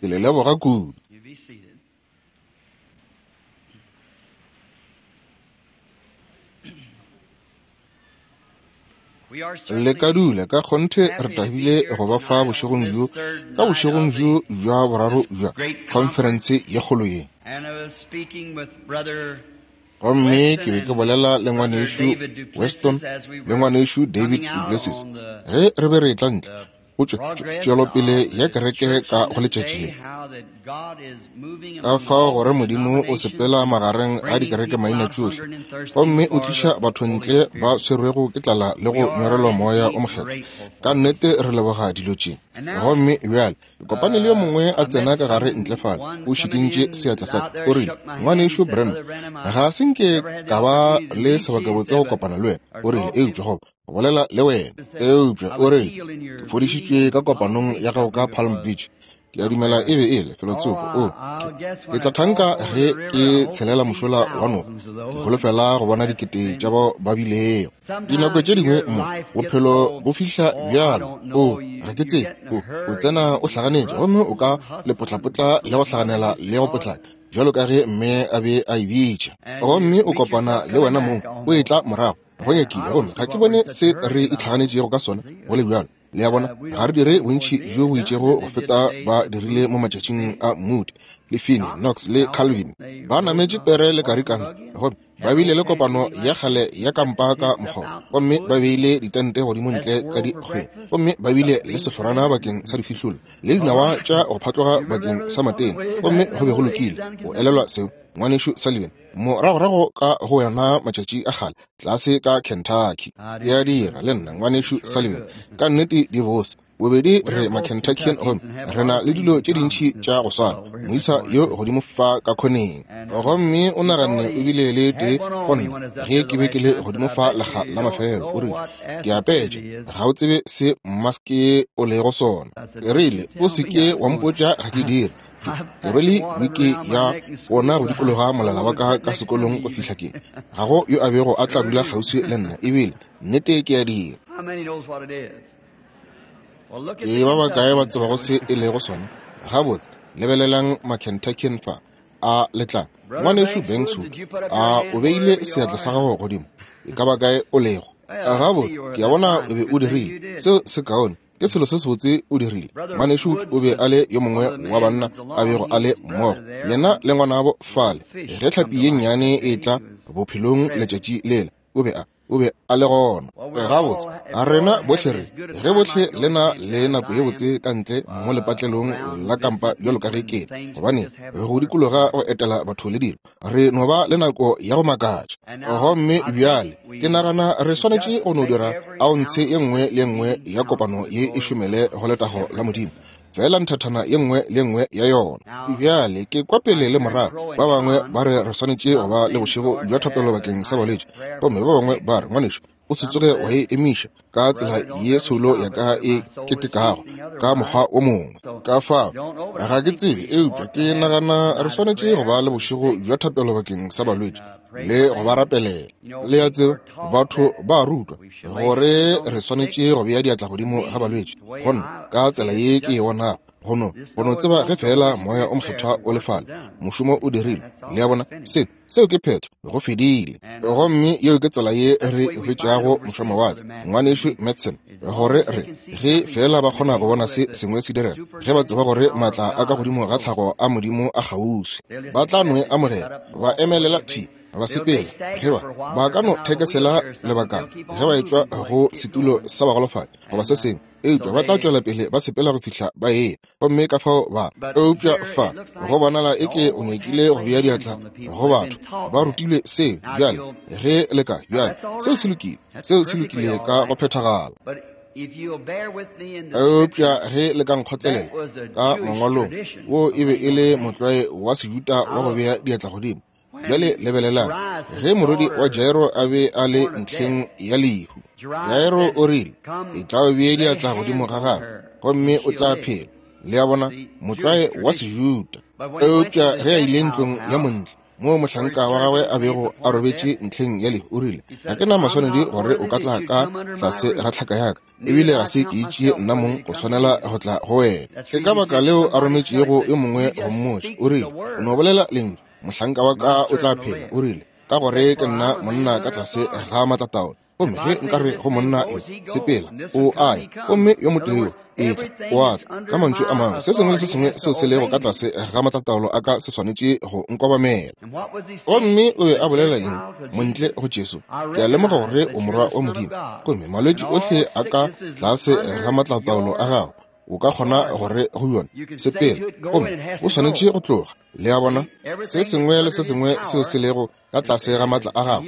Ke le leboga kudu. Le ka dula, ka kgonthe re thabile go ba fa bošegong bjo, ka bošegong bjo bja boraro bja khonferense ye kgolo ye. Gomme ke be ke bolela le ngwanešu Weston le ngwanešu David duPlessis ge re be re etla ntle go tšwelopele ya kereke ka go letšatši le, ka fao gore Modimo o sepela magareng a dikereke maina tšohle gomme o tliša batho ntle ba swerwego ke tlala le go nyorelwa Moya o Mokgethwa. Ka nnete re leboga dilo tše. Gomme bjale ke kopane le yo mongwe a tsena ka gare ntle fale, o šikintše seatla sa ka, o rile, Ngwanešu Branham, ga se nke ka ba le sebakabotse go kopana le wena, o rile, eupša goba go bolela le wena, eupša o rile, ke fodišitšwe ka kopanong ya gago ka Palm Beach. Ke a dumela e be e le felotsoko. O, ke, ke tla thanka ge ke tshelela mošola wa noka. Ke holofela go bona dikete tša bao ba bilego. Dinako tše dingwe mo bophelo bo fihla bjalo, o, ga ke tsebe, o, o tsena o hlaganetše gomme o ka lepotlapotla le go hlaganela le go potlaka, bjalo ka ge mme a be a e bitša. Gomme o kopana le wena mong o etla morago, go nyakile, gomme ga ke bone se re itlhaganetšego ka sona go le bjalo. Le a bona, ga re dire bontši bjo bo itšego go feta ba dirile mo matšatšing a Moody le Finney, Knox le Calvin. Ba nametše pere le karikana, gomme ba bile le kopano ya kgale ya kampa ka mokgoba, gomme ba beile ditente godimo ntle ka dikgweng, gomme ba bile le sehlorana bakeng sa difihlolo le dinawa tša go phatloga bakeng sa matena, gomme go be go lokile. O elelwa seo, Ngwanešu Sullivan? Moragorago ka go yona matšatši a kgale tlase ka Kentucky. Ke a dira le nna, Ngwanešu Sullivan. Ka nnete di bose. Bobedi re ma-Kentuckian gomme re na le dilo tše dintši tša go swana. Moisa yo godimo fa ka khoneng. Gomme o naganne o bile le tee go nna ge ke be ke le godimo fa lekga la mafelelo. O rile, Ke a petša, ga o tsebe se maske o lego sona. Ke rile, O se ke wa mpotša, ga ke dire. Ke rwele wiki ya wona go dikologa molala wa ka ka sekolong go fihla ke ga go yo a bego a tla dula kgauswi le nna ebile nnete ke a dira. Ke ba bakae ba tsebago se e lego sona? Gabotse, lebelelang Makentuckian fa. A le tla? Ngwanešu Banks, a o beile seatla sa gago godimo? E ka ba kae o lego? Gabotse, ke a bona o be o dirile. Seo se kaone. Ke selo se sebotse o dirile. Ngwanešu o be a le yo mongwe wa banna a bego a le mmogo, yena le ngwanabo fale. Ge hlapi ye nnyane e tla bophelong letšatši lela, o be a, o be a le gona. Gabotse, a rena bohle re, ge bohle le na le nako ye botse ka ntle mo lepatlelong la kampa bjalo ka ge ke le, gobane go dikologa go etela batho le dilo, re no ba le nako ya go makatša. Gomme bjale ke nagana re swanetše go no dira aontshe ye nngwe le ye nngwe ya kopano ye e šomele go letago la Modimo, feela nthathana ye nngwe le ye nngwe ya yona. Bjale ke kwa pele le morago, ba bangwe ba re re swanetše go ba le bošego bja thapelo bakeng sa balwetši, gomme ba bangwe ba re, Ngwanešu, o se tsoge wa e emiša ka tsela ye soulo ya ka e ketekago ka mokgwa o mongwe. Ka fao, ga ke tsebe, eupša ke nagana re swanetše go ba le bošego bja thapelo bakeng sa balwetši le go ba rapelela. Le a tseba, batho ba rutwa gore re swanetše go bea diatla godimo ga balwetši. Go nna, ka tsela ye ke e bonago, go no, go no tseba ge feela Moya o Mokgethwa o le fale, mošomo o dirilwe. Le a bona? Se, Seo ke phetho, go fedile. Gomme yeo ke tsela ye re hwetšago mošwamawatle, Ngwanešu Madsen, gore re, ge feela ba kgona go bona se sengwe se direga, ge ba tseba gore maatla a ka godimo ga tlhago a Modimo a kgauswi, ba tla no e amogela, ba emelela thwi, ba sepela. Ge ba, ba ka no thekesela lebakana ge ba etšwa go setulo sa bagolofadi goba se sengwe, eupša ba tla tšwela pele ba sepela go fihla ba eya. Gomme ka fao ba, eupša fa go bonala eke o nyakile go bea diatla go batho, ba rutilwe seo. Bjale ge le ka, bjale seo se lokile, seo se lokile ka go phethagala. Eupša ge le ka nkgotlelela ka mangwalong, wo e be e le motlwae wa Sejuda wa go bea diatla godimo. Bjale lebelelang, ge morwedi wa Jairo a be a le ntlheng ya lehu, Jairo o rile, Etla o bee diatla godimo ga gagwe, gomme o tla phela. Le a bona, motlwae wa Sejuda. Eupša ge a ile ntlong ya montle, moo mohlanka wa gagwe a bego a robetše ntlheng ya lehu, o rile, Ga ke na maswanedi gore o ka tla ka tlase ga tlhaka ya ka, ebile ga se ke itšee nna mong go swanela go tla go wena. Ke ka baka leo a rometšego yo mongwe go mmotša. O rile, O no bolela lentšu, mohlanka wa ka o tla phela. O rile, Ka gore ke nna monna ka tlase ga maatlataolo, gomme ge nka re go monna yo, sepela, o a ya, gomme yo motee yo, etla, o a tla. Ka mantšu a mangwe, se sengwe le se sengwe seo se lego ka tlase ga maatlataolo a ka se swanetše go nkobamela. Gomme o be a bolela eng? Montle go Jesu, ke a lemoga gore o Morwa wa Modimo, gomme malwetši ohle a ka tlase ga maatlataolo a gago. O ka kgona gore go yona, sepela, gomme o swanetše go tloga. Le a bona? Se sengwe le se sengwe seo se lego ka tlase ga maatla a gago,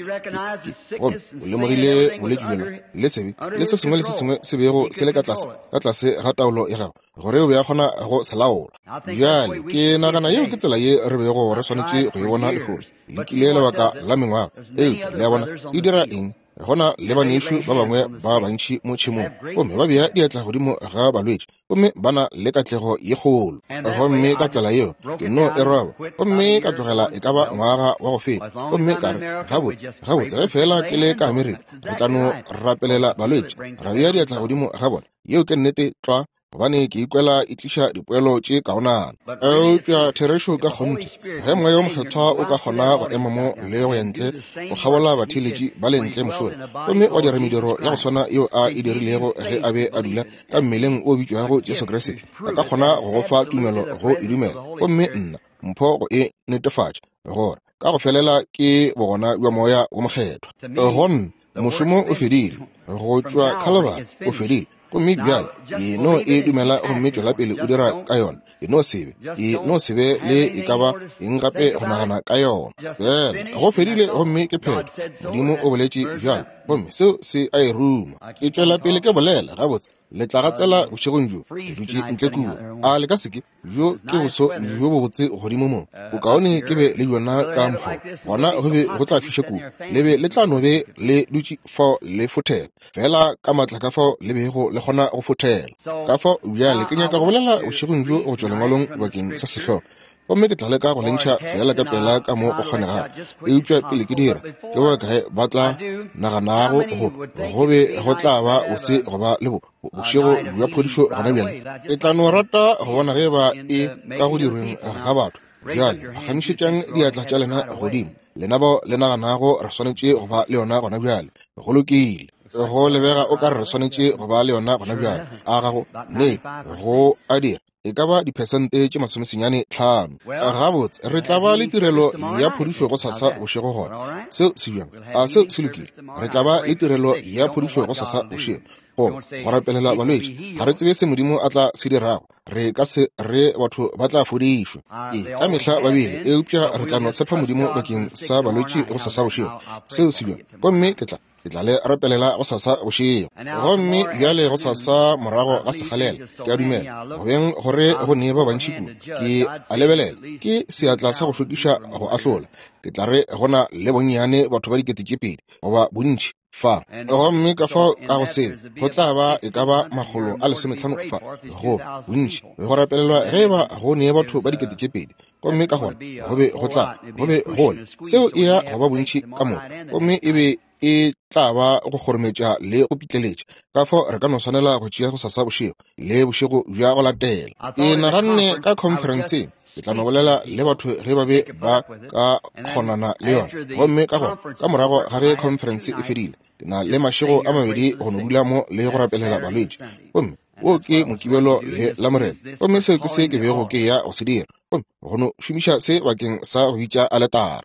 gomme o lemogile bolwetši bjola le sebe le se sengwe le se sengwe se bego se le ka tlase, ka tlase ga taolo ya gago, gore o be a kgona go se laola. Bjale ke nagana yeo ke tsela ye re bego re swanetše go e bona lehono. Lekile lebaka la mengwaga, eupša le a bona e dira eng? Go na le banešu ba bangwe ba bantši mo tšhemong, gomme ba bea diatla godimo ga balwetši, gomme ba na le katlego ye kgolo. Gomme ka tsela yeo ke no e roba, gomme ka tlogela e ka ba ngwaga wa go feta, gomme ka re, Gabotse, gabotse, ge feela ke le ka Amerika, re tla no rapelela balwetši, ra bea diatla godimo ga bona. Yeo ke nnete tlwa. gobane ke ikwela e tliša dipoelo tše kaonana. Eupša therešo ka kgonthe, ge Moya wo Mokgethwa o ka kgona go ema mo le go ya ntle go kgabola batheeletši ba le ntle mošola, gomme wa dira mediro ya go swana yeo A e dirilego ge A be a dula ka mmeleng o bitšwago Jesu Kriste, a ka kgona go go fa tumelo go e dumela, gomme nna mpho go e netefatša, gore ka go felela ke bogona bja Moya wo Mokgethwa. Go nna, mošomo o fedile, go tšwa Khalabari o fedile. Gomme bjale e no e dumela gomme tšwela pele o dira ka yona. E no se be, e no se be le e ka ba eng gape go nagana ka yona. Fela go fedile gomme ke phetho. Modimo o boletše bjalo, gomme seo se a e ruma. Ke tšwela pele ke bolela gabotse. Le tla gatsela bošegong bjo, ke dutše ntle kua. A le ka se ke? Bjo ke boso bjo bobotse godimo mo. Bokaone ke be le bjona ka mokgwa gona go be go tla fiša kudu. Le be le tla no be le dutše fao le fothela, feela ka maatla ka fao le bego le kgona go fothela. Ka fao bjale ke nyaka go bolela bošegong bjo go tšwa Lengwalong bakeng sa sehlogo, gomme ke tla leka go le ntšha feela ka pela ka mo go kgonegago. Eupša pele ke dira, ke ba bakae ba tla naganago go go be go tla ba bose go ba le bo bošego bja phodišo gona bjale? Ke tla no rata go bona ge ba e ka go dirweng ga batho. Bjale phagamišetšang diatla tša lena godimo, lena bao le naganago re swanetše go ba le yona gona bjale. Go lokile. Go lebega o ka re re swanetše go ba le yona gona bjale. A gago nnete go a dira? E ka ba diphesente tše 95. Gabotse, re tla ba le tirelo ya phodišo gosasa bošego gona. Seo se bjang? A seo se lokile? Re tla ba le tirelo ya phodišo gosasa bošego, goba go rapelela balwetši. Ga re tsebe se Modimo a tla se dirago. Re ka se re batho ba tla fodišwa. Ee, ka mehla ba bile, eupša re tla no tshepa Modimo bakeng sa balwetši gosasa bošego. Seo se bjang? Gomme ke tla. Ke tla le rapelela gosasa bošego. Gomme bjale gosasa morago ga sekgalela, ke a dumela, go beng gore go ne ba bantši kudu, ke a lebelela, ke seatla sa go hlwekiša go ahlola. Ke tla re go na le bonnyane batho ba 2000 goba bontši fa. Gomme ka fao ka go seo, go tla ba e ka ba 150 fa, goba bontši, go rapelelwa ge eba go ne batho ba 2000. Gomme ka gona go be go tla go be go le seo e ya go ba bontši ka moka, gomme e be e tla ba go kgorometša le go pitleletša. Ka fao re ka no swanela go tšea gosasa bošego le bošego bja go latela. Ke naganne ka khonferenseng ke tla no bolela le batho ge ba be ba ka kgonana le yona. Gomme ka gona ka morago ga ge khonferense e fedile, ke na le mašego a mabedi go no dula mo le go rapelela balwetši. Gomme wo ke Mokibelo le Lamorena, gomme seo ke se ke bego ke ya go se dira, gomme go no šomiša se bakeng sa go bitša aletara.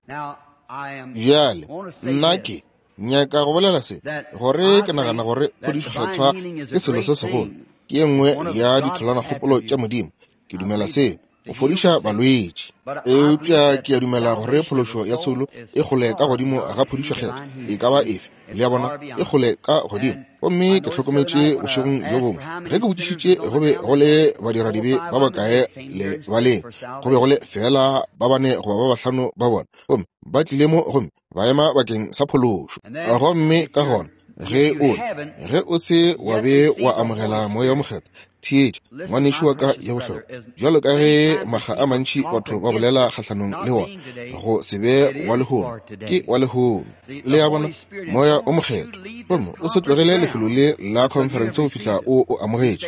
Bjale, nna ke nyaka go bolela se, gore ke nagana gore phodišo kgethwa ke selo se segolo, ke ye nngwe ya ditholanakgopolo tša Modimo. Ke dumela seo, go fodiša balwetši. Eupša ke a dumela gore phološo ya soulo e kgole ka godimo ga phodišo kgethwa e ka ba efe. Le a bona, e kgole ka godimo. Gomme ke hlokometše bošegong bjo bongwe, ge ke botšišitše go be go le badiradibe ba bakae lebaleng, go be go le feela ba bane goba ba bahlano ba bona, gomme ba tlile mo gomme ba ema bakeng sa phološo. Gomme ka gona ge o, ge o se wa be wa amogela Moya wo Mokgethwa, Theetša, ngwanešu wa ka ya bohlokwa, bjalo ka ge makga a mantši batho ba bolela kgahlanong le wona, go se be wa lehono, ke wa lehono. Le a bona, Moya o Mokgethwa. Gomme o se tlogele lefelo le la khonferense go fihla o o amogetše.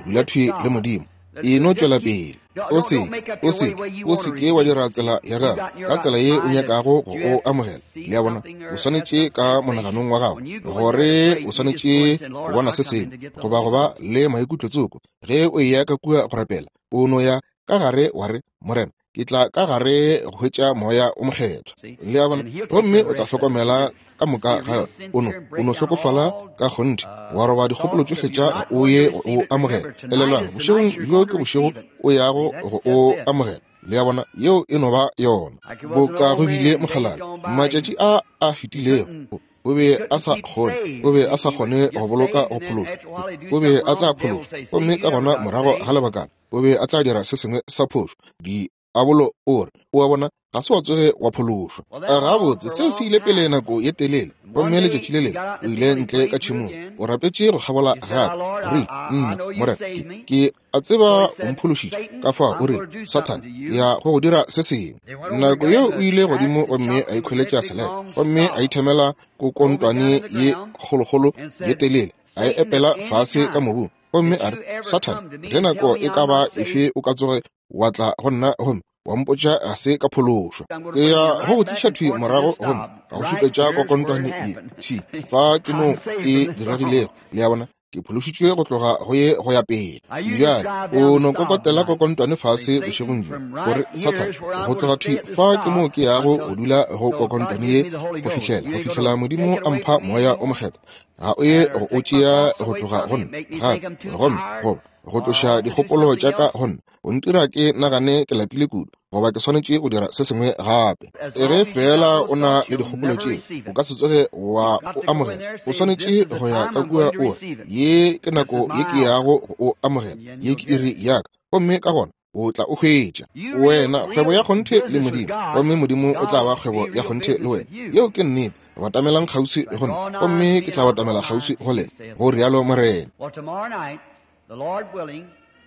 Dula thwi le Modimo. E no tšwela pele. O se, o se, o se ke wa dira tsela ya gago ka tsela ye o nyakago go o amogela. Le a bona, o swanetše ka monaganong wa gago gore o swanetše go bona se sengwe goba go ba le maikutlo tsoko. Ge o eya ka kua go rapela, o no ya ka gare wa re, Morena, ke tla ka gare go hwetša Moya o Mokgethwa. Le a bona? Gomme o tla hlokomela ka moka ga yona. O no, o no hlokofala ka kgonthe, wa roba dikgopolo tšohle tša o ye go o amogela. Elelwang, bošegong bjo ke bošego o yago go o amogela. Le a bona? Yeo e no ba yona. Boka go bile mokgalabje matšatši a a fetilego, o be a sa kgone, o be a sa kgone go boloka go phološwa. O be a tla phološwa, gomme ka gona morago ga lebakana o be a tla dira se sengwe sa phošo. Diabolo o re, O a bona, ga se wa tsoge wa phološwa. Gabotse, seo se ile pele nako ye telele. Gomme letšatši le lengwe o ile ntle ka tšhemong, o rapetše go kgabola gape. O rile, Nna, Morena, ke, ke a tseba o mphološitše. Ka fao o rile, Sathane, ke ya go go dira se sengwe. Nako yeo o ile godimo gomme a ikhweletša selepe, gomme a ithemela kokontwane ye kgolokgolo ye telele, a e epela fase ka mobung. Gomme a re, Sathane, ge nako e ka ba efe o ka tsoge wa tla go nna gomme wa mpotša ga se ka phološwa, ke ya go go tliša thwi morago gomme ka go šupetša kokontwane ye thwi fa ke mo e diregilego. Le a bona, ke phološitšwe go tloga go ye go ya pele. Bjale o no kokotela kokontwane fase bošegong bjo, o re, Sathane, go tloga thwi fa ke mo ke yago go dula go kokontwane ye go fihlela, go fihlela Modimo a mpha Moya o Mokgethwa. Ga o ye go o tšea go tloga go nna gape, gomme goba go tloša dikgopolo tša ka go nna, o ntira ke nagane ke lapile kudu, goba ke swanetše go dira se sengwe gape. Ge feela o na le dikgopolo tšeo, o ka se tsoge wa o amogela. O swanetše go ya ka kua o re, Ye ke nako ye ke yago go o amogela, ye ke iri ya ka. Gomme ka gona o tla o hwetša. Wena kgwebo ya kgonthe le Modimo, gomme Modimo o tla ba kgwebo ya kgonthe le wena. Yeo ke nnete. Batamelang kgauswi go nna, gomme ke tla batamela kgauswi go lena, go rialo Morena.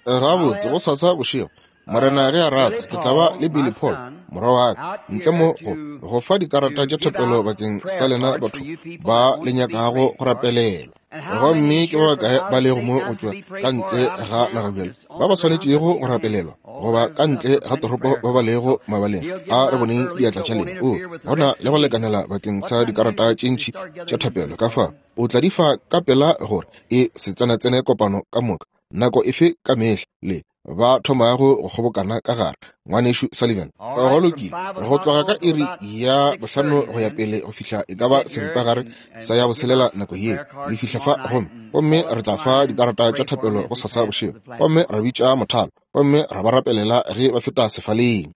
Gabotse, gosasa bošego, Morena ge a rata, ke tla ba le Billy Paul, morwa wa ka, ntle mo go, go fa dikarata tša thapelo bakeng sa lena batho ba le nyakago go rapelelwa. Gomme ke ba bakae ba lego mo go tšwa ka ntle ga naga bjale, ba ba swanetšego go rapelelwa, goba ka ntle ga toropo ba ba lego mabaleng? A re boneng diatla tša lena. O, go na le go lekanela bakeng sa dikarata tše ntši tša thapelo, ka fao o tla di fa ka pela gore e se tsenatsene kopano ka moka, nako efe ka mehla le ba thomago go kgobokana ka gare. Ngwanešu Sullivan, go lokile, go tloga ka iri ya 5 go ya pele go fihla e ka ba seripagare sa ya boselela nako yeo, le fihla fa, gomme, gomme re tla fa dikarata tša thapelo go sasa bošego, gomme ra bitša mothalo, gomme ra ba rapelela ge ba feta sefaleng.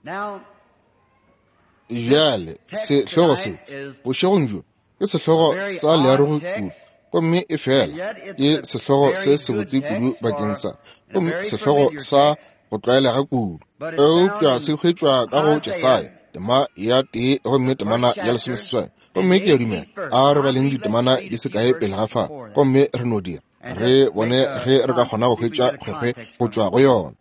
Bjale, sehlogo se bošegong bjo ke sehlogo sa learogi kudu, gomme e fela ke sehlogo se sebotse kudu bakeng sa, gomme sehlogo sa go tlwaelega kudu, eupša se hwetšwa ka go Jesaya tema ya 1 gomme temana ya 18. Gomme ke a dumela a re baleng ditemana di se kae pele ga fa, gomme re no dira re bone ge re ka kgona go hwetša kgwekgwe go tšwa go yona.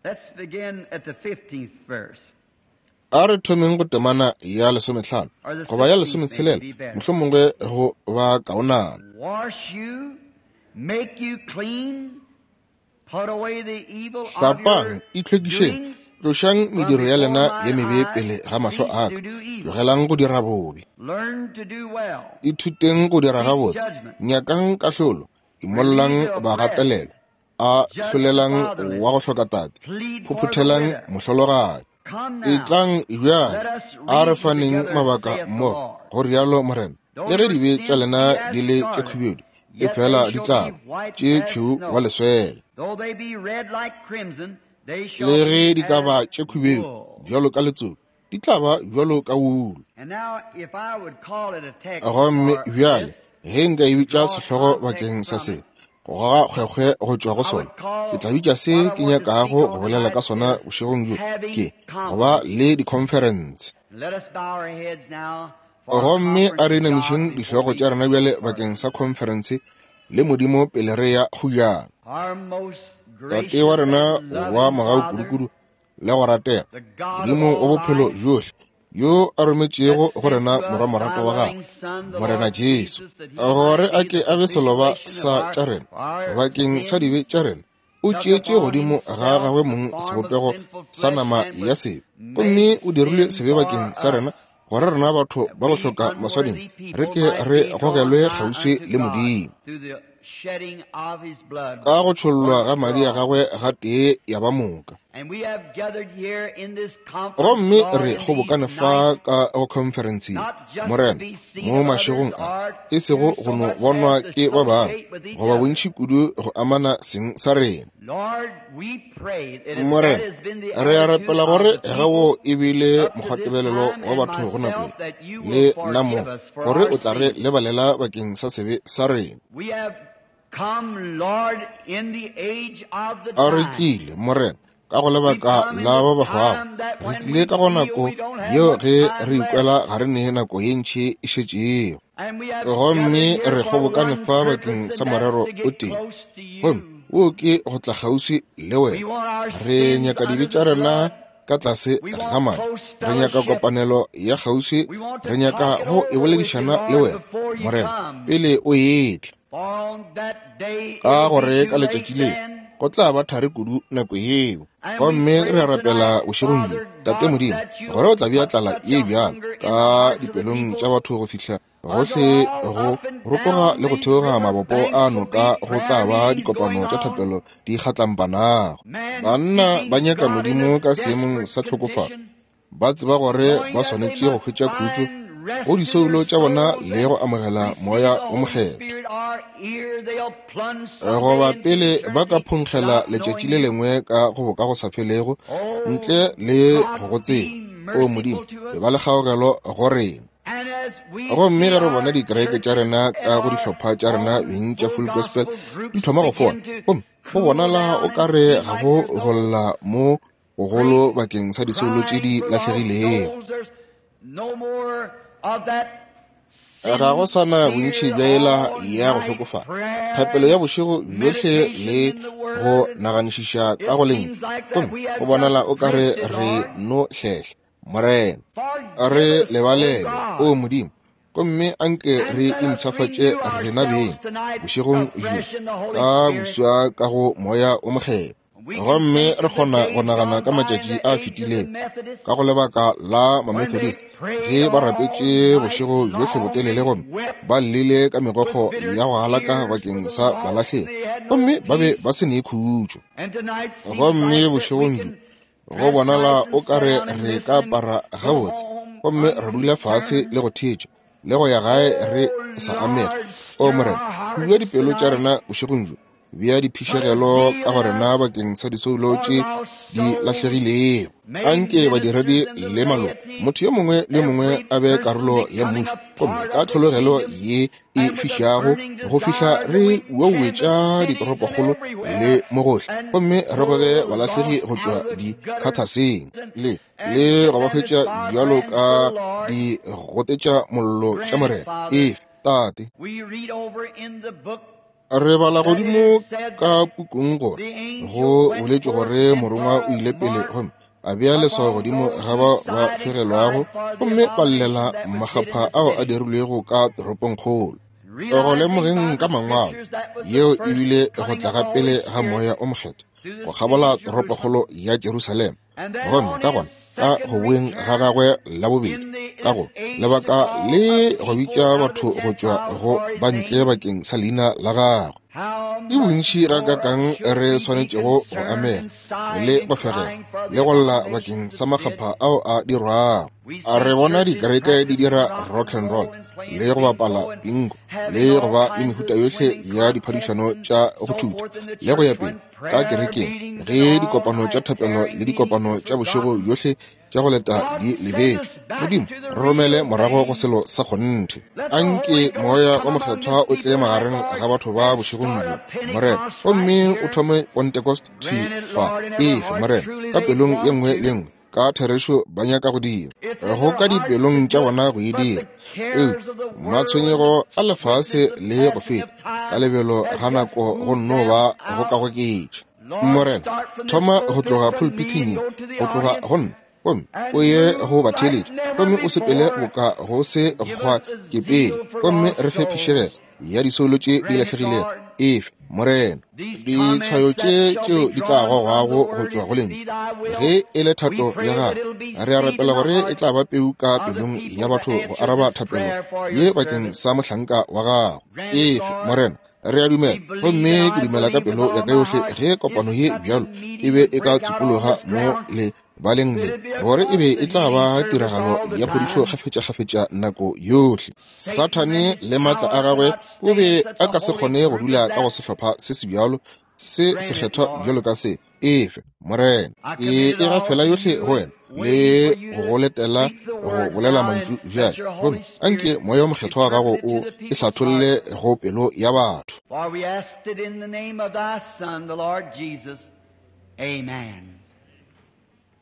A re thomeng go temana ya 15 goba ya 16, mohlomongwe go ba kaonana. Hlapang, itlhwekišeng, tlošang mediro ya lena ye mebe pele ga mahlo a ka, tlogelang go dira bobe. Ithuteng go dira gabotse, nyakang kahlolo, imollang bagatelelwa, a hlolelang wa go hloka tate, phophothelang mohlologadi. Etlang bjale, a re faneng mabaka mmogo, go rialo Morena. Le ge dibe tša lena di le tše khubedu, e fela di tla ba tše tšhweu wa leswele. Le ge di ka ba tše khubedu bjalo ka letsoku, di tla ba bjalo ka wulu. Gomme bjale ge nka e bitša sehlogo bakeng sa se, go goga kgwekgwe go tšwa go sona, ke tla bitša se ke nyakago go bolela ka sona bošegong bjo, ke go ba le dikhonferense. Gomme a re inamišeng dihlogo tša rena bjale bakeng sa khonferense le Modimo pele re ya go bjana. Tate wa rena wa mogau kudukudu le go ratega, Modimo wa bophelo bjohle, yo a rometšego go rena Morwa morato wa gagwe, Morena Jesu, gore a ke a be seloba sa tša rena bakeng sa dibe tša rena, o tšeetše godimo ga gagwe mong sebopego sa nama ya sebe, gomme o dirile sebe bakeng sa rena, gore rena batho ba go hloka maswanedi re ke re gogelwe kgauswi le Modimo ka go tšhollwa ga madi a gagwe gatee ya ba moka. Gomme re kgobokane fa ka go khonferense ye, Morena, mo mašegong a, e sego go no bonwa ke ba bangwe goba bontši kudu go amana seng sa rena. Morena, re a rapela gore ge wo e bile mokgwatebelelo wa batho go nako le nna mo, gore o tla re lebalela bakeng sa sebe sa rena. A re tlile, Morena, ka go lebaka la ba ba hwago. Re tlile ka go nako yeo ge re ikwela ga re ne nako ye ntši e šetšego. Gomme re kgobokane fa bakeng sa morero o tee, gomme wo ke go tla kgauswi le wena. Re nyaka dibe tša rena ka tlase ga madi, re nyaka kopanelo ya kgauswi, re nyaka go e boledišana le wena, Morena, pele o etla. Ka gore ka letšatši leo go tla ba thari kudu nako yeo. Gomme re a rapela bošegong bjo, Tate Modimo, gore o tla bea tlala ye bjalo ka dipelong tša batho go fihla gohle go rotoga le go theoga mabopo a noka go tla ba dikopano tša thapelo di kgatlampanago. Banna ba nyaka Modimo ka seemong sa tlhokofalo, ba tseba gore ba swanetše go hwetša khutšo go disoulo tša bona le go amogela Moya wo Mokgethwa. Goba pele ba ka phonkgela letšatši le lengwe ka go boka go sa felego ntle le go go tseba. O Modimo, e ba le kgaogelo go rena. Gomme ge re bona dikereke tša rena ka go dihlopha tša rena beng tša Full Gospel di thoma go fola, gomme go bonala o ka re ga go go lla mo gogolo bakeng sa disoulo tše di lahlegilego. Ga go sa na bontši bja yela ya go hlokofala, thapelo ya bošego bjohle le go naganišiša ka go lentšu, gomme go bonala o ka re re no hlehla. Morena, re lebalele, o Modimo, gomme anke re impshafatše rena beng bošegong bjo ka boswa ka go Moya o Mokgethwa. Gomme re kgona go nagana ka matšatši a fetilego ka go lebaka la Mamethodist ge ba rapetše bošego bjohle botelele gomme ba llile ka megokgo ya go galaka bakeng sa balahlegi, gomme ba be ba se ne khutšo. Gomme bošegong bjo go bonala o ka re re ka apara gabotse gomme ra dula fase le go theetša le go ya gae re sa amega. O Morena, bua dipelo tša rena bošegong bjo, bea diphišegelo ka go rena bakeng sa disoulo tše di lahlegilego. Anke badiredi le maloko, motho yo mongwe le yo mongwe a be karolo ya mmušo, gomme ka tlhologelo ye e fišago go fihla re uauetša ditoropokgolo le mo gohle, gomme re goge balahlegi go tšwa dikhathaseng le le go ba hwetša bjalo ka di gotetša mollo tša Morena. Efe, Tate. Re bala godimo ka pukung gore go boletšwe gore morongwa o ile pele gomme a bea leswao godimo ga ba ba fegelwago gomme ba llela makgapha ao a dirilwego ka toropongkgolo. Go lemogeng ka mangwalo, yeo e bile go tla ga pele ga Moya o Mokgethwa go kgabola toropokgolo ya Jerusalema, gomme ka gona ka go boeng ga gagwe la bobedi ka go lebaka le go bitša batho go tšwa go ba ntle bakeng sa leina la gagwe. Ke bontši gakaakang re swanetšego go amega le go fegela le go lla bakeng sa makgapha ao a dirwago. A re bona dikereke di dira rock and roll le go bapala bingo le go ba le mehuta yohle ya diphadišano tša go thuta le go ya pele ka kerekeng, ge dikopano tša thapelo le dikopano tša bošego bjohle tša go leta di lebetšwe. Modimo, re romele morago go selo sa kgonthe. Anke Moya wa Mokgethwa o tle magareng ga batho ba bošegong bjo, Morena, gomme o thome Pentecost thwi fa. Efe, Morena, ka pelong ye nngwe le nngwe, ka therešo ba nyaka go dira, go ka dipelong tša bona go e dira. Eupša matshwenyego a lefase le go feta ka lebelo ga nako go nno ba go ka goketša. Morena, thoma go tloga pulpithing ye, go tloga go nna, gomme o ye go batheeletši, gomme o sepele boka go se gwa ke pele, gomme re fe phišegelo ya disoulo tše di lahlegilego. Efe, Morena, ditshwayo tše tšeo di tla gogwago go tšwa go Lentšu, ge e le thato ya Gago, re a rapela gore e tla ba peu ka pelong ya batho go araba thapelo ye bakeng sa mohlanka wa Gago. Efe, Morena, re a dumela, gomme ke dumela ka pelo ya ka yohle ge kopano ye bjalo e be e ka tsupologa mo le baleng le, gore e be e tla ba tiragalo ya phodišo kgafetšakgafetša nako yohle. Sathane le maatla a gagwe o be a ka se kgone go dula ka go sehlopha se se bjalo se sekgethwa bjalo ka se. Efe, Morena, e e gafela yohle go wena le go go letela go bolela mantšu bjale, gomme anke Moya o Mokgethwa wa gago o e hlatholle go pelo ya batho. For we asked it in the name of thy Son, the Lord Jesus. Amen.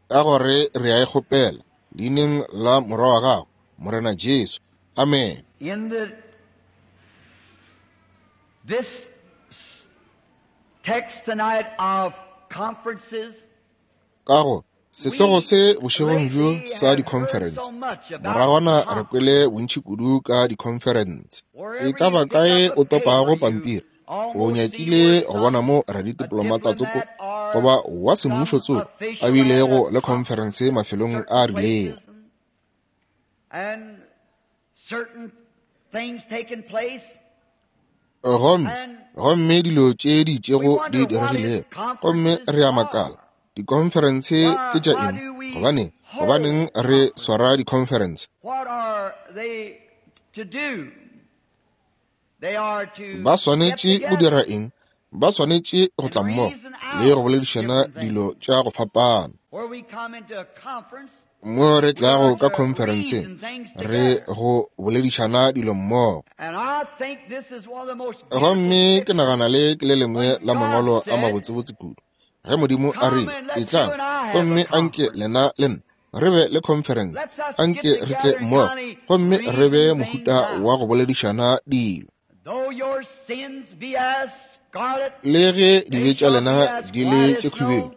Ka gore re a e kgopela leineng la Morwa wa gago, Morena Jesu. Amen. In the this text tonight of conferences, Ka go sehlogo se bošegong bjo sa dikhonferense, moragwana re kwele bontši kudu ka dikhonferense. E ka ba kae o topago pampiri, o nyakile go bona mo raditiplomata tsoko goba wa semmušo tsoko a bilego le khonferense mafelong a rilego. And certain things taking place. Gomme, gomme dilo tše di itšego di diregilego, gomme re a makala, dikhonferense ke tša eng? Gobaneng, gobaneng re swara dikhonferense? What are they to do? They are to Ba swanetše get go together dira eng? Ba swanetše go tla mmogo le go boledišana dilo tša go fapana. Where we come into a conference, Mo re tlago ka khonferenseng, re go boledišana dilo mmogo. and I think this is one of the most Gomme ke beautiful nagana le ke le lengwe la mangwalo a mabotsebotse kudu. Ge Modimo a rile, etlang, gomme anke lena le nna re be le conference, anke re tle mmogo, gomme re be mohuta wa go boledišana dilo. Though your sins be as scarlet, Le ge dibe tša lena di le tše khubedu,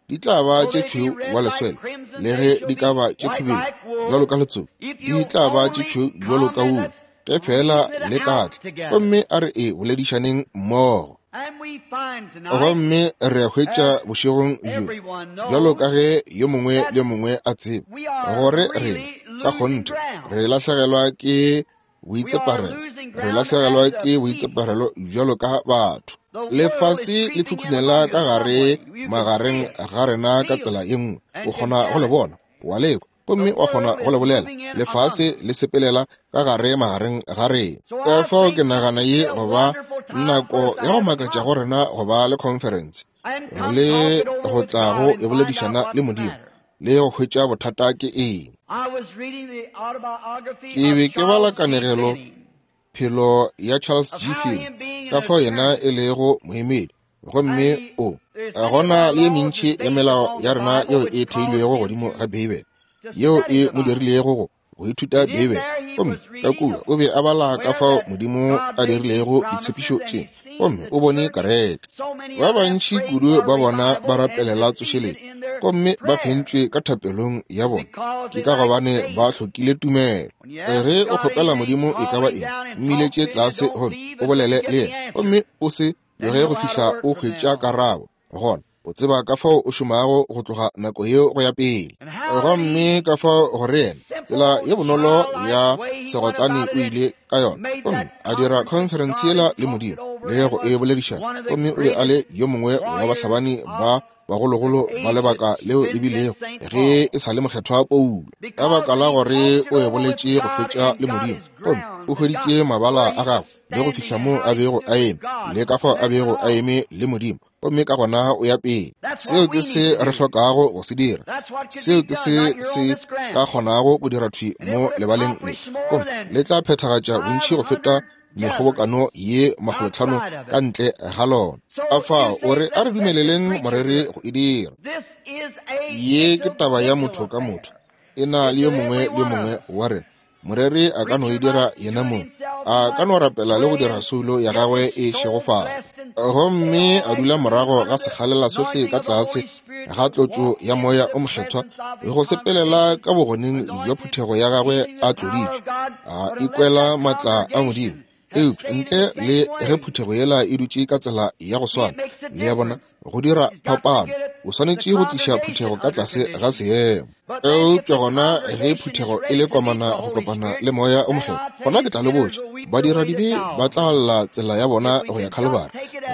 di tla ba tše tšhweu wa leswele, le ge di ka ba tše khubedu bjalo ka letsopa, di tla ba tše tšhweu bjalo ka wulu, ge fela le ka tla, gomme a re e boledišaneng mmogo. and we find tonight Gomme re a hwetša bošegong bjo, bjalo ka ge yo mongwe le yo mongwe a tseba, gore rena ka kgonthe re lahlegelwa ke boitseparelo, re lahlegelwa ke boitseparelo bjalo ka batho. Lefase le khukhunela ka gare magareng ga rena ka tsela ye nngwe. O kgona go le bona, wa le kwa, gomme wa kgona go le bolela. Lefase le sepelela ka gare magareng ga rena. Ka fao ke nagana ye go ba nako ya go makatša go rena go ba le conference and come le talk it over go with tla God go and e find out boledišana what's le the Modimo matter. le go hwetša bothata ke eng. I was reading the autobiography Ke of be ke bala Charles G. kanegelo Finney, phelo ya Charles of G. how Finney, him being ka an fao yena attorney e lego moemedi, gomme and he, o there's many of gona our le ye laws mentši is ya based melao upon ya the rena Bible, yeo which e caused theilwego him godimo ga to, Beibele to yeo study e the mo Bible. dirilego go go ithuta And in Beibele. there he Gomme was ka reading kua o be a bala ka where fao that Modimo God a made these dirilego promises ditshepišo and tše, he seen gomme the o bone church, kereke. so many Ba of them bantši prayed kudu for ba bona ba revival and rapelela defeated tsošeletšo, in their gomme ba prayer fentšwe ka thapelong ya bona. because Ke they ka lacked gobane ba faith. hlokile tumelo. When you ask Ge o God kgopela anything, Modimo e ka call ba him eng, down and talk mmiletše to him and tlase don't gomme leave o until you bolele get le the yena, answer. gomme o se Then tloge you go know how to fihla work o from then hwetša on. karabo. Gona o tseba ka fao o šomago go tloga nako yeo go ya pele. And how that Gomme he, ka fao gore yena, tsela simple ye bonolo ya childlike way he went segotlane about o it and ile ka yona, made gomme that a dira conference with conference God yela and le talked it Modimo over le and go was e boledišana, one of the gomme o be a le greatest yo mongwe wa warriors bahlabani ba of the bagologolo ba age that lebaka leo le been bilego since St. ge Paul. e sa le mokgethwa Paulo. Ka Because baka la he gore talked it o e over with boletše go God fetša and le got Modimo, his gomme grounds o and got hweditše mabala where a he was gagwe le go standing fihla and mo how a he bego stood a with eme God le ka fao from a that bego a point on. eme le Modimo, gomme ka gona o ya pele. That's Seo what ke we se need to re do. hlokago go se dira. That's what could Seo be ke done se right here on se this ka ground. kgonago go dira thwi And it mo would lebaleng le, accomplish more gomme than le tla phethagatša bontši go feta 500 mekgobokano gatherings ye makgolotlhano outside of ka it. ntle ga lona. So Ka you fao o say, re a re let's let the dumeleleng preacher do moreri it. go e dira. This is a Ye ke taba ya motho individual ka motho, affair. e na It's le yo to mongwe every le yo one of mongwe us. wa rena. Moreri a ka no e Preacher dira might yena do it mong, himself, A ka no rapela le go dira soulo ya gagwe e šegofala, gomme a dula morago ga sekgalela sohle ka tlase ga tlotšo ya Moya o Mokgethwa le go sepelela ka bogoneng bja phuthego ya gagwe a tloditšwe, a ikwela maatla a Modimo. Eupša ntle le ge phuthego yela e dutše ka tsela ya go swana, le a bona, go dira phapano, o swanetše go tliša phuthego ka tlase ga seemo. Eupša gona ge phuthego e le komana go kopana le Moya o Mokgethwa, gona ke tla le botša, badiradibe ba tla lla tsela ya bona go ya Khalibari,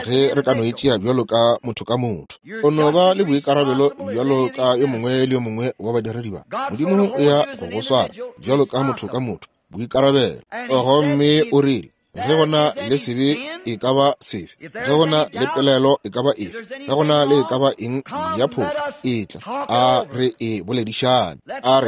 ge re ka no e tšea bjalo ka motho ka motho. O no ba le boikarabelo bjalo ka yo mongwe le yo mongwe wa badiredi ba. Modimo o ya go go swara bjalo ka motho ka motho, boikarabelo. Gomme o rile, ge go na le sebe e ka ba sefe, ge go na le pelaelo e ka ba efe, ge go na le e ka ba eng ya phošo, etla a re e boledišane, a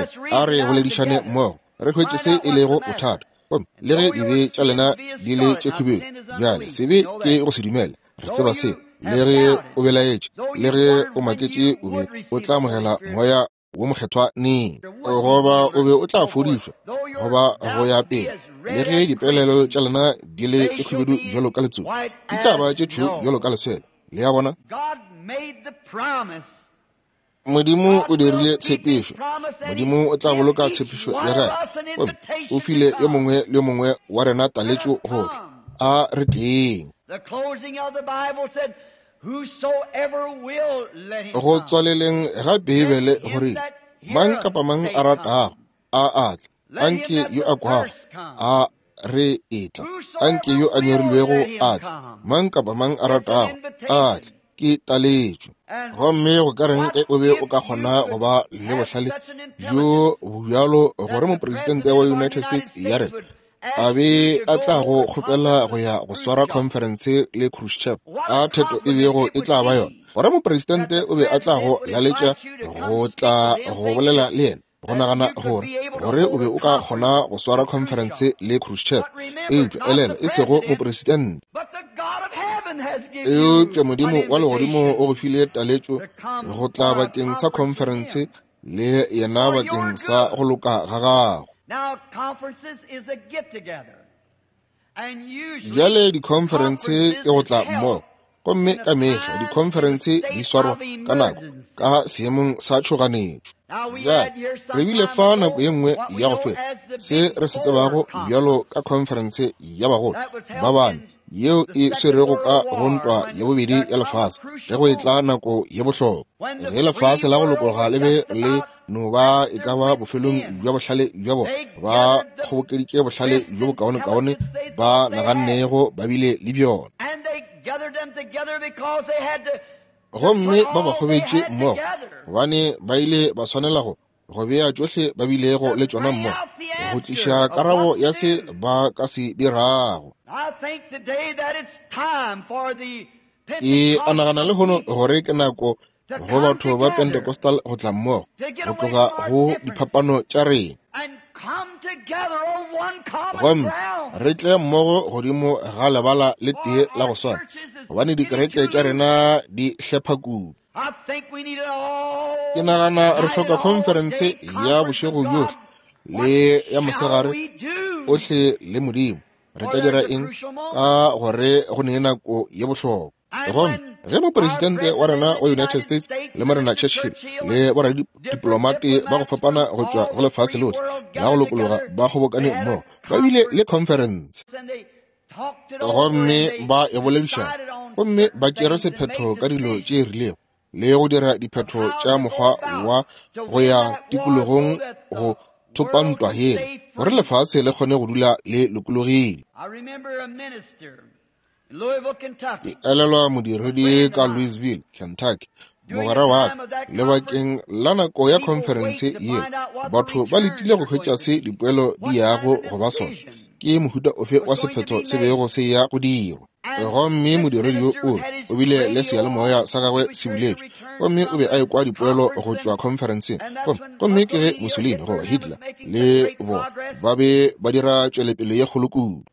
re boledišane mmogo, re hwetše se e lego bothata. Gomme le ge dibe tša lena di le tše khubedu, bjale sebe ke go se dumele, re tseba se. Le ge o belaetše, le ge o maketše, o be o tla amogela Moya wo Mokgethwa neng, goba o be o tla fodišwa, goba go ya pele. Le ge dipelaelo tša lena di le tše khubedu bjalo ka letsogo, di tla ba tše tšhweu bjalo ka leswele. Le a bona? Modimo o dirile tshepišo. Modimo o tla boloka tshepišo ya gagwe. Gomme o file yo mongwe le yo mongwe wa rena taletšo go tla. A re tleng. Go tswaleleng ga Beibele go rile, mang kapa mang a ratago, a a tle. Anke yo a kwago, a re etla. Anke yo a nyorilwego a tle. Mang kapa mang a ratago, a tle. Ke taletšo. Gomme go ka reng ge o be o ka kgona go ba le bohlale bjo bjalo gore mopresidente wa United States ya rena a be a tla go kgopela go ya go swara conference le Khrushchev, a theto e bego e tla ba yona, gore mopresidente o be a tla go laletša go tla go bolela le yena, go nagana gore gore o be o ka kgona go swara conference le Khrushchev. Eupša elela, e sego mopresidente, eupša Modimo wa legodimo o go file taletšo go tla bakeng sa conference le yena bakeng sa go loka ga gago. Bjale dikhonferense ke go tla mmogo, gomme ka mehla dikhonferense di swarwa ka nako ka seemong sa tšhoganetšo. Bjale re bile fa nako ye nngwe ya go feta se re se tsebago bjalo ka khonferense ya bagolo ba bane yeo e swerego ka go ntwa ya bobedi ya lefase ge go etla nako ye bohlokwa, ge lefase la go lokologa le be le no ba e ka ba bofelong bja bohlale bja bona, ba kgobokeditše bohlale bjo bokaonekaone ba nagannego ba bile le bjona, gomme ba ba kgobetše mmogo gobane ba ile ba swanela go bea tšohle ba bilego le tšona mmogo go tliša karabo ya se ba ka se dirago. Ke a nagana lehono gore ke nako go batho ba Pentecostal go tla mmogo, go tloga go diphapano tša rena, gomme re tle mmogo godimo ga lebala le tee la go swana, gobane dikereke tša rena di hlepha kudu. Ke nagana re hloka khonferense ya bošego bjohle le ya mosegare ohle le Modimo. Re tla dira eng ka gore go ne nako ye bohlokwa? Gomme ge mopresidente wa rena wa United States le Morena Churchill le boradidiplomate ba go fapana go tšwa go lefase lohle la go lokologa ba kgobokane mmogo, ba bile le khonferense gomme ba e boledišana, gomme ba tšere sephetho ka dilo tše rilego le go dira diphetho tša mokgwa wa go ya tikologong go thopa ntwa yela gore lefase le kgone go dula le lokologile. Ke elelwa modiredi ka Louisville, Kentucky, mogwera wa ka, lebakeng la nako ya khonferense yela, batho ba letile go hwetša se dipoelo di yago go ba sona, ke mohuta ofe wa sephetho se bego se ya go dirwa. Gomme modiredi yo o bile le seyalemoya sa gagwe se buletšwe, gomme o be a ekwa dipoelo go tšwa khonferenseng. Gomme ke ge Mussolini goba Hitler le bona ba be ba dira tšwelepele ye kgolo kudu.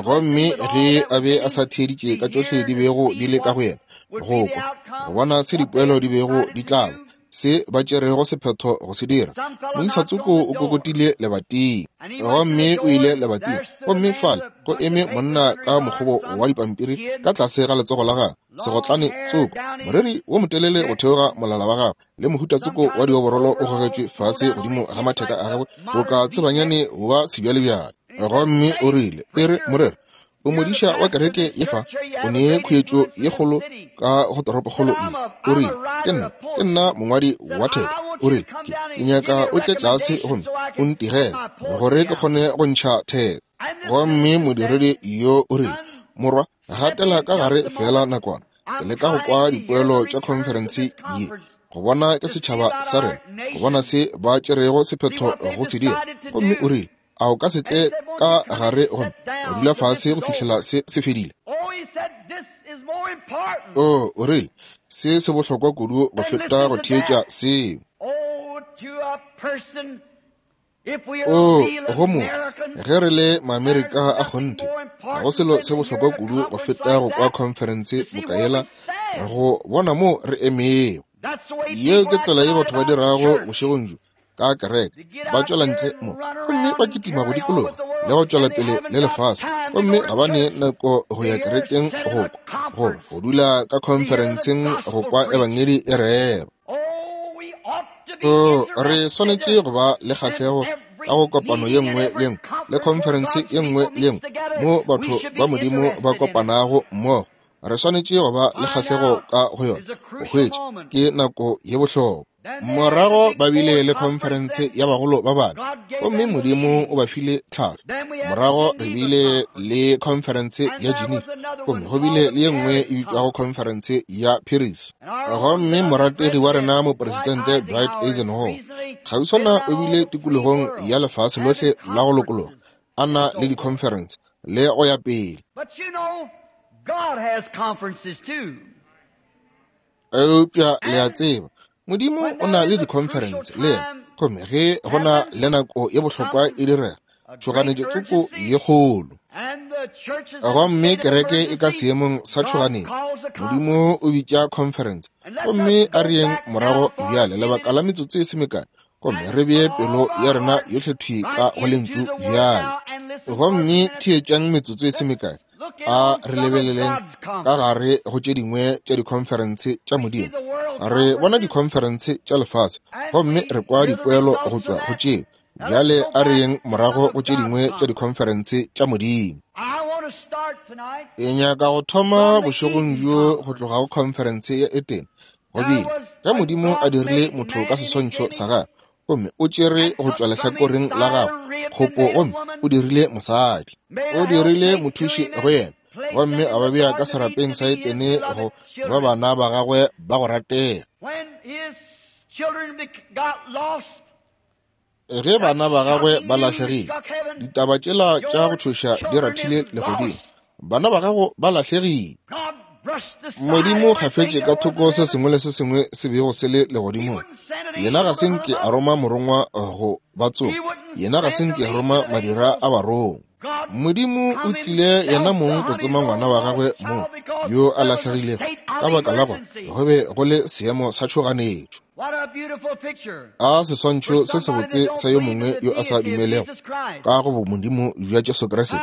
Gomme ge a be a sa theeditše ka tšohle di bego di le ka go yena, go kwa, go bona se dipoelo di bego di tla ba, Se ba tšerego sephetho go se dira. Moisa tsoko o kokotile lebating, gomme o ile lebating, gomme fale go eme monna ka mokgobo wa dipampiri ka tlase ga letsogo la gagwe, segotlane tsoko, moreri wo motelele go theoga molala wa gagwe, le mohuta tsoko wa dioborolo o gogetšwe fase godimo ga matheka a gagwe, boka tsebanyane wa sebjalebjale. Gomme o rile, E re, moreri, o modiša wa kereke ye fa, o ne khuetšo ye kgolo ka go toropokgolo ye. O rile, Ke nna, ke nna mongwadi wa theko. O rile, Ke, ke nyaka o tle tlase gomme o ntigele, gore ke kgone go ntšha theko. Gomme modiredi yo o rile, Morwa, gatela ka gare feela nakwana. Ke leka go kwa dipoelo tša khonferense ye, go bona ke setšhaba sa rena, go bona se ba tšerego sephetho go se dira. Gomme o rile, A o ka se tle ka gare gomme wa dula fase go fihlela se se fedile? Oh, o rile, se se bohlokwa kudu go feta go theetša seo. O, go motho, ge re le Maamerika a kgonthe, ga go selo se bohlokwa kudu go feta go kwa khonferense boka yela, go bona moo re emego. Yeo ke tsela ye batho ba dirago bošegong bjo ka kereke, ba tšwela ntle mo gomme ba kitima go dikologa le go tšwela pele le lefase, gomme ga ba ne nako go ya kerekeng go kwa, go dula ka khonferenseng go kwa ebangedi e rerwa. O, re swanetše go ba le kgahlego ka go kopano ye nngwe le nngwe le khonferense ye nngwe le nngwe mo batho ba Modimo ba kopanago mmogo. Re swanetše go ba le kgahlego ka go yona, go hwetša ke nako ye bohlokwa. Morago ba bile le khonferense ya bagolo ba bane, gomme Modimo o ba file tlhahlo. Morago re bile le khonferense ya Geneva, gomme go bile le ye nngwe e bitšwago khonferense ya Paris. Gomme morategi wa rena mopresidente Dwight Eisenhower kgauswana o bile tikologong ya lefase lohle la go lokologa, a na le dikhonferense le go ya pele. Eupša le a tseba, Modimo o na le dikhonferense le yena, gomme ge go na le nako ye bohlokwa e direga, tšhoganetšo tsoko ye kgolo, gomme kereke e ka seemong sa tšhoganetšo, Modimo o bitša khonferense. Gomme a re yeng morago bjale lebaka la metsotso e se mekae, gomme re bee pelo ya rena yohle thwi ka go Lentšu bjale. Gomme theetšang metsotso e se mekae, a re lebeleleng ka gare go tše dingwe tša dikhonferense tša Modimo. Re bona dikhonferense tša lefase, gomme re kwa dipoelo go tšwa go tšeo. Bjale a re yeng morago go tše dingwe tša dikhonferense tša Modimo. Ke nyaka go thoma bošegong bjo go tloga go khonferense ya Etene. Go bile ge Modimo a dirile motho ka seswantšho sa gagwe, gomme o tšere go tšwa lehlakoreng la gagwe kgopo, gomme o dirile mosadi, o dirile mothuši go yena, gomme a ba bea ka serapeng sa Etene go ba bana ba gagwe ba go ratega. Ge bana ba gagwe ba lahlegile, ditaba tšela tša go tšhoša di rathile legodimo. Bana ba gago ba lahlegile. Modimo gafetše ka thoko se sengwe le se sengwe se bego se le legodimong. Yena ga se nke a roma morongwa go ba tsoma. Yena ga se nke a roma madira a barongwa. Modimo o tlile yena mong go tsoma ngwana wa gagwe mong yo a lahlegilego, ka baka la gore go be go le seemo sa tšhoganetšo. A seswantšho se sebotse sa yo mongwe yo a sa dumelego ka go bomodimo bja Jesu Kriste,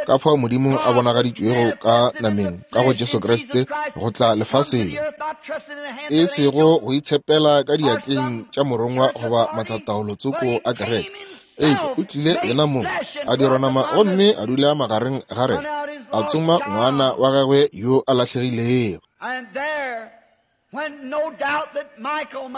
ka fao Modimo a bonagaditšwego ka nameng ka go Jesu Kriste go tla lefaseng, e sego go itshepela ka diatleng tša morongwa goba matlataolo tsoko a kereke, eupša o tlile yena mong a dirwa nama gomme a dula magareng ga rena, a tsoma ngwana wa gagwe yo a lahlegilego.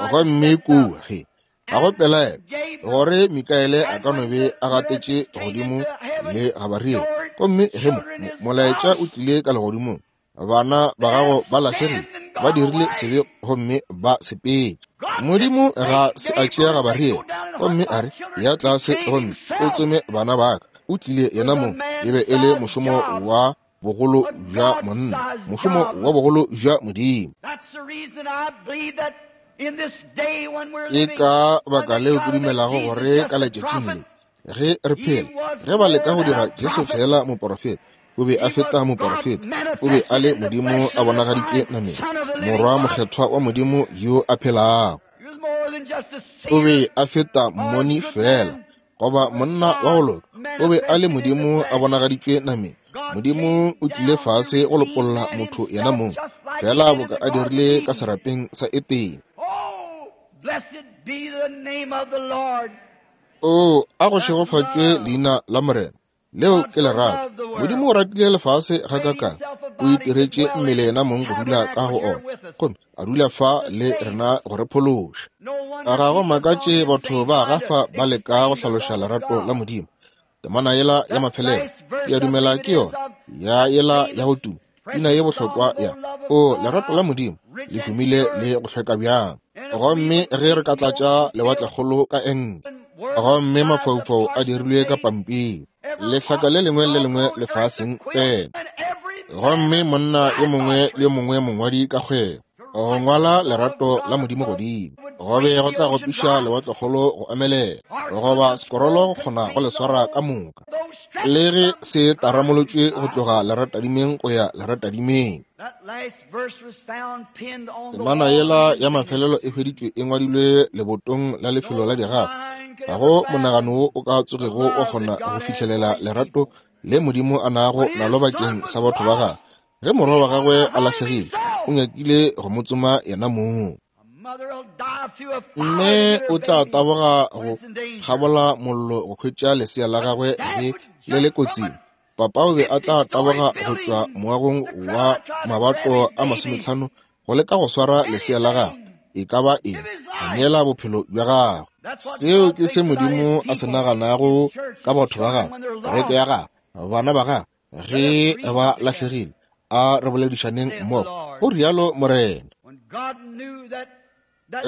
Gomme kua ge ga go pelaelo gore Mikaele a ka no be a gatetše godimo le Gabariele, gomme ge mo molaetša o tlile ka legodimong, bana ba gago ba lahlegile, ba dirile sebe gomme ba sepetše. Modimo ga se a tšea Gabariele gomme a re, ya tlase gomme o tsome bana ba ka. O tlile yena mong, e be e le mošomo wa bogolo bja monna, mošomo wa bogolo bja Modimo. Ke ka baka leo ke dumelago gore ka letšatšing le ge re phela, ge ba leka go dira Jesu feela moporofeta, o be a feta moporofeta, o be a le Modimo a bonagaditšwe nameng, Morwa mokgethwa wa Modimo yo a phelago. O be a feta mmoni fela, goba monna wa go loka. O be a le Modimo a bonagaditšwe nameng. Modimo o tlile fase go lopolla motho yena mong, fela boka a dirile ka serapeng sa Etene. O, a go šegofatšwe leina la Morena. Leo ke lerato. Modimo o ratile lefase gakakang, o itiretše mmele yena mong go dula ka go ona, gomme a dula fa le rena go re phološa. Ga go makatše batho ba gafa ba leka go hlaloša lerato la Modimo. Temana yela ya mafelelo, ke a dumela ke yona, ya yela ya go tuma, pina ye bohlokwa ya, O, lerato la Modimo le humile le go hlweka bjang. Gomme ge re ka tlatša lewatlekgolo ka enke, gomme mafaufau a dirilwe ka pampiri, lehlaka le lengwe le lengwe lefaseng pele, gomme monna yo mongwe le yo mongwe mongwadi ka kgwebo go ngwala lerato la Modimo godimo, go be go tla gopiša lewatlekgolo go omelela, goba sekorolo go kgona go le swara ka moka, le ge se taramolotšwe go tloga leratadimeng go ya leratadimeng. Temana yela ya mafelelo e hweditšwe e ngwadilwe lebotong la lefelo la digafa. Ga go monagano wo o ka tsogego wa kgona go fihlelela lerato le Modimo a nago nalo bakeng sa batho ba gagwe. Ge morwa wa gagwe a lahlegile, o nyakile go mo tsoma yena mong. Mme o tla taboga go kgabola mollo go hwetša lesea la gagwe ge le le kotsing. Papa o be a tla taboga go tšwa moagong wa mabato a 50 go leka go swara lesea la gagwe, e ka ba eng, a neela bophelo bja gagwe. Seo ke se Modimo a se naganago ka batho ba gagwe, kereke ya gagwe, bana ba gagwe, ge ba lahlegile. A re boledišaneng mmogo, go rialo Morena.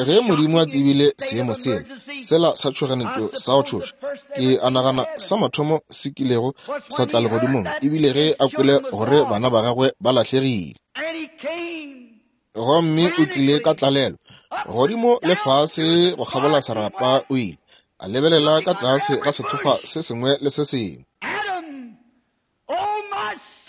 Ge Modimo a tsebile seemo sela, sela sa tšhoganetšo sa go tšhoša, ke a nagana sa mathomo se kilego sa tla legodimong, ebile ge a kwele gore bana ba gagwe ba lahlegile. Gomme o tlile ka tlalelo, godimo le fase go kgabola serapa o ile, a lebelela ka tlase ga sethokgwa se sengwe le se sengwe.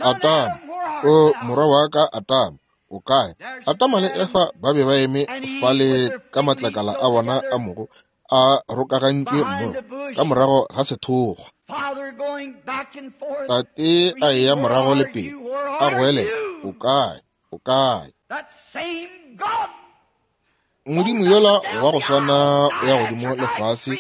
Atama, o morwa wa ka Atama, o kae? Atama le Efa ba be ba eme fale ka matlakala a bona a mogo a rokagantšwe mmogo ka morago ga sethokgwa. Tate a eya morago le pele, a goelela, o kae? O kae? Modimo yola wa go swana o ya godimo le fase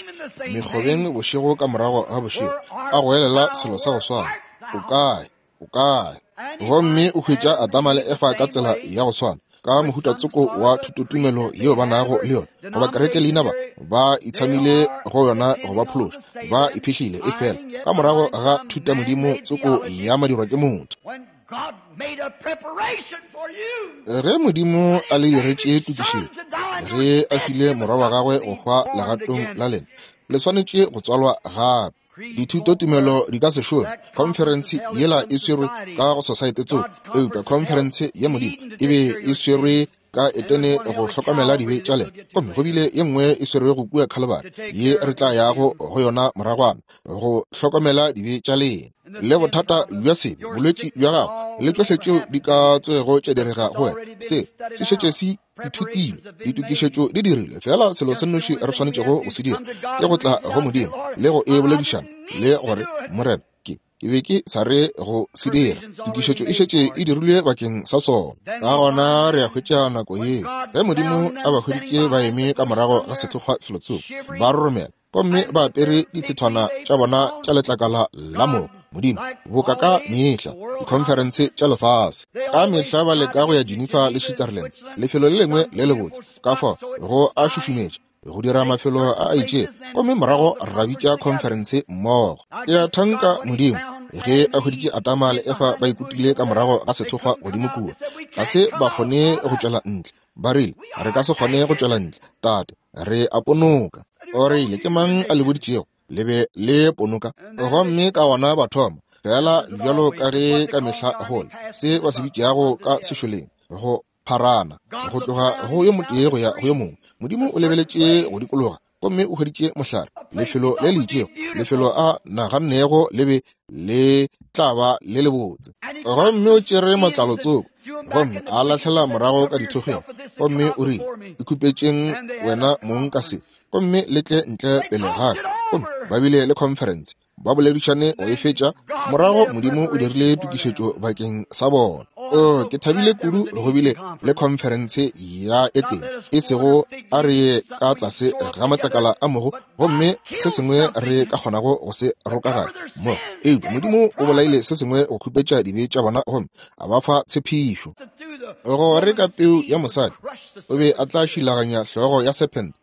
mekgobeng bošego ka morago ga bošego, a goelela selo sa go swana, o kae? O kae? Gomme o hwetša Adama le Efa ka tsela ya go swana, ka mohuta tsoko wa thutotumelo yeo ba nago le yona, goba kereke leina ba ba itshamile go yona go ba phološa, ba iphihlile e fela ka morago ga thutamodimo tsoko ya madirwa ke motho. Ge Modimo a le diretše tokišetšo, ge a file morwa wa gagwe go hwa legatong la lena, le swanetše go tswalwa gape. Dithutotumelo di ka se šome. Khonferense yela e swerwe ka go sosaete tsohle, eupša khonferense ya Modimo e be e swerwe ka Etene go hlokomela dibe tša lena, gomme go bile ye nngwe e swerwego kua Khalibari ye re tla yago go yona moragwana go hlokomela dibe tša lena le bothata bja sebe, bolwetši bja gago le tšohle tšeo di ka tsogego tša direga go wena. Se se šetše se ithutilwe, ditokišetšo di dirilwe, fela selo se nnoši re swanetšego go se dira ke go tla go Modimo le go e boledišana le gore, Morena, ke be ke sa re go se dira, tokišetšo e šetše e dirilwe bakeng sa sona. Ka gona re a hwetša nako yeo ge Modimo a ba hweditše ba eme ka morago ga sethokgwa felotsoko, ba roromela gomme ba apere ditshethwana tša bona tša letlakala la mogo. Modimo, boka ka mehla dikhonferense tša lefase ka mehla ba leka go ya Geneva le Switzerland, lefelo le lengwe le lebotse, ka fao go a šušumetša go dira mafelo a a itšego, gomme morago ra bitša khonferense mmogo. Ke a thanka Modimo ge a hweditše Adama le Efa ba ikutile ka morago ga sethokgwa godimo kua, ga se ba kgone go tšwela ntle. Ba rile, re ka se kgone go tšwela ntle, Tate, re a ponoka. O rile, ke mang a le boditšego le be le ponoka? Gomme ka gona ba thoma, fela bjalo ka ge ka mehla gole, se ba se bitšago ka sešoleng, go pharana, go tloga go yo motee go ya go yo mongwe. Modimo o lebeletše go dikologa gomme o hweditše mohlare, lefelo le le itšego, lefelo a nagannego le be Le tla ba le lebotse. Gomme o tšere matlalo tsoko gomme a lahlela morago ka dithokgweng, gomme o rile, Ikhupetšeng wena mong ka se, gomme le tle ntle pele ga ka. Gomme ba bile le khonferense, ba boledišane go e fetša. Morago Modimo o dirile tokišetšo bakeng sa bona. O, ke thabile kudu go bile le khonferense ya Etene, e sego a re ye ka tlase ga matlakala a mogo gomme se sengwe re ka kgonago go se rokaganya mo, eupša Modimo o bolaile se sengwe go khupetša dibe tša bona gomme a ba fa tshepišo gore ka peu ya mosadi o be a tla šilaganya hlogo ya sephente,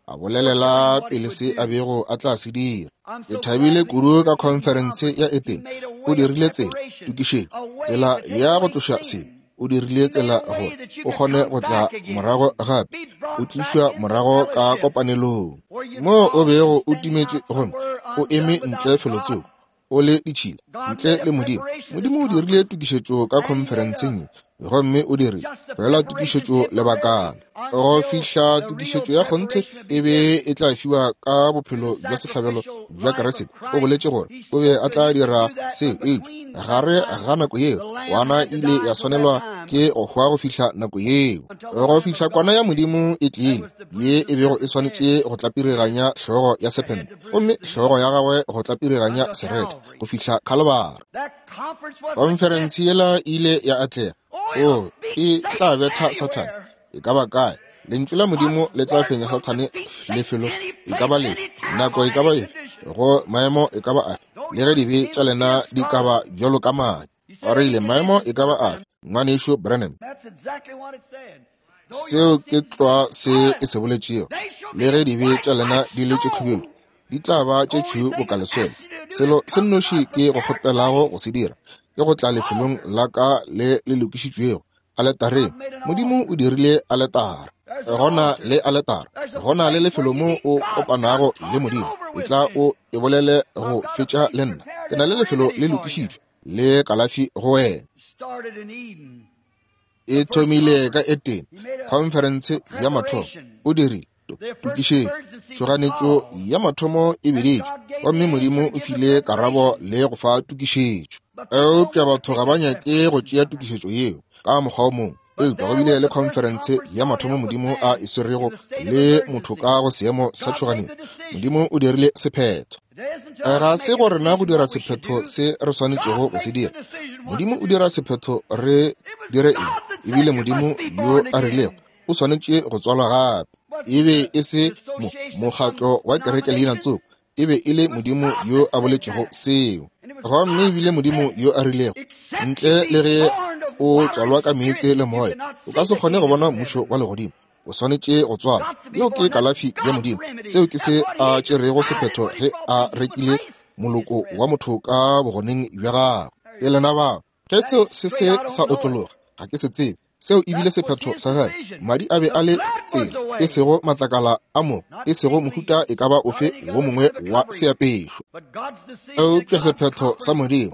a bolelela pele se a bego a tla se dira. Ke thabile kudu ka khonferense ya Etene. O dirile tsela, tokišetšo, tsela ya go tloša sebe. O dirile tsela gore o kgone go tla morago gape, o tlišwa morago ka kopanelong moo o bego o timetše gomme o eme ntle felotsoko, o le ditšhila, ntle le Modimo. Modimo o dirile tokišetšo ka khonferenseng ye, gomme o dirile fela tokišetšo lebakana go fihla tokišetšo ya kgonthe e be e tla fiwa ka bophelo bja sehlabelo bja Kriste. O boletše gore o be a tla dira seo, eupša gare ga nako yeo kwana e ile ya swanelwa ke go hwa go fihla nako yeo, go fihla kwana ya Modimo e tlile, ye e bego e swanetše go tlapiriganya hlogo ya sephente, gomme hlogo ya gagwe go tlapiriganya serethe go fihla Khalibari. Khonferense yela e ile ya atlega. O, e tla betha Sathane e ka ba kae. Lentšu la Modimo le tla fenya Sathane lefelo e ka ba lefe, nako e ka ba efe, go maemo e ka ba afe, le ge dibe tša lena di ka ba bjalo ka madi. O rile maemo e ka ba afe, Ngwanešu Branham. Seo ke tlwa se e se boletšego. Le ge dibe tša lena di le tše khubedu, di tla ba tše tšhweu boka leswele. Selo se nnoši ke go kgopelago go se dira ke go tla lefelong la ka le le lokišitšwego, aletareng. Modimo o dirile aletara. Gona le aletara, gona le lefelo mo o kopanago le Modimo. E tla o e bolele go fetša le nna. Ke na le lefelo le lokišitšwe le kalafi go wena. E thomile ka Etene, khonferense ya mathomo. O dirile tokišetšo, tšhoganetšo ya mathomo e biditšwe, gomme Modimo o file karabo le go fa tokišetšo. Eupša batho ga ba nyake go tšea tokišetšo yeo ka mokgwa o mongwe. Eupša go bile le khonferense ya mathomo Modimo a e swerego le motho ka go seemo sa tšhoganetšo. Modimo o dirile sephetho. Ga se go rena go dira sephetho se re swanetšego go se dira. Modimo o dira sephetho re dire eng. Ebile Modimo yo a rilego o swanetše go tswalwa gape. E be e se mokgatlo wa kereke leina tsoko, e be e le Modimo yo a boletšego seo. Gomme ebile Modimo yo a rilego, ntle le ge o tswalwa ka meetse le moya, o ka se kgone go bona mmušo wa legodimo. O swanetše go tswalwa. Yeo ke kalafi ya Modimo. Seo ke se a tšerego sephetho ge a rekile moloko wa motho ka bogoneng bja gagwe. Ke lena bao. Ge seo se se sa otlologa, ga ke se tsebe. Seo e bile sephetho sa gagwe. Madi a be a le tsela, e sego matlakala a mo, e sego mohuta e ka ba ofe wo mongwe wa seapešo. Eupša sephetho sa Modimo,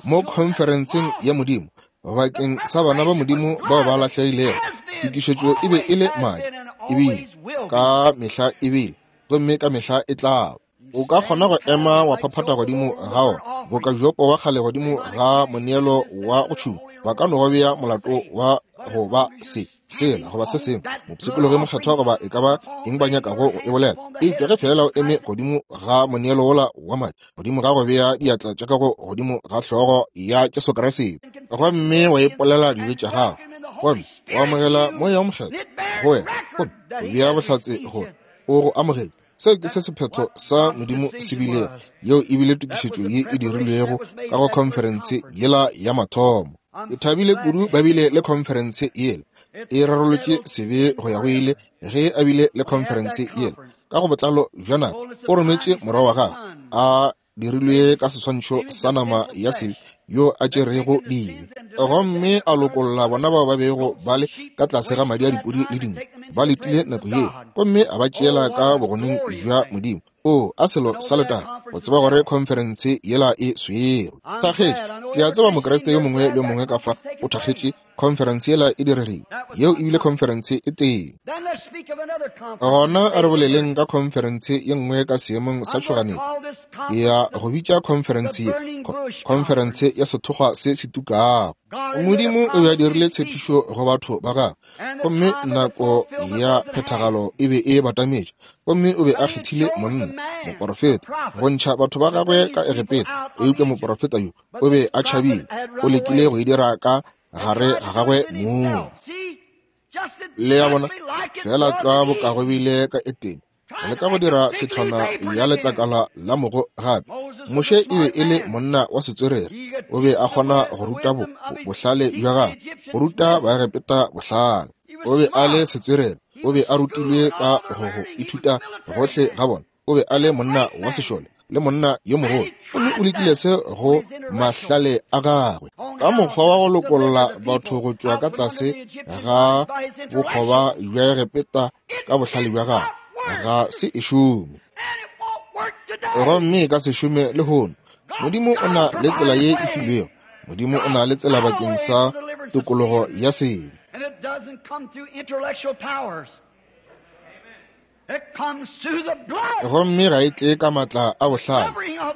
mo khonferenseng ya Modimo, bakeng sa bana ba Modimo bao ba lahlegilego, tokišetšo e be e le madi, e bile ka mehla e bile, gomme ka mehla e tla. O ka kgona go ema wa phaphatha godimo ga ona boka Jopo wa kgale godimo ga moneelo wa go tšhuma. Ba ka no go bea molato wa go ba se, sela, goba se sengwe, mopshikologi mokgethwa, goba e ka ba eng ba nyakago go e bolela. Eupša ge feela o eme godimo ga moneelo wola wa madi, godimo ga go bea diatla tša gago godimo ga hlogo ya Jesu Kriste, gomme wa ipolela dibe tša gago, gomme wa amogela Moya wo Mokgethwa go wena, gomme o bea bohlatse gore o go amogetše, seo ke se sephetho sa Modimo se bilego. Yeo e bile tokišetšo ye e dirilwego ka go khonferense yela ya mathomo. Ke thabile kudu ba bile le khonferense yela. E rarolotše sebe go ya go ile ge a bile le khonferense yela. Ka go botlalo bja nako, o rometše morwa wa gagwe a dirilwe ka seswantšho sa nama ya sebe yo a tšerego dibe, gomme a lokolla bona bao ba bego ba le ka tlase ga madi a dipudi le dinku, ba letile nako yeo, gomme a ba tšeela ka bogoneng bja Modimo. O a selo sa letago go tseba gore khonferense yela e swerwe. Thakgetše, ke a tseba Mokriste yo mongwe le yo mongwe ka fa o thakgetše. Khonferense yela e diregile. Yeo e bile khonferense e tee. Gona a re boleleng ka khonferense ye nngwe ka seemong sa tšhoganetšo. Ke ya go bitša khonferense ye khonferense ya sethokgwa se se tukago. Modimo o be a dirile tshepišo go batho ba gagwe, gomme nako ya phethagalo e be e batametše, gomme o be a kgethile monna, moporofeta, go ntšha batho ba gagwe ka Egepeta. Eupša moporofeta yo o be a tšhabile, o lekile go e dira ka gare ga gagwe mong. Le ya bona, fela tlwa boka go bile ka Etene, go leka go dira tshetlwana ya letlakala la mogo gape. Moshe e be e le monna wa setswerere, o be a kgona go ruta bohlale bja gagwe, go ruta Baegepeta bohlale. O be a le setswerere, o be a rutilwe ka go go ithuta gohle ga bona. O be a le monna wa sešole le monna yo mogolo, gomme o lekile se go mahlale a gagwe ka mokgwa wa go lokolla batho go tšwa ka tlase ga bokgoba bja Egepeta ka bohlale bja gagwe. Ga se e šome, gomme e ka se šome lehono. Modimo o na le tsela ye e filwego. Modimo o na le tsela bakeng sa tokologo ya sebe. Gomme ga e tle ka matla a bohlale,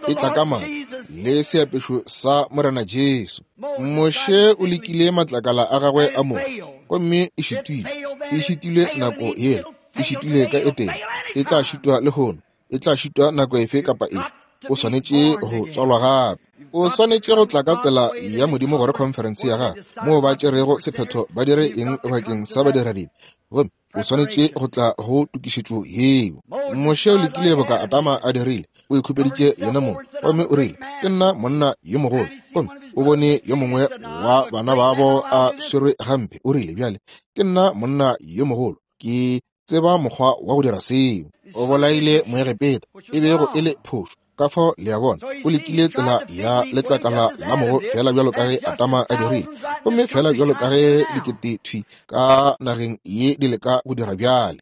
e tla ka matla le seapešo sa Morena Jesu. Moshe o lekile matlakala a gagwe a mogo, gomme e šitile. E šitile nako yela, e šitile ka Etene, e tla šitwa lehono, e tla šitwa nako efe kapa efe. O swanetše go tswalwa gape. O swanetše go tla ka tsela ya Modimo gore khonferense ya gagwe, moo ba tšerego sephetho ba dire eng bakeng sa badiradibe, gomme o swanetše go tla go tokišetšo yeo. Moshe o lekile boka Adama a dirile, o ikhupeditše yena mong, gomme o rile, Ke nna monna yo mogolo. Gomme o bone yo mongwe wa bana babo a swerwe gampe, o rile, Bjale ke nna monna yo mogolo, ke tseba mokgwa wa go dira seo. O bolaile Moegepeta, e bego e le phošo. Ka fao le a bona, o lekile tsela ya letlakala la mogo fela bjalo ka ge Adama a dirile, gomme fela bjalo ka ge dikete thwi ka nageng ye di leka go dira bjale.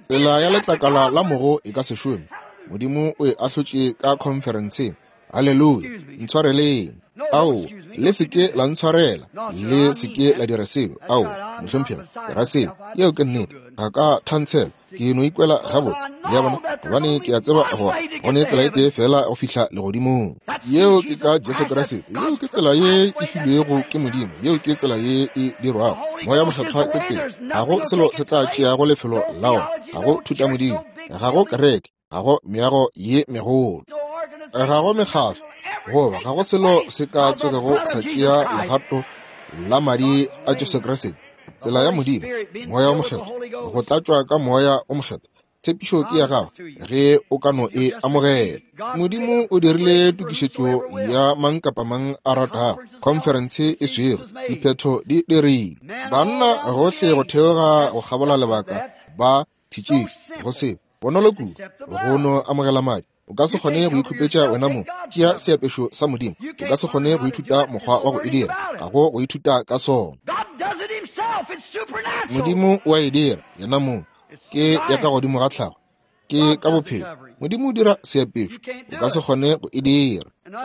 Tsela ya letlakala la mogo e ka se šome. Modimo o e ahlotše ka khonferenseng. Haleluya! Ntshwareleng. Ao, le se ke la ntshwarela. Le se ke la dira seo. Ao, mohlomphegi, ke ra seo. Yeo ke nnete. Ga ka thantshelwa. Ke no ikwela gabotse. Le a bona? Gobane ke a tseba gore go ne tsela e tee feela go fihla legodimong. Yeo ke ka Jesu Kriste. Yeo ke tsela ye e filwego ke Modimo. Yeo ke tsela ye e dirwago. Moya Mokgethwa ke tsela. Ga go selo se tla tšeago lefelo la ona. Ga go thutamodimo. Ga go kereke. Ga go meago ye megolo. Ga go mekgatlo. Goba ga go selo se ka tsogego sa tšea legato la madi a Jesu Kriste. Tsela ya Modimo, Moya o Mokgethwa, go tlatšwa ka Moya o Mokgethwa. Tshepišo ke ya gago ge o ka no e amogela. Modimo o dirile tokišetšo ya mang kapa mang a ratago. Khonferense e swerwe, diphetho di dirilwe. Banna gohle go theoga go kgabola lebaka ba thitšitšwe go se bonolo kudu go no amogela madi. O ka se kgone go ikhupetša wena mong. Tšea seapešo sa Modimo. O ka se kgone go ithuta mokgwa wa go e dira. Ga go go ithuta ka sona. Modimo o a e dira yena mong. Ke ya ka godimo ga tlhago. Ke ka bophelo. Modimo o dira seapešo. O ka se kgone go e dira.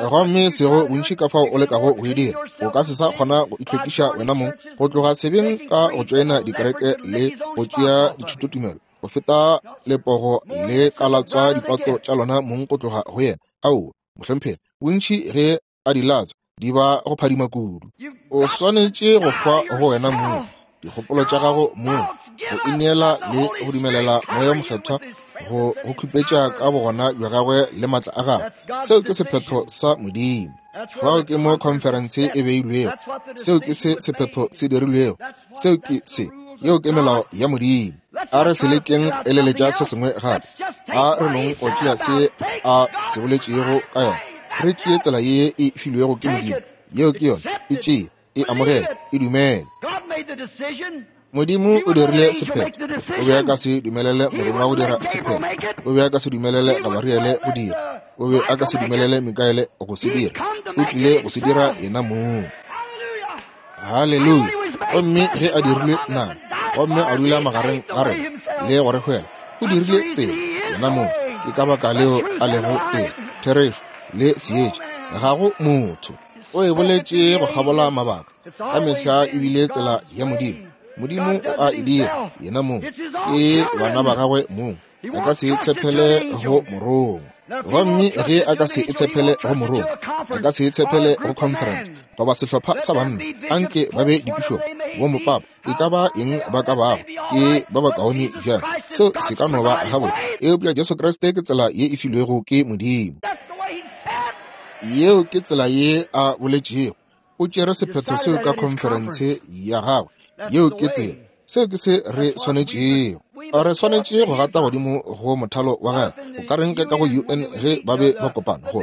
Gomme sego bontši ka fao o lekago go e dira, o ka se sa kgona go itlhwekiša wena mong go tloga sebeng ka go tšoena dikereke le go tšea dithutotumelo go feta lepogo le ka latswa dipatso tša lona mong go tloga go yena. Aowa, mohlomphegi, bontši ge a di latswa di ba go phadima kudu. O swanetše go hwa go wena mong, dikgopolo tša gago mong, go ineela le go dumelela Moya o Mokgethwa go go khupetša ka bogona bja gagwe le matla a gagwe. Seo ke sephetho sa Modimo. Fao ke mo khonferense e beilwego. Seo ke se sephetho se dirilwego. Seo ke se. Yeo ke melao ya Modimo. A re se lekeng go eleletša se sengwe gape. A re nong go tšea se a se boletšego ka yona. Re tšee tsela ye e filwego ke Modimo. Yeo ke yona. E tšee, e amogele, e dumele. Modimo o dirile sephetho. O be a ka se dumelele morongwa go dira sephetho. O be a ka se dumelele Gabariele go dira. O be a ka se dumelele Mikaele go se dira. O tlile go se dira yena mong. Haleluya! Gomme ge a dirilwe nama, gomme a dula magareng ga rena le go re hwela, o dirile tsela yena mong. Ke ka baka leo a lego tsela, therešo le seetša. Ga go motho. O e boletše go kgabola mabaka. Ka mehla e bile tsela ya Modimo. Modimo o a e dira yena mong. Ke bana ba gagwe mong. A ka se tshepele go morongwa. Gomme ge a ka se e tshepele go morongwa, a ka se e tshepele go conference goba sehlopha sa banna, anke ba be dipišopo, bomopapa, e ka ba eng ba ka bago, ke ba bakaone bjang. Seo se ka no ba gabotse, eupša Jesu Kriste ke tsela ye e filwego ke Modimo. Yeo ke tsela ye a boletšego. O tšere sephetho seo ka khonferense ya gagwe. Yeo ke tsela. Seo ke se re swanetšego. Re swanetše go gata godimo go mothalo wa gagwe. O ka reng ka go UN ge ba be ba kopana go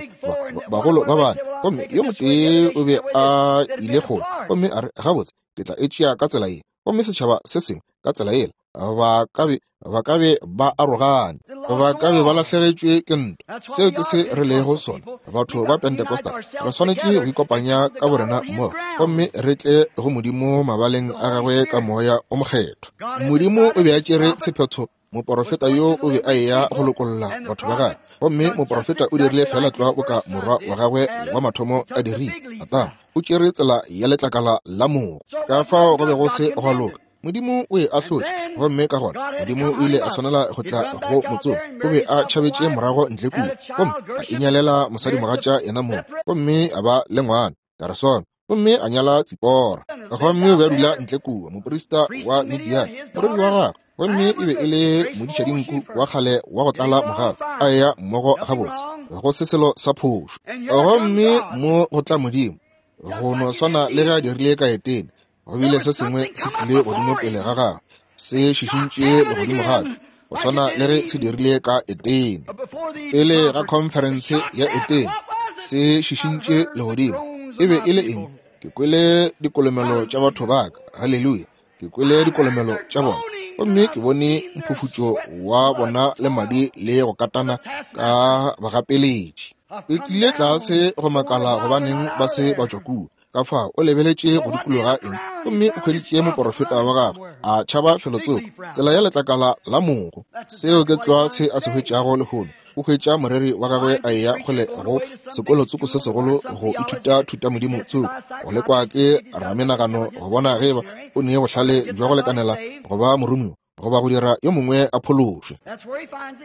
bagolo ba bane, gomme yo motee o be a ile kgole, gomme a re, gabotse, ke tla e tšea ka tsela ye, gomme setšhaba se sengwe ka tsela yela. Ba ka be ba ka be ba arogane, ba ka be ba lahlegetšwe ke ntwa. Seo ke se re lego sona, batho ba Pentecostal. Re swanetše go ikopanya ka borena mmogo gomme re tle go Modimo mabaleng a gagwe ka Moya o Mokgethwa. Modimo o be a tšere sephetho. Moporofeta yo o be a eya go lokolla batho ba gagwe, gomme moporofeta o dirile fela tlwa boka morwa wa gagwe wa mathomo a dirile. Adama o tšere tsela ya letlakala la mogo. Ka fao go be go se gwa loka. Modimo o e ahlotše, gomme ka gona Modimo o ile a swanela go tla go motsomi. O be a tšhabetše morago ntle kua, gomme a inyalela mosadimogatša yena mong, gomme a ba le ngwana Gerson, gomme a nyala Tsipora. Gomme o be a dula ntle kua, moprista wa Midian, morwedi wa gagwe, gomme e be e le modišadinku wa kgale wa go tlala mogau, a eya mmogo gabotse, go se selo sa phošo. Gomme mo go tla Modimo, go no swana le ge a dirile ka Etene. Go bile se sengwe se tlile godimo pele ga gagwe, se šišintše legodimo gape, go swana le ge se dirile ka Etene. Pele ga khonferense ya Etene, se šišintše legodimo. E be e le eng? Ke kwele dikolomelo tša batho ba ka. Haleluya! Ke kwele dikolomelo tša bona, gomme ke bone mphufutšo wa bona le madi le go katana ka bagapeletši. Ke tlile tlase go makala gobaneng ba se ba tšwa kua. Ka fao o lebeletše go dikologa eng, gomme o hweditše moporofeta wa gagwe a tšhaba felotsoko, tsela ya letlakala la mogo. Seo ke tlwa se a se hwetšago lehono. O hwetša moreri wa gagwe a eya kgole go sekolotsoko se segolo go ithuta thutamodimo tsoko, go lekwa ke ramenagano go bona ge eba o ne bohlale bja go lekanela go ba moromiwa goba go dira yo mongwe a phološwe.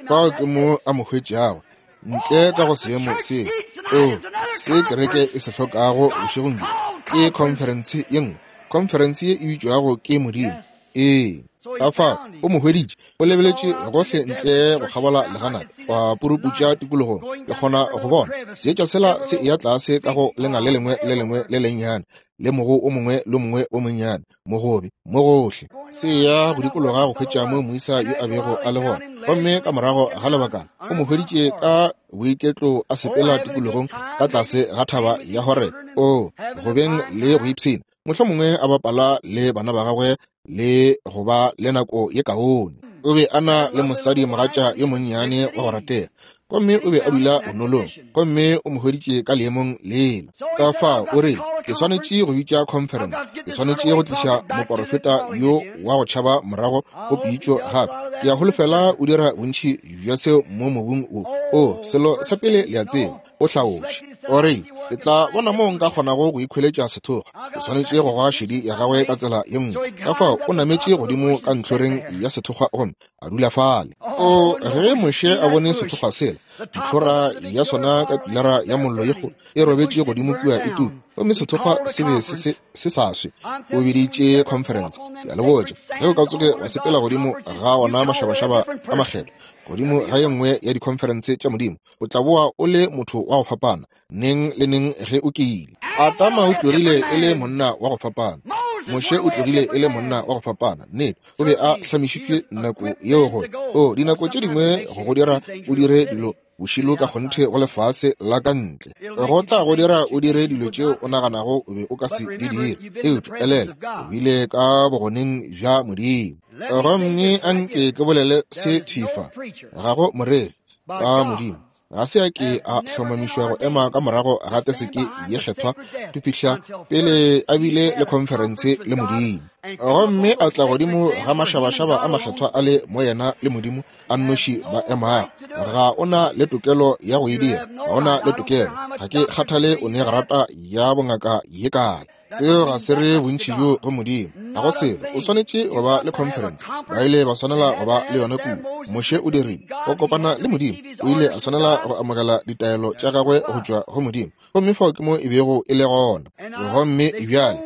Fao ke mo a mo hwetšago ntle ka go seemo seo. O se kereke e se hlokago bošegong bjo ke khonferense ye nngwe, khonferense ye e bitšwago ke Modimo. Ee, ka fao o mo hweditše. O lebeletše gohle ntle go kgabola leganata, wa puruputša tikologong. Ke kgona go bona seetša sela se eya tlase ka go lenga le lengwe le lengwe le lennyane le mogo o mongwe le mongwe o monnyane, mogobe mo gohle, se ya go dikologa go hwetša mo moisa yo a bego a le gona. Gomme ka morago ga lebakana o mo hweditše ka boiketlo a sepela tikologong ka tlase ga thaba ya Horebe, o go beng le go ipshina, mohlomongwe a bapala le bana ba gagwe le go ba le nako ye kaone. O be a na le mosadi mogatša yo monnyane wa go ratega, gomme o be a dula bonolong, gomme o mo hweditše ka leemong lela. Ka fao o rile, ke swanetše go bitša conference, ke swanetše go tliša moporofeta yo wa go tšhaba morago go pitšo gape. Ke a holofela o dira bontši bja seo mo mobung wo. O, selo sa pele le a tseba, o hlaotše. O rile, ke tla bona moo nka kgonago go ikhweletša sethokgwa. Ke swanetše go goga šedi ya gagwe ka tsela ye nngwe. Ka fao o nametše godimo ka ntlhoreng ya sethokgwa gomme a dula fale. O, ge Moshe a bone sethokgwa sela, ntlhora ya sona ka pilara ya mollo ye kgolo e robetše godimo kua e tuka, gomme sethokgwa se be se se sa swe, o biditše conference. Ke a le botša, ge o ka tsoge wa sepela godimo ga ona mašabašaba a makgethwa, godimo ga ye nngwe ya dikhonferense tša Modimo, o tla boa o le motho wa go fapana neng le neng ge o kile. Adama o tlogile e le monna wa go fapana. Moshe o tlogile e le monna wa go fapana. Nnete, o be a hlamišitšwe nako yeo gore, o, dinako tše dingwe go go dira o dire dilo bošilo ka kgonthe go lefase la ka ntle. Go tla go dira o dire dilo tšeo o naganago o be o ka se di dire. Eupša elela, o bile ka bogoneng bja Modimo. Gomme anke ke bolele se thwi fa, ga go moreri ka Modimo. Ga se a ke a hlomamišwa go ema ka morago ga teseke ye kgethwa go fihla pele a bile le khonferense le Modimo. Gomme a tla godimo ga mašabašaba a makgethwa a le mo yena le Modimo a nnoši ba emago. Ga o na le tokelo ya go e dira. Ga o na le tokelo. Ga ke kgathale o ne grata ya bongaka ye kae. Seo ga se re bontši bjo go Modimo. Ga go selo. O swanetše go ba le conference. Ba ile ba swanela go ba le yona kua. Moshe o dirile. Go kopana le Modimo. O ile a swanela go amogela ditaelo tša gagwe go tšwa go Modimo. Gomme fao ke mo e bego e le gona. Gomme bjale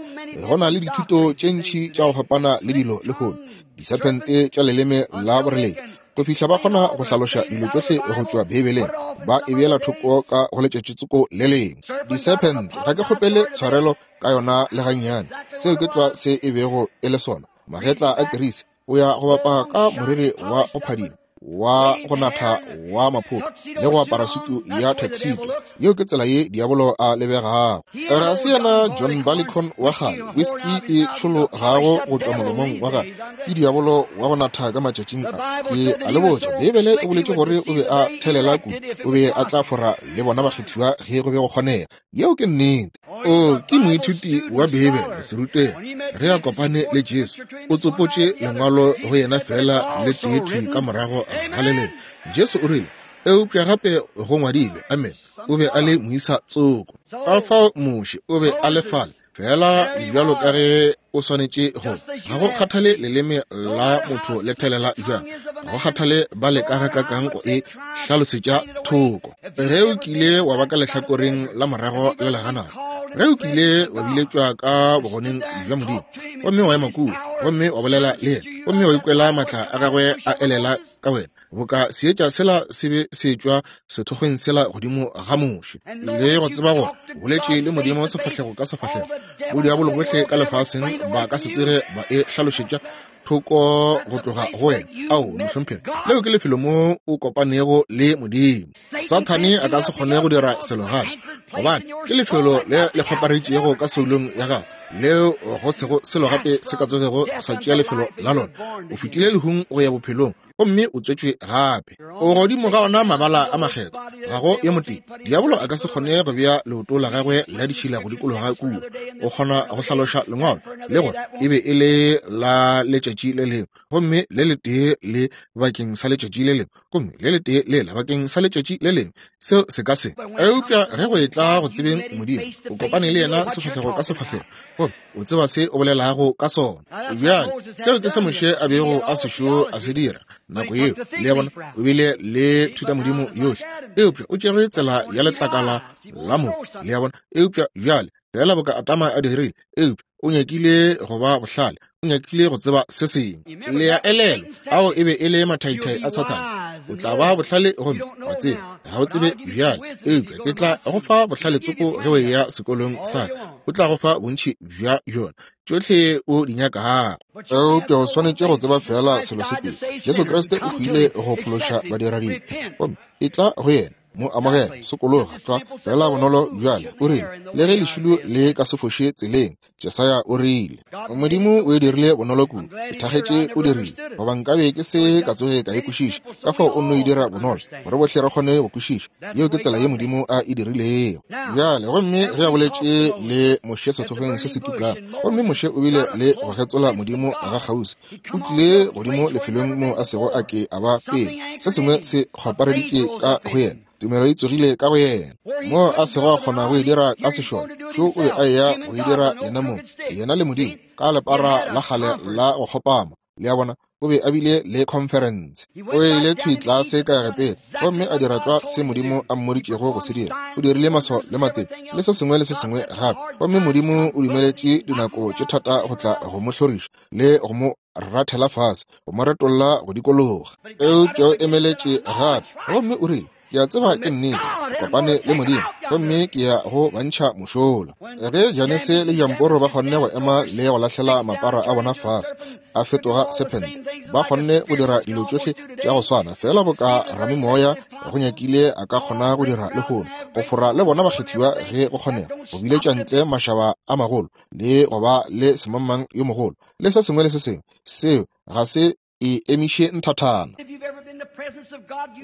go na le dithuto tše ntši tša go fapana le dilo lehono, disephente tša leleme la boreledi, go fihla ba kgona go hlaloša dilo tšohle go tšwa Beibeleng, ba e beela thoko ka go letšatšitsoko le lengwe. Disephente, ga ke kgopele tshwarelo ka yona le gannyane. Seo ke tlwa se e bego e le sona. Magetla a Kerisi, o ya go bapa ka moriri wa go phadima, wa go natha wa maphoko, le go apara sutu ya tuxedo. Yeo ke tsela ye diabolo a lebegago. Ga se yena John Barleycorn wa kgale, whiskey e tšhologago go tšwa molomong wa gagwe. Ke diabolo wa go natha ka matšatšing a. Ke a le botša, Beibele e boletše gore o be a thelela kudu, o be a tla fora le bona bakgethiwa ge go be go kgonega. Yeo ke nnete. O ke moithuti wa Beibele, serutegi. Ge a kopane le Jesu, o tsopotše lengwalo go yena feela le tee thwi ka morago ga le lengwe. Jesu o rile, Eupša gape go ngwadilwe. Amen. O be a le moisa tsoko. Ka fao Moshe o be a le fale, feela bjalo ka ge o swanetše go. Ga go kgathale leleme la motho le thelela bjang, ga go kgathale ba leka gakakang go e hlalosetša thoko. Ge o kile wa ba ka lehlakoreng la morago la leganata, ge o kile wa biletšwa ka bogoneng bja Modimo, gomme wa ema kua, gomme wa bolela le yena, gomme wa ikwela maatla a gagwe a elela ka wena, boka seetša sela se be se tšwa sethokgweng sela godimo ga Moshe, le go tseba gore boletše le Modimo sefahlego ka sefahlego, bodiabolo bohle ka lefaseng ba ka se tsoge ba e hlalošetša thoko go tloga go wena. Ao, mohlomphegi, leo ke lefelo mo o kopanego le Modimo. Sathane a ka se kgone go dira selo gape, gobane ke lefelo le le kgoparetšego ka soulong ya gago, leo go sego selo gape se ka tsogego sa tšea lefelo la lona. O fetile lehung go ya bophelong, gomme o tswetšwe gape. O godimo ga ona mabala a makgethwa, ga go yo motee. Diabolo a ka se kgone go bea leoto la gagwe la ditšhila go dikologa kua. O kgona go hlaloša lengwalo le gore e be e le la letšatši le lengwe, gomme le letee le bakeng sa letšatši le lengwe, gomme le letee lela bakeng sa letšatši le lengwe. Seo se ka se. Eupša ge go etla go tsebeng Modimo, o kopane le yena sefahlego ka sefahlego, gomme o tseba se o bolelago ka sona. Bjale, seo ke se Moshe a bego a sešo a se dira nako yeo. Le a bona, o bile le thutamodimo yohle, eupša o tšere tsela ya letlakala la mo. Le a bona, eupša bjale, feela boka Adama a dirile, eupša o nyakile go ba bohlale, o nyakile go tseba se sengwe. Le a elelwa, ao e be e le mathaithai a Sathane. O tla ba bohlale gomme wa tseba, ga o tsebe bjale, eupša ke tla go fa bohlale tsoko ge o eya sekolong sa ka. O tla go fa bontši bja bjona, tšohle o di nyakago. Eupša o swanetše go tseba feela selo se tee, Jesu Kriste o hwile go phološa badiradibe, gomme etla go yena. Mo amogela, sokologa, tlwa feela bonolo bjale. O rile, le ge lešilo le ka se foše tseleng, Jesaya o rile, Modimo o e dirile bonolo kudu. Ke thakgetše o dirile, goba nkabe ke se ka tsoge ka e kwešiša. Ka fao o nno e dira bonolo, gore bohle re kgone go kwešiša. Yeo ke tsela ye Modimo a e dirilego. Bjale, gomme ge a boletše le Moshe sethokgweng se se tukang, gomme Moshe o bile le go getsola Modimo ga kgauswi. O tlile godimo lefelong moo a sego a ke a ba pele. Se sengwe se kgwapareditše ka go yena. Tumelo e tsogile ka go yena, moo a sego a kgona go e dira ka sešole. Šo o be a eya go e dira yena mong, yena le Modimo, ka lepara la kgale la go kgopama. Le a bona, o be a bile le khonferense. O ile thwi tlase ka Egepeta gomme a dira tlwa se Modimo a mmoditšego go se dira. O dirile maswao le matete le se sengwe le se sengwe gape, gomme Modimo o dumeletše dinako tše thata go tla go mo hloriša le go mo rathela fase, go mo retolla go dikologa. Eupša o emeletše gape gomme o rile, Ke a tseba ke nnete, ke kopane le Modimo, gomme ke ya go ba ntšha mošola. Ge Janese le Jamporo ba kgonne go ema le go lahlela mapara a bona fase, a fetoga sephente, ba kgonne go dira dilo tšohle tša go swana, feela boka ramimoya go nyakile a ka kgona go dira lehono, go fora le bona bakgethiwa ge go kgonega, go biletša ntle mašaba a magolo, le go ba le semangmang yo mogolo, le se sengwe le se sengwe. Seo ga se e emiše nthathana.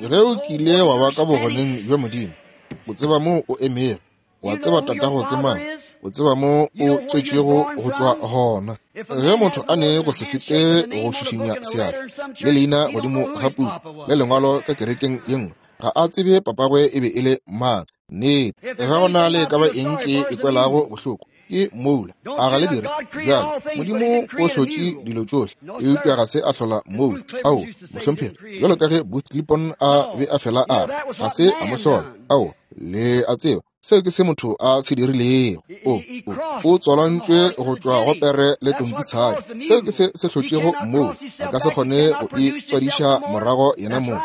Ge o kile wa ba ka bogoneng bja Modimo, o tseba moo o emego, wa tseba tatago ke mang, o tseba mo o tswetšego go tšwa gona. Ge motho a ne go se fete go šišinya seatla le leina godimo ga puku le lengwalo ka kerekeng ye nngwe, ga a tsebe papagwe e be e le mang. Nnete, ge go na le ka ba eng ke e kwelago bohloko, ke moula. A ga le dire bjale? Modimo o hlotše dilo tšohle, eupša ga se a hlola moula. Ao, mohlomphegi, bjalo ka ge Booth Clipon a be a fela a re, ga se a mo hlola. Ao, le a tseba, seo ke se motho a se dirilego. O tswalantšwe go tšwa go pere le tonkitshadi. Seo ke se se hlotšego moula. A ka se kgone go itswadiša morago yena mong.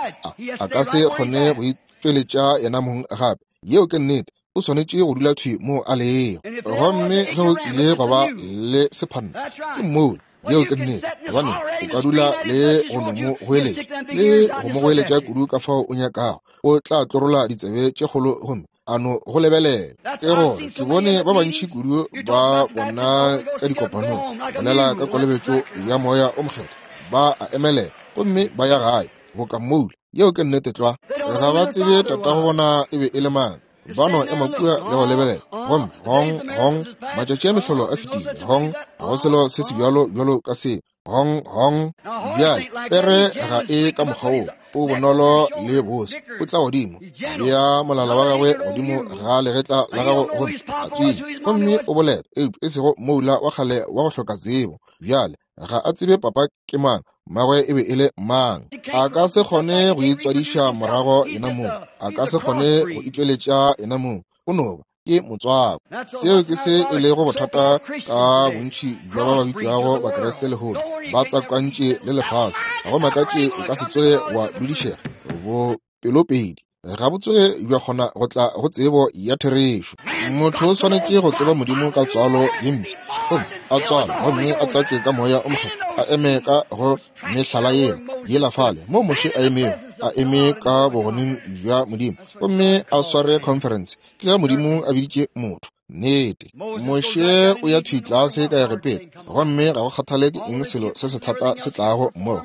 A ka se kgone go itšweletša yena mong gape. Yeo ke nnete. O swanetše go dula thwi mo a lego. Gomme ge o kile go ba le sephanna, ke moula. Yeo ke nnete. Gobane o ka dula le go no mo goeletša, le go mo goeletša kudu ka fao o nyakago, o tla tlorola ditsebe tše kgolo gomme a no go lebelela. Ke gore ke bone ba bantši kudu ba bona ka dikopanong bolela ka kolobetšo ya Moya o Mokgethwa, ba a emelela gomme ba ya gae boka moula. Yeo ke nnete tlwa. Ga ba tsebe tatago bona e be e le mang. Ba no ema kua le go lebelela, gomme gong gong matšatši a mehlolo a fetile, gong go selo se se bjalo bjalo ka seo, gong gong. Bjale pere ga e ka mokgwa woo, o bonolo le bose, o tla godimo, bea molala wa gagwe godimo ga legetla la gago gomme a tswile, gomme o bolela, eupša e sego moula wa kgale wa go hloka tsebo. Bjale ga a tsebe papa ke mang, mmagwe e be e le mang. A ka se kgone go itswadiša morago yena mong, a ka se kgone go itšweletša yena mong, o no ba ke motswako. Seo ke se e lego bothata ka bontši bja ba ba bitšwago Bakriste lehono, ba tswakantše le lefase. Ga go makatše o ka se tsoge wa dudišega bo pelopedi, ga bo tsoge bja kgona go tla go tsebo ya therešo. Motho o swanetše go tseba Modimo ka tswalo ye mpsha, gomme a tswalwe gomme a tlatšwe ka Moya o Mokgethwa, a eme ka go mehlala yela yela fale mo Moshe a emego, a eme ka bogoneng bja Modimo, gomme a sware conference. Ke ge Modimo a biditše motho. Nnete, Moshe o ya thwi tlase ka Egepeta, gomme ga go kgathale ke eng selo se sethata se tlago mmogo.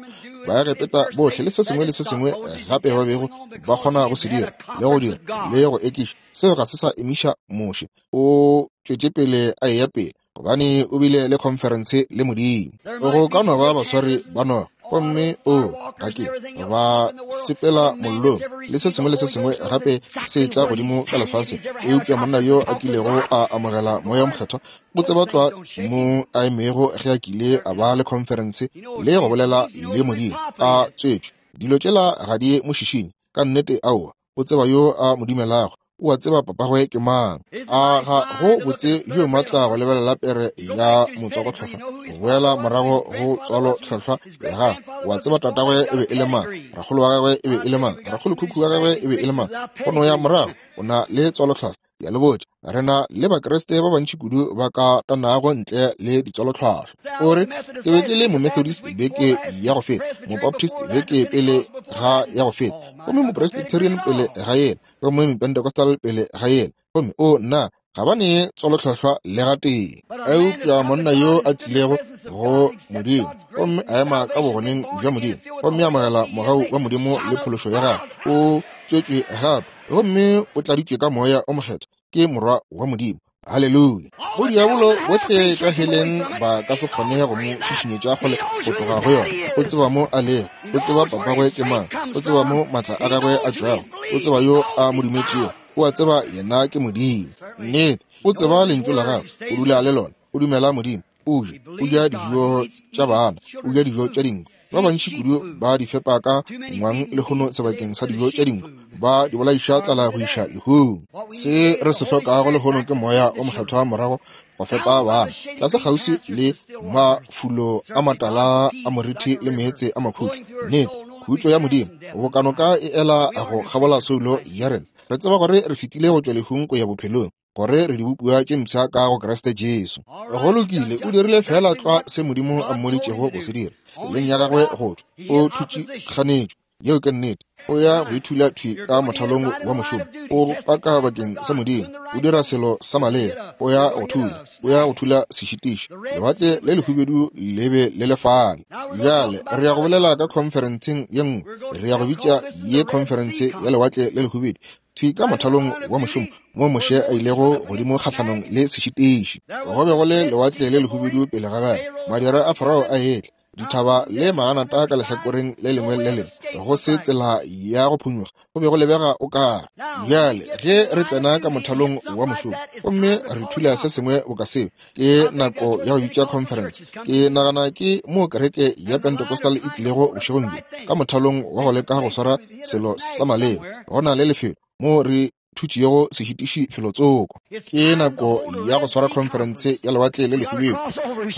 Baegepeta bohle le se sengwe le se sengwe gape ba bego ba kgona go se dira le go dira le go ekiša, seo ga se sa emiša Moshe. O tšwetše pele a eya pele, gobane o bile le khonferense le Modimo. Go ka no ba baswari ba noga, gomme o ga ke ba sepela mollong le se sengwe le se sengwe gape se tla godimo ka lefaseng, eupša monna yo a kilego a amogela Moya o Mokgethwa o tseba tlwa mo a emego ge a kile a ba le khonferense le go bolela le Modimo a tswetšwe. Dilo tšela ga di mo šišinye ka nnete. Aowa, o tseba yo a mo dumelago, o a tseba papagwe ke mang. A ga go botse bjo matla go lebelela pere ya motswakotlhohlwa go boela morago go tswalotlhohlwa ya gagwe. O a tseba tatagwe e be e le mang, rakgolo wa gagwe e be e le mang, rakgolokhukhu wa gagwe e be e le mang. Go no ya morago, o na le tswalotlhohlwa. Ke a le botša, re na le Bakriste ba bantši kudu ba ka tanago ntle le ditswalotlhwahlwa. O re, ke be ke le Momethodist beke ya go feta, Mobaptist beke pele ga ya go feta, gomme Mopresbyterian pele ga yela, gomme Mopentecostal pele ga yela, gomme o nna ga ba ne tswalotlhwahlwa le gatee. Eupša monna yo a tlilego go Modimo gomme a ema ka bogoneng bja Modimo gomme a amogela mogau wa Modimo le phološo ya gagwe, o tswetšwe gape gomme o tladitšwe ka Moya o Mokgethwa, ke morwa wa Modimo. Haleluya! Bodiabolo bohle ka heleng ba ka se kgone go mo šišinyetša kgole go tloga go yona. O tseba mo a lego, o tseba papagwe ke mang, o tseba mo maatla a gagwe a tšwago, o tseba yo a mo dumetšego, o a tseba yena ke Modimo. Nnete, o tseba lentšu la gagwe, o dula le lona, o dumela Modimo, o ja, o ja dijo tša bana, o ja dijo tša dinku. Ba bantši kudu ba di fepa ka ngwang lehono sebakeng sa dijo tša dinku, ba di bolaiša tlala go iša lehung. Se re se hlokago lehono ke Moya o Mokgethwa morago go fepa bana tlase kgauswi le mafulo a matala a morithi le meetse a makhutšo. Nnete, khutšo ya Modimo bokanoka e ela go kgabola soulo ya rena. Re tseba gore re fetile go tšwa lehung go ya bophelong, gore re dibopiwa tše mpsha ka go Kriste Jesu. Go lokile, o dirile feela tlwa se Modimo a mmoditšego go se dira. Tseleng ya gagwe go tšwa, o thutše kganetšo. Yeo ke nnete. O ya go ithula thwi ka mothalong wa mošomo. O paka bakeng sa Modimo. O dira selo sa maleba. O ya go thula. O ya go thula sešitiši. Lewatle le lehubedu le be le le fale. Bjale re ya go bolela ka khonferenseng ye nngwe. Re ya go bitša ye khonferense ya lewatle le lehubedu. Thwi ka mothalong wa mošomo moo Moshe a ilego godimo kgahlanong le sešitiši. Go be go le lewatle le lehubedu pele ga gagwe. Madira a Farao a etla. Dithaba le maanata ka lehlakoreng le lengwe le lengwe, go se tsela ya go phonyokga, go be go lebega o kare. Bjale ge re tsena ka mothalong wa mošomo gomme re thula se sengwe boka seo, ke nako ya go bitša conference. Ke nagana ke moo kereke ya Pentecostal e tlilego bošegong bjo, ka mothalong wa go leka go swara selo sa maleba. Go na le lefelo moo re thutšego sešitiši felotsoko. Ke nako ya go swara khonferense ya lewatle le lehubedu.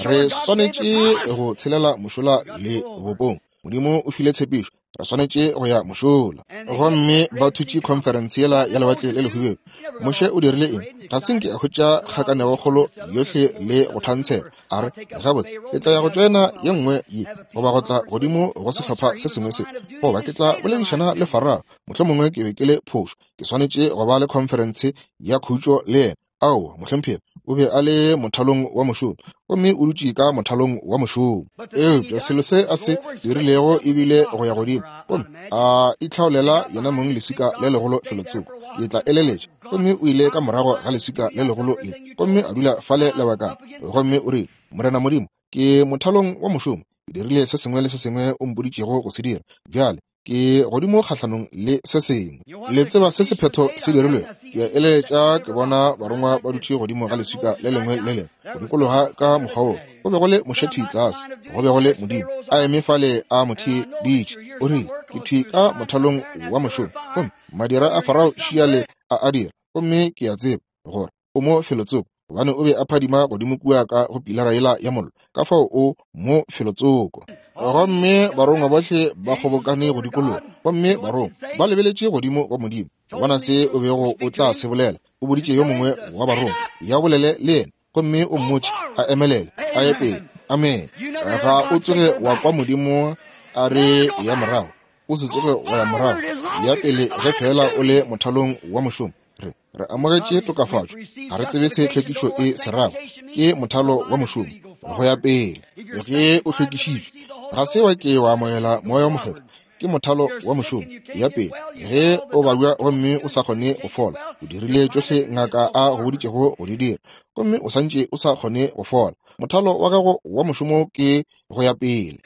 Re swanetše go tshelela mošola le bopong. Modimo o file tshepišo, re swanetše go ya mošola. Gomme ba thutše khonferense yela ya lewatle le lehubedu. Moshe o dirile eng? Ga se nke a hwetša kgakanegokgolo yohle le go thantshela. A re, Gabotse, ke tla ya go tšoena ye nngwe ye, goba go tla godimo go sehlopha se sengwe se, goba ke tla boledišana le Farao. Mohlomongwe ke be ke le phošo. Ke swanetše go ba le khonferense ya khutšo le yena. Aowa, mohlomphegi, o be a le mothalong wa mošomo, gomme o dutše ka mothalong wa mošomo. Eupša selo se a se dirilego e bile go ya godimo gomme a itlhaolela yena mong leswika le legolo felotsoko. Ke tla eleletša. Gomme o ile ka morago ga leswika le legolo le, gomme a dula fale lebakana. Gomme o rile, Morena Modimo, ke mothalong wa mošomo. Ke dirile se sengwe le se sengwe o mpoditšego go se dira. Bjale ke godimo kgahlanong le se sengwe. Le tseba se sephetho se dirilwego? Ke a eletša ke bona barongwa ba dutše godimo ga leswika le lengwe le lengwe go dikologa ka mokgwa wo. Go be go le Moshe thwi tlase, go be go le Modimo a eme fale a mo theeditše. O rile, Ke thwi ka mothalong wa mošomo, gomme madira a Farao šiale a a dira, gomme ke a tseba gore o mo felotsoko, gobane o be a phadima godimo kua ka go pilara yela ya mollo, ka fao o mo felotsoko. Gomme barongwa bohle ba kgobokane go dikologa, gomme barongwa ba lebeletše godimo go Modimo go bona se o bego o tla se bolela. O boditše yo mongwe wa barongwa, ya bolele le yena, gomme o mmotše a emelele a ye pele. Amene. Ga o tsoge wa kwa Modimo a re ya morago, o se tsoge wa ya morago, ya pele ge feela o le mothalong wa mošomo. Re, re amogetše tokafatšo, ga re tsebe se tlhwekišo e se rago. Ke mothalo wa mošomo go ya pele. Ge o hlwekišitšwe, ga se wa ke wa amogela Moya wo Mokgethwa. Ke mothalo wa mošomo ya pele. Ge o babja gomme o sa kgone go fola, o dirile tšohle ngaka a go boditšego go di dira, gomme o santše o sa kgone go fola, mothalo wa gago wa mošomo ke go ya pele.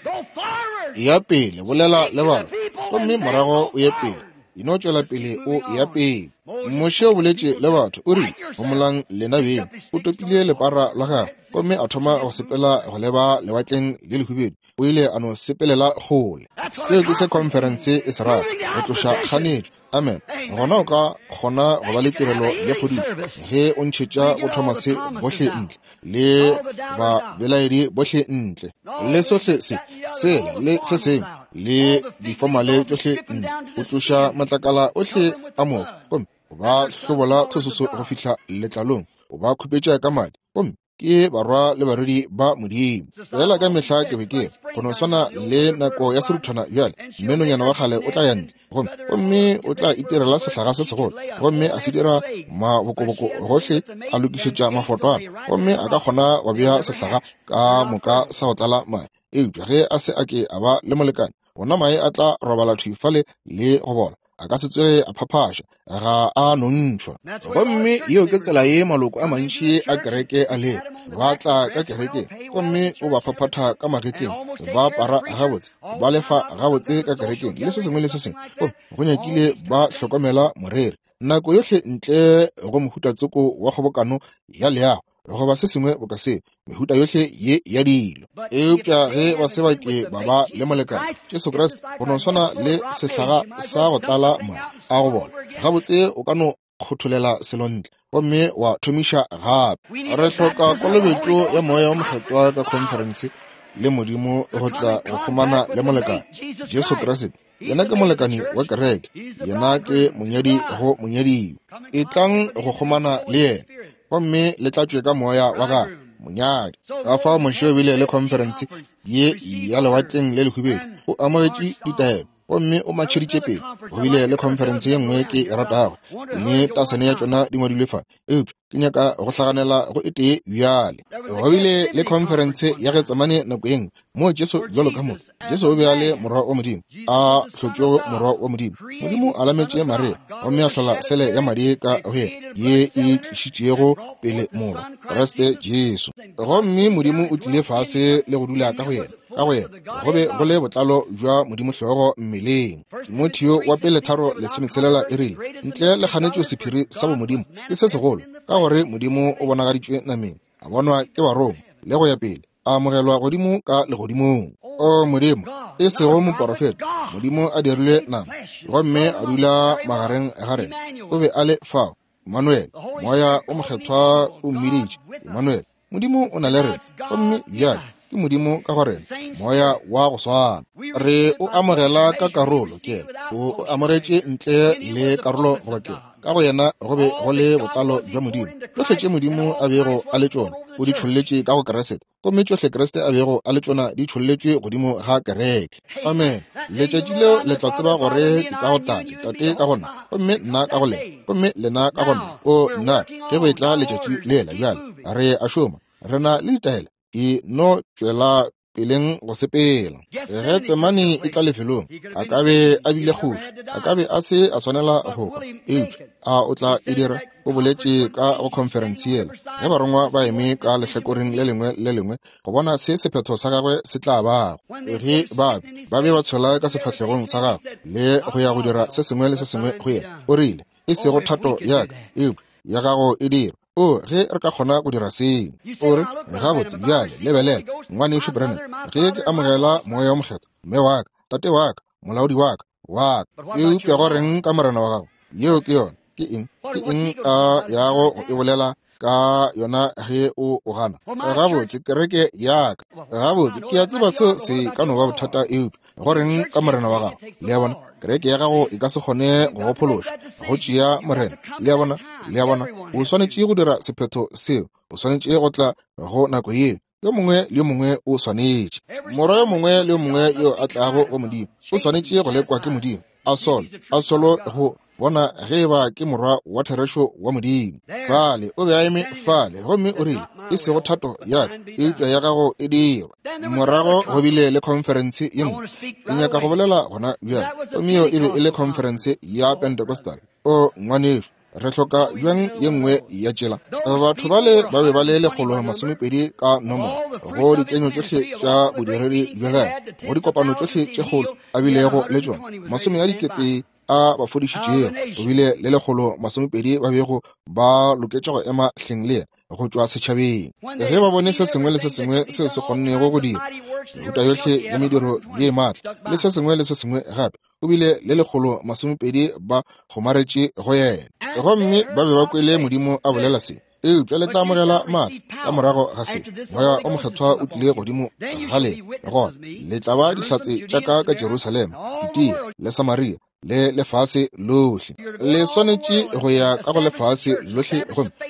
Ya pele, bolela le batho, gomme morago o ye pele. E no tšwela pele o ya pele. Moshe o boletše le batho, o rile, Homolang lena beng. O topile lepara la gagwe gomme a thoma go sepela go leba Lewatleng le Lehubedu. O ile a no sepelela kgole. Seo ke se khonferense e se rago, go tloša kganetšo. Amen. Gona o ka kgona go ba le tirelo ya phodišo ge o ntšhetša bo Thomase bohle ntle, le babelaedi bohle ntle, le sohle se, sela, le se sengwe, le difomale tšohle ntle. O tloša matlakala ohle a moka, gomme o ba hlobola thososo go fihla letlalong, o ba khupetša ka madi, gomme ke barwa le barwedi ba Modimo. Fela ka mehla ke be ke re, go no swana le nako ya seruthwana bjale, mme nonyana wa kgale o tla ya ntle, gomme, gomme o tla itirela sehlaga se segolo, gomme a se dira mabokoboko gohle, a lokišetša mafotwana, gomme a ka kgona go bea sehlaga ka moka sa go tlala mae. Eupša ge a se a ke a ba le molekane, gona mae a tla robala thwi fale le go bola. A ka se tsoge a phaphaša, ga a nontšhwa. Gomme yeo ke tsela ye maloko a mantši a kereke a lego. Ba tla ka kerekeng gomme o ba phaphatha ka magetleng, ba apara gabotse, ba lefa gabotse ka kerekeng le se sengwe le se sengwe, gomme go nyakile ba hlokomela moreri nako yohle ntle go mohuta tsoko wa kgobokano ya leago goba se sengwe boka seo, mehuta yohle ye ya dilo. Eupša ge ba se ba ke ba ba le molekane, Jesu Kriste, go no swana le sehlaga sa go tlala mae a go bola, gabotse o ka no kgotholela selo ntle gomme wa thomiša gape. Re hloka kolobetšo ya Moya wo Mokgethwa ka khonferense le Modimo go tla go kgomana le molekane, Jesu Kriste. Yena ke molekani wa kereke, yena ke monyadi go monyadiwa. Etlang go kgomana le yena gomme le tlatšwe ka moya wa gagwe, monyadi. Ka fao Moshe o bile le khonferense ye ya Lewatleng le Lehubedu, o amogetše ditaelo. Gomme o matšheditše pele. Go bile le khonferense ye nngwe ke e ratago, mme tasene ya tšona di ngwadilwe fa, eupša ke nyaka go hlaganela go e tee bjale. Go bile le khonferense ya Getsemane nako ye nngwe, moo Jesu bjalo ka motho, Jesu o be a le Morwa wa Modimo, a hlotšwego Morwa wa Modimo. Modimo a lametše Maria, gomme a hlola sele ya madi ka go yena, ye e tlišitšego pele Morwa, Kriste Jesu. Gomme Modimo o tlile fase le go dula ka go yena, ka go yena go be go le botlalo bja Modimo hlogo mmeleng. Timotheo wa pele 3:16 e rile, ntle le kganetšo sephiri sa bomodimo ke se segolo, ka gore Modimo o bonagaditšwe nameng, a bonwa ke Barongwa, le go ya pele, a amogelwa godimo ka legodimong. O Modimo, e sego moporofeta, Modimo a dirilwe nama gomme a dula magareng ga rena. O be a le fao, Emmanuel, Moya o Mokgethwa o mmiditše Emmanuel. Modimo o na le rena, gomme bjale ke Modimo ka go rena, Moya wa go swana. Re o amogela ka karolo, ke o amogetše ntle le karolo goba ke ka go yena go be go le botlalo bja Modimo. Tšohle tše Modimo a bego a le tšona o di tšholletše ka go Kriste, gomme tšohle Kriste a bego a le tšona di tšholletšwe godimo ga kereke. Amen. Letšatši leo le tla tseba gore ke ka go Tate, Tate ka go nna, gomme nna ka go lena, gomme lena ka go nna. O nna, ge go etla letšatši lela bjale, re a šoma, re na le ditaelo, e no tšwela peleng go sepela. Ge Tsemane e tla lefelong, a ka be a bile kgoši, a ka be a se a swanela go hwa, eupša a o tla e dira? O boletše ka go khonferense yela, ge barongwa ba eme ka lehlakoreng le lengwe le lengwe go bona se sephetho sa gagwe se tla bago. Ge ba be ba tshwela ka sefahlegong sa gagwe le go ya go dira se sengwe le se sengwe go yena, o rile, e sego thato ya ka, eupša ya gago e dirwe. O, ge re ka kgona go dira seo. O re, gabotse, bjale, lebelela, Ngwanešu Branham, ge ke amogela Moya wo Mokgethwa, mme wa ka, tate wa ka, molaodi wa ka, wa ka, eupša go reng ka Morena wa gago? Yeo ke yona. Ke eng? Ke eng a yago go e bolela ka yona ge o o gana? Gabotse, kereke ya ka. Gabotse, ke a tseba seo se ka no ba bothata, eupša go reng ka Morena wa gago? Le a bona, kereke ya gago e ka se kgone go go phološa, go tšea Morena. Le a bona, le a bona, o swanetše go dira sephetho seo, o swanetše go tla go nako yeo. Yo mongwe le yo mongwe o swanetše. Morwa yo mongwe le yo mongwe yo a tlago go Modimo o swanetše go lekwa ke Modimo, a solo, a solo go bona ge eba ke morwa wa therešo wa Modimo. Fale o be a eme fale, gomme o rile, e sego thato ya ka, eupša ya gago e dirwe. Morago go bile le khonferense ye nngwe, ke nyaka go bolela gona bjale, gomme yeo e be e le khonferense ya Pentecostal. O ngwanešu, re hloka bjang ye nngwe ya tšela. Batho bale ba be ba le 120 ka nomoro go dikenyo tšohle tša bodiredi bja gagwe, go dikopano tšohle tše kgolo a bilego le tšona, masome a dikete a ba fodišitšego, go bile le 120 ba bego ba loketše go ema hleng le yena go tšwa setšhabeng. Ge ba bone se sengwe le se sengwe seo se kgonnego go dira, mehuta yohle ya mediro ye maatla le se sengwe le se sengwe gape, o bile le 120 ba kgomaretše go yena. Gomme ba be ba kwele Modimo a bolela se, eupša le tla amogela maatla ka morago ga se. Moya o Mokgethwa o tlile godimo ga lena, gona le tla ba dihlatse tša ka ka Jerusalema, Judea le Samaria le lefase lohle. Le swanetše go ya ka go lefase lohle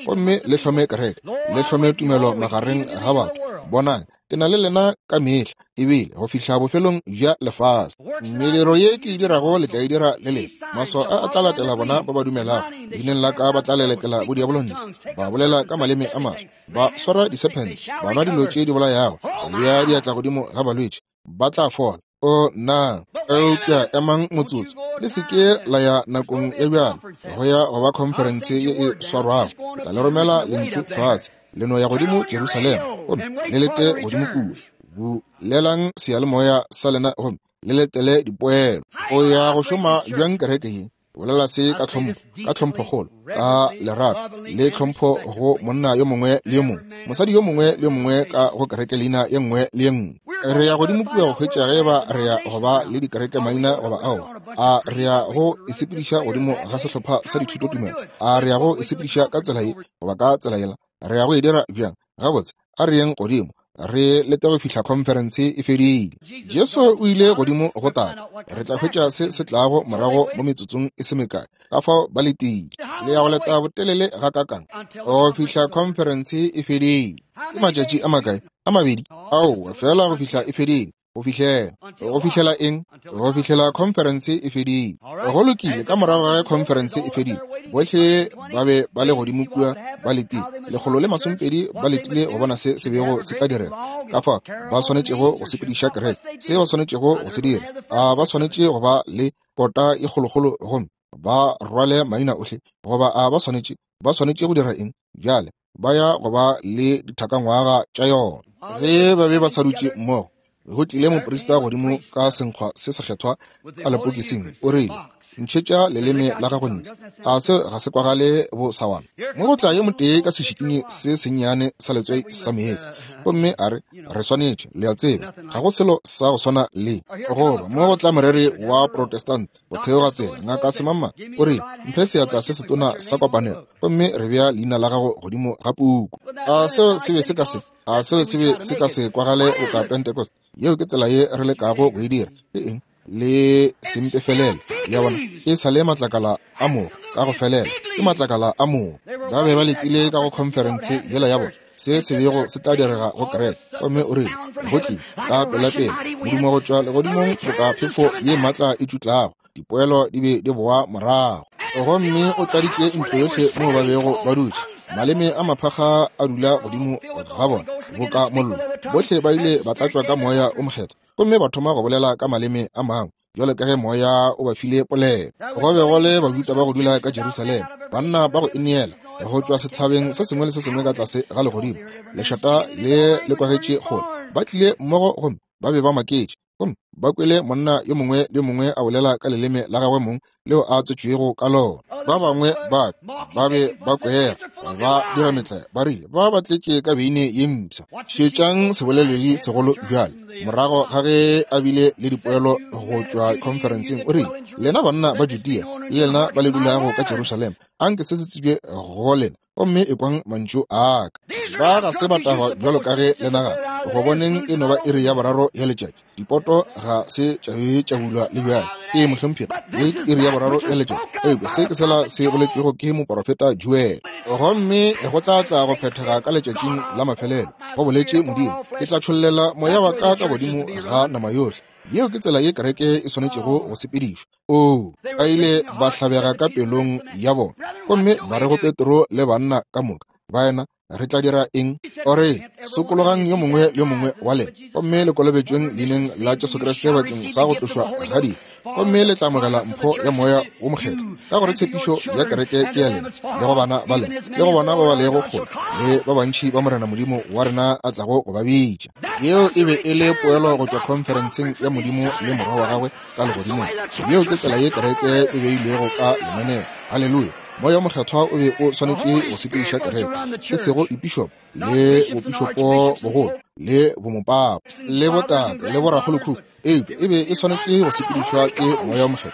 gomme le hlome kereke, le hlome tumelo magareng ga batho. Bonang, ke na le lena ka mehla, ebile go fihla bofelong bja lefase. Mediro ye ke e dirago le tla e dira le lena. Maswao a a tla latela bona ba ba dumelago. Leineng la ka ba tla lelekela bodiabolo ntle, ba bolela ka maleme a maswa, ba swara disephente, ba nwa dilo tše di bolayago, ba bea diatla godimo ga balwetši, ba tla fola. O na, eupša emang motsotso, le se ke la ya nakong ya bjalo go ya go ba khonferense ye e swarwago. Ke tla le romela lentšu fase, le no ya godimo Jerusalema gomme le lete godimo kua. Bulelang seyalemoya sa lena gomme le letele dipoelo. O ya go šoma bjang kereke ye? Bolela se ka tlhompho, ka tlhomphokgolo, ka lerato le tlhompho go monna yo mongwe le yo mongwe, mosadi yo mongwe le yo mongwe ka go kereke leina ye nngwe le ye nngwe. Re ya godimo kua go hwetša ge eba re ya go ba le dikereke maina goba aowa. A re ya go e sepediša godimo ga sehlopha sa dithutotumelo? A re ya go e sepediša ka tsela ye goba ka tsela yela? Re ya go e dira bjang? Gabotse, a re yeng godimo re lete go fihla khonferense e fedile. Jesu o ile godimo go Tate. Re tla hwetša se se tlago morago mo metsotsong e se mekae. Ka fao ba letile. Le ya go leta botelele gakakang go fihla khonferense e fedile? Ke matšatši a makae? A mabedi? Aowa, fela go fihla e fedile. Go fihlela, go fihlela eng? Go fihlela khonferense e fedile. Go lokile, ka morago ga ge khonferense e fedile, bohle ba be ba le godimo kua ba letile, 120 ba letile go bona se se bego se tla direga, ka fao ba swanetšego go sepediša kereke, se ba swanetšego go se dira. A ba swanetše go ba le kota e kgolokgolo gomme ba rwale maina ohle, goba a ba swanetše, ba swanetše go dira eng? Bjale ba ya go ba le dithakangwaga tša yona. Ge ba be ba sa dutše mmogo, go tlile moprista godimo ka senkgwa se sekgethwa ka lepokising, o rile, Ntšhetša leleme la gago ntle. A se ga se kwagale bosawana? Mo go tla yo motee ka sešikinyi se sennyane sa letswai sa meetse, gomme a re, Re swanetše, le a tseba, ga go selo sa go swana le. Goba mo go tla moreri wa Protestant go theoga tsela, Ngaka Semangmang, o rile, Mphe seatla se setona sa kopanelo, gomme re bea leina la gago godimo ga puku. A seo se be se ka se, a seo se be se ka se kwagale boka Pentecost? Yeo ke tsela ye re lekago go e dira. Ke eng? Le sempefelele. Le a bona? E sa le matlakala a mogo ka go felela. Ke matlakala a mogo. Ba be ba letile ka go khonferense yela ya bona, se se bego se tla direga go kereke. Gomme o rile, Go tlile ka pelapela modumo go tšwa legodimong boka phefo ye maatla e tšutlago. Dipoelo di be di boa morago. Gomme o tladitše ntlo yohle moo ba bego ba dutše. Maleme a maphakga a dula godimo ga bona boka mollo. Bohle ba ile ba tlatšwa ka Moya o Mokgethwa gomme ba thoma go bolela ka maleme a mangwe bjalo ka ge Moya o ba file polelo. Go be go le Bajuda ba go dula ka Jerusalema, banna ba go ineela go tšwa sethabeng se sengwe le se sengwe ka tlase ga legodimo. Lešata le le kwagetše kgole. Ba tlile mmogo gomme ba be ba maketše, gomme ba kwele monna yo mongwe le yo mongwe a bolela ka leleme la gagwe mong leo a tswetšwego ka lona. Ba bangwe ba ba be ba kwera, ba dira metlae, ba rile ba ba tletše ka beine ye mpsha. Šetšang seboleledi segolo bjale, morago ga ge a bile le dipoelo go tšwa khonferenseng, o rile, Lena banna ba Judea le lena ba le dulago ka Jerusalema, anke se se tsebje go lena, gomme ekwang mantšu a ka. Ba ga se ba tagwa bjalo ka ge le nagana. Go boneng e no ba iri ya boraro ya letšatši. Dipoto ga se tša be tša bulwa le bjale. Ee, mohlomphegi, ye ke iri ya boraro ya letšatši. Eupša se ke sela se boletšwego ke moporofeta Joel. Gomme go tla tla go phethega ka letšatšing la mafelelo, go boletše Modimo, ke tla tšhollela moya wa ka ka godimo ga nama yohle. Yeo ke tsela ye kereke e swanetšego go sepedišwa. Oo, ba ile ba hlabega ka pelong ya bona, gomme ba re go Petro le banna ka moka, Baena, re tla dira eng? O re, Sokologang yo mongwe le yo mongwe wa lena, gomme le kolobetšweng leineng la Jesu Kriste bakeng sa go tlošwa ga dibe, gomme le tla amogela mpho ya Moya wo Mokgethwa, ka gore tshepišo ya kereke ke ya lena, le go bana ba lena, le go bona ba ba lego kgole, le ba bantši ba Morena Modimo wa rena a tlago go ba bitša. Yeo e be e le poelo go tšwa khonferenseng ya Modimo le Morwa wa gagwe ka legodimong. Yeo ke tsela ye kereke e beilwego ka lenaneo. Haleluya! Moya wo Mokgethwa o be o swanetše go sepediša kereke, e sego dipišopo le bopišopo bogolo le bomopapa le botate le borakgolokhukhu, eupša e be e swanetše go sepedišwa ke Moya wo Mokgethwa.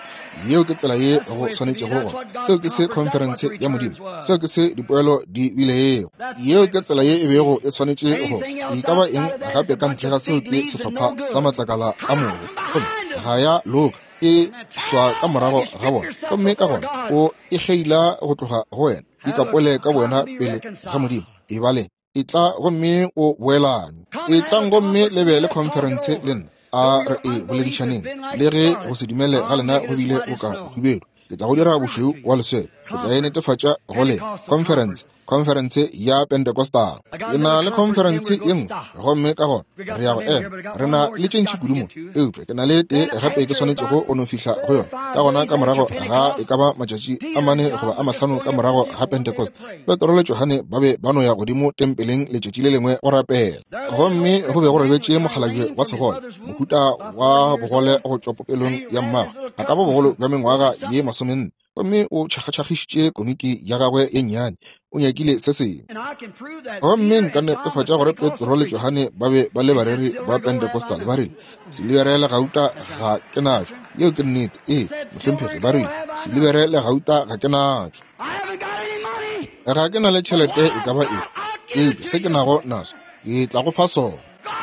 Yeo ke tsela ye go swanetšego gona. Seo ke se khonferense ya Modimo, seo ke se dipoelo di bilego. Yeo ke tsela ye e bego e swanetše go. E ka ba eng gape ka ntle ga seo ke sehlopha sa matlakala a mogo, gomme ga ya loka, e swa ka morago ga bona, gomme ka gona o e kgeila go tloga go wena. Ikapole ka bowena pele ga Modimo. E bale. Etla gomme o boelane. Etlang gomme le be le khonferense le nna. A re e boledišaneng. Le ge go se dumele ga lena go bile go ka hubedu, ke tla go dira bošweu wa leswele. Ke tla e netefatša go lena. Khonferense, khonferense ya Pentecostal. Ke na le khonferense ye nngwe, gomme ka gona re ya go ema. Re na le tše ntši kudu mo, eupša ke na le tee gape ke swanetšego go no fihla go yona. Ka gona ka morago ga e ka ba matšatši a mane goba a mahlano ka morago ga Pentecost, Petro le Johane ba be ba no ya godimo tempeleng letšatši le lengwe go rapela. Gomme go be go robetše mokgalabje wa segole, mohuta wa bogole go tšwa popelong ya mmagwe, a ka ba bogolo bja mengwaga ye masomenne, gomme o tšhakgatšhakgišitše komiki ya gagwe ye nnyane, o nyakile se sengwe. Gomme nka netefatša gore Petro le Johane ba be ba le bareri ba Pentecostal. Ba rile, Silibere le gauta ga ke natšo. Yeo ke nnete. Ee, mohlomphegi, ba rile, Silibere le gauta ga ke natšo. Ga ke na le tšhelete e ka ba efe, eupša se ke nago naso ke tla go fa sona.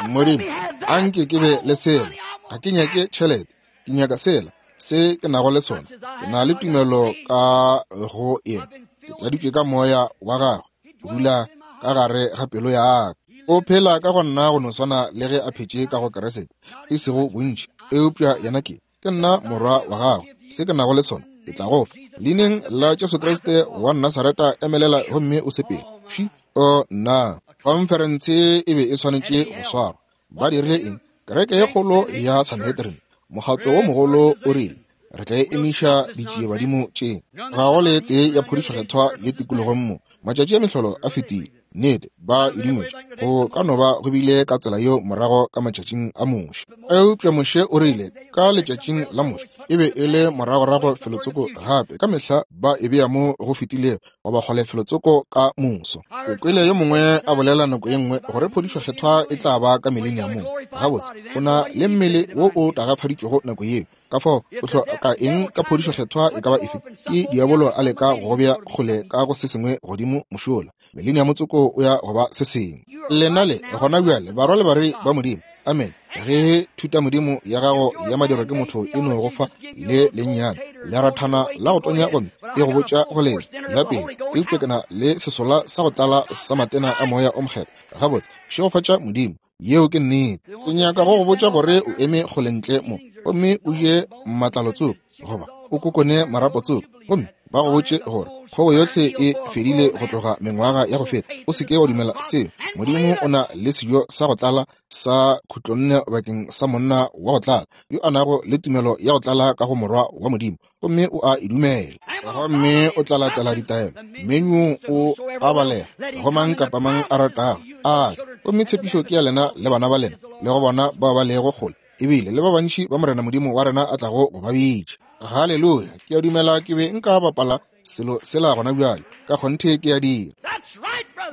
Modimo, a nke ke be le sela. Ga ke nyake tšhelete, ke nyaka sela se ke nago le sona. Ke na le tumelo ka go yena, ke tladitšwe ka moya wa gagwe, go dula ka gare ga pelo ya ka. O phela ka go nna go no swana le ge a phetše ka go Kriste, e sego bontši, eupša yena ke. Ke nna morwa wa gago. Se ke nago le sona, ke tla go fa. Leineng la Jesu Kriste wa Nasareta, emelela gomme o sepele. Fši! O, nna! Khonferense e be e swanetše go swarwa. Ba dirile eng? Kereke ye kgolo ya Sanhedrin, mokgatlo wo mogolo, o rile, Re tla emiša ditšiebadimo tše. Ga go le tee ya phodišo kgethwa ye tikologong mo. Matšatši a mehlolo a fetile. Nnete, ba e dumetše. Go ka no ba go bile ka tsela yeo morago ka matšatšing a Moshe. Eupša Moshe o rile, ka letšatšing la Moshe, e be e le moragorago felotsoko gape. Ka mehla ba e bea mo go fetilego, goba kgole felotsoko ka moso. Ke kwele yo mongwe a bolela nako ye nngwe gore phodišo kgethwa e tla ba ka mileniamong. Gabotse, o na le mmele wo o tagafaditšwego nako yeo. Ka fao o hloka eng ka phodišo kgethwa e ka ba efe? Ke diabolo a leka go go bea kgole ka go se sengwe godimo mošola. Mileniamo tsoko o ya go ba se sengwe. Lena le gona bjale barwa le barwedi ba Modimo. Amen. Ge thutamodimo ya gago ya madirwa ke motho e no go fa le lennyane lerathana la go tonya gomme e go botša go lena ya pele, eupša ke na le sesola sa go tlala sa matena a Moya o Mokgethwa. Gabotse, šegofatša Modimo. Yeo ke nnete. Ke nyaka go go botša gore o eme kgole ntle mo gomme o je matlalo tsoko goba o kokone marapo tsoko gomme ba go botše gore kgogo yohle e fedile go tloga mengwaga ya go feta. O se ke wa dumela seo. Modimo o na le sejo sa go tlala sa khutlonne bakeng sa monna wa go tlala yo a nago le tumelo ya go tlala ka go Morwa wa Modimo, gomme o a e dumela, gomme o tla latela ditaelo. Menu o a balega go mang kapa mang a ratago a tla, gomme tshepišo ke ya lena le bana ba lena le go bona bao ba lego kgole, ebile le ba bantši ba Morena Modimo wa rena a tlago go ba bitša. Haleluya! Ke a dumela ke be nka bapala selo sela gona bjale. Ka kgonthe ke a dira.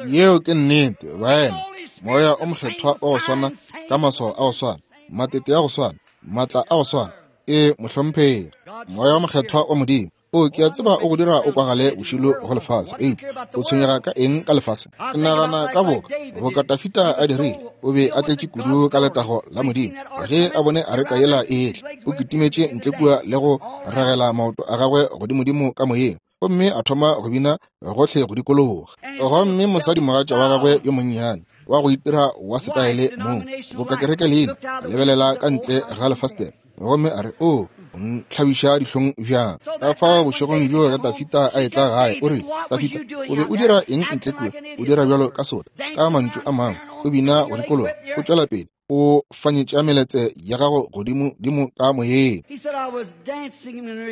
Yeo ke nnete, baena. Moya o Mokgethwa wa go swana, ka maswao a go swana, matete a go swana, maatla a go swana. Ee, mohlomphegi. Moya wa Mokgethwa wa Modimo. O, ke a tseba o go dira o kwagale bošilo go lefase, eupša o tshwenyega ka eng ka lefase? Ke nagana ka boka, boka Dafida a dirile, o be a tletše kudu ka letago la Modimo. Ge a bone areka yela e etla, o kitimetše ntle kua le go ragela maoto a gagwe godimodimo ka moyeng, gomme a thoma go bina gohle go dikologa. Gomme mosadimogatša wa gagwe yo monnyane wa go itira wa setaele mong, boka kereke leina, a lebelela ka ntle ga lefastere gomme a re, O ntlhabiša dihlong bjang. Ka fao bošegong bjo ge Dafida a etla gae, o rile, Dafida, o be o dira eng ntle kua? O dira bjalo ka sota. Ka mantšu a mangwe, o bina go dikologa, o tšwela pele o fanyetša meletse ya gago godimo dimo ka moyeng.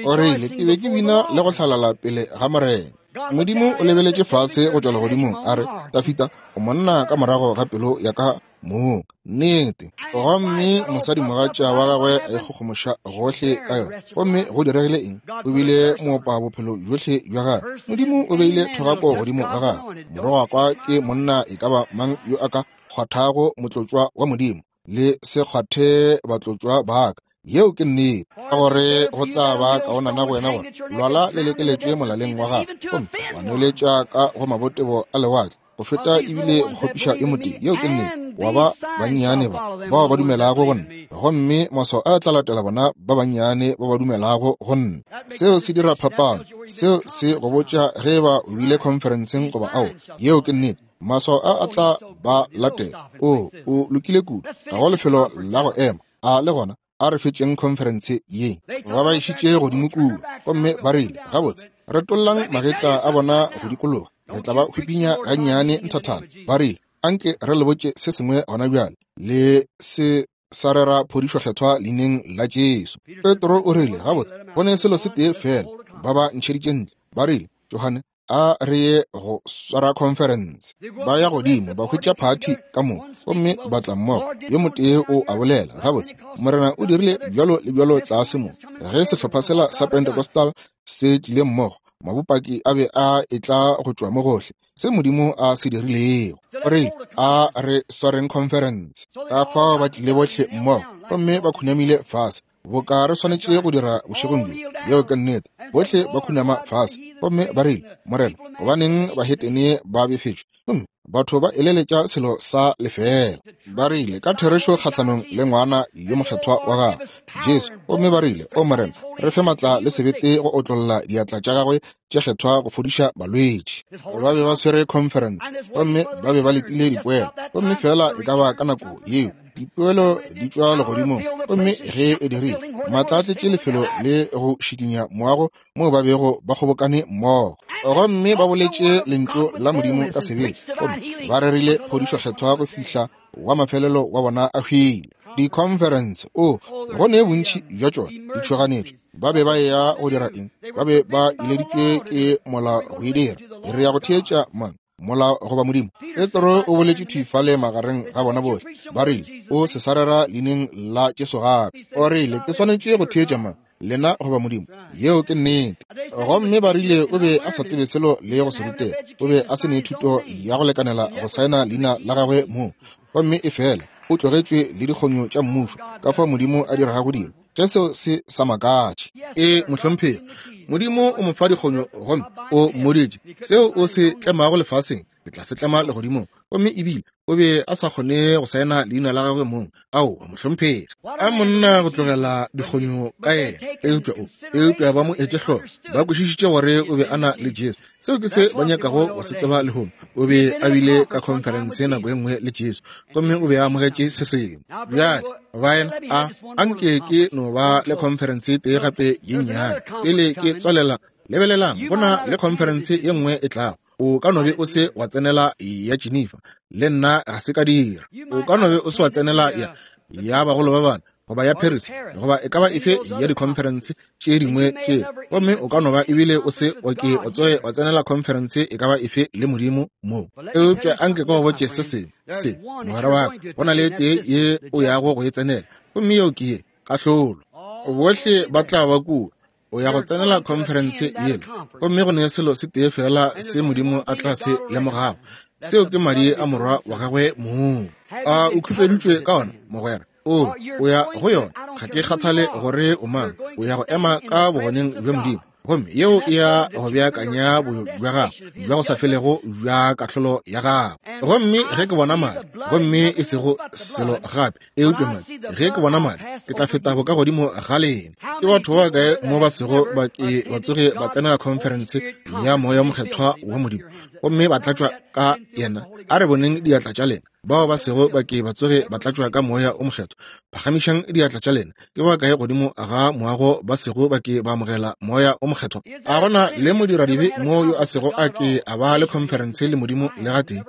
O rile, Ke be ke bina le go hlalala pele ga Morena. Modimo o lebeletše fase go tšwa legodimong, a re, Dafida, o monna ka morago ga pelo ya ka mong. Nnete. Gomme mosadimogatša wa gagwe a ikgogomoša gohle ka yona. Gomme go diregile eng? O bile moopa bophelo bjohle bja gagwe. Modimo o beile thogako godimo ga gagwe. Morogakwa ke monna e ka ba mang yo a ka kgwathago motlotšwa wa Modimo, le se kgwathe batlotšwa ba ka. Yeo ke nnete. Ka gore go tla ba kaonana go wena gore lwala le lekeletšwe molaleng wa gago gomme wa nweletša ka go mabotebo a lewatle, go feta ebile go kgopiša yo motee. Yeo ke nnete. Wa ba bannyane ba bao ba dumelago go nna, gomme maswao a tla latela bona ba bannyane ba ba dumelago go nna. Seo se dira phapano. Seo se go botša ge eba o bile khonferenseng goba aowa. Yeo ke nnete. Maswao a a tla ba latela. O, o lokile kudu. Ga go lefelo la go ema. A le gona? A re fetšeng khonferense ye. Ba ba išitše godimo kua, gomme ba rile, Gabotse, retollang magetla a bona go dikologa. Re tla ba hwipinya gannyane nthathana. Ba rile, Anke re le botše se sengwe gona bjale. Le se sa rera phodišo kgethwa leineng la Jesu. Petro o rile, Gabotse, go ne selo se tee feela. Ba ba ntšheditše ntle. Ba rile, Johane, a re ye go swara conference. Ba ya godimo, ba hwetša phathi ka moka, gomme ba tla mmogo. Yo motee o a bolela, Gabotse, Morena o dirile bjalo le bjalo tlase mo. Ge sehlopha sela sa Pentecostal se tlile mmogo, mabopaki a be a etla go tšwa mo gohle, se Modimo a se dirilego. O rile, A re swareng conference. Ka fao ba tlile bohle mmogo, gomme ba khunamile fase, boka re swanetše go dira bošegong bjo. Yeo ke nnete. Bohle ba khunama fase gomme ba rile, Morena, gobaneng bahetene ba befetšwe gomme Batho ba eleletša selo sa lefeela. Ba rile ka therešo kgahlanong le ngwana yo mokgethwa wa gagwe, Jesu, gomme ba rile, O Morena, re fe matla le sebete go otlolla diatla tša gagwe tše kgethwa go fodiša balwetši. Ba be ba swere conference, gomme ba be ba letile dipoelo, gomme feela e ka ba ka nako yeo dipoelo di tšwa legodimong, gomme ge e dirile, matla a tletše lefelo le go šikinya moago moo ba bego ba kgobokane mmogo, gomme ba boletše lentšu la Modimo ka sebele, gomme ba rerile phodišo kgethwa go fihla wa mafelelo wa bona a hwile. Di-conference, o go ne bontši bja tšona ditšhoganetšo. Ba be ba eya go dira eng? Ba be ba ileditšwe ke molao go e dira. Re ya go theetša mang, molao goba Modimo? Petro o boletše thwi fale magareng ga bona bohle. Ba rile, O se sa rera leineng la Jesu gape. O rile, Ke swanetše go theetša mang, lena goba Modimo? Yeo ke nnete. Gomme ba rile o be a sa tsebe selo le go se rutega. O be a se ne thuto ya go lekanela go saena leina la gagwe mong. Gomme efela o tlogetšwe le dikgonyo tša mmušo, ka fao Modimo a dirago dilo. Ge seo se sa makatše. Ee, mohlomphegi. Modimo o mo fa dikgonyo gomme o mmoditše, Seo o se tlemago lefaseng, ke tla se tlema legodimong. Gomme ebile o be a sa kgone go saena leina la gagwe mong. Aowa, mohlomphegi. A monna go tlogela dikgonyo ka yena, eupša o, eupša ba mo etše hloko. Ba kwešišitše gore o be a na le Jesu. Seo ke se ba nyakago go se tseba lehono. O be a bile ka khonferense nako e nngwe le Jesu, gomme o be a amogetše se sengwe. Bjale, baena, a anke ke no ba le khonferense e tee gape ye nnyane pele ke tswalela. Lebelelang, go na le khonferense ye nngwe e tlago. O ka no be o se wa tsenela ya Geneva, le nna ga se ka dira. O ka no be o se wa tsenela ya ya bagolo ba bana, goba ya Paris, goba e ka ba efe ya dikhonferense tše dingwe tše, gomme o ka no ba ebile o se wa ke wa tsoge wa tsenela khonferense e ka ba efe le Modimo mo. Eupša anke ke go botše se sengwe se, mogwera wa ka, go na le e tee ye o yago go e tsenela, gomme yeo ke ye, kahlolo. Bohle ba tla ba kua. O ya go tsenela khonferense yela, gomme go ne selo se tee feela se Modimo a tla se lemogago, seo ke madi a Morwa wa gagwe mong. A o khupeditšwe ka ona, mogwera? O, o ya go yona. Ga ke kgathale gore o mang, o ya go ema ka bogoneng bja Modimo, gomme yeo e ya go beakanya boyo bja gago bja go sa felego bja kahlolo ya gago. Gomme ge ke bona madi, gomme e sego selo gape eupša madi, ge ke bona madi, ke tla feta bokagodimo ga lena. Ke batho ba bakae mo ba sego ba ke ba tsoge ba tsenela khonferense ya Moya Mokgethwa wa Modimo gomme ba tlatšwa ka yena? A re boneng diatla tša lena. Bao ba sego ba ke ba tsoge ba tlatšwa ka Moya o Mokgethwa, phagamišang diatla tša lena. Ke ba kae godimo ga moago ba sego ba ke ba amogela Moya o Mokgethwa? A gona le modiradibe mo yo a sego a ke a ba le khonferense le Modimo le gatee?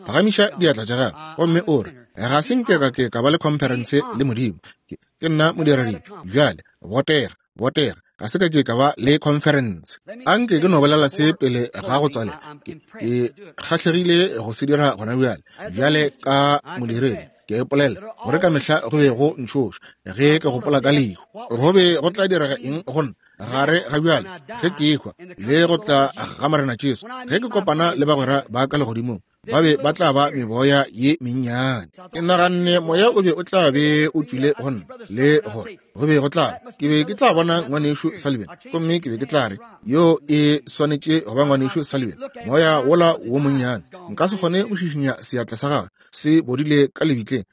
Phagamiša diatla tša gago gomme o re, Ga se nke ka ke ka ba le khonferense le Modimo. Ke nna modiradibe. Bjale, botega, botega. Ga se ka ke ka ba le khonferense. Anke ke no bolela se pele ga go tswalela. Ke kgahlegile go se dira gona bjale. Bjale ka modiredi, ke a ipolela gore ka mehla go be go ntšhoša ge ke gopola ka lehu. Go be go tla direga eng go nna gare ga bjale ge ke ehwa le go tla ga Morena Jesu, ge ke kopana le bagwera ba ka legodimong? Ba be ba tla ba meboya ye mennyane. Ke naganne moya o be o tla be o tšwile go nna, le gore go be go tla, ke be ke tla bona ngwanešu Sullivan, gomme ke be ke tla re, Yo e swanetše go ba ngwanešu Sullivan, moya wola wo monnyane. Nka se kgone go šišinya seatla sa gagwe, se bodile ka lebitleng.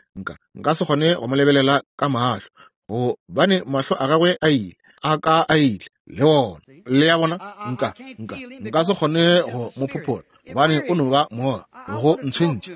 Nka se kgone go mo lebelela ka mahlo, gobane mahlo a gagwe a ile, a ka a ile le ona. Le a bona? Nka se kgone go mo phophola, gobane o no ba moya go ntshwentše.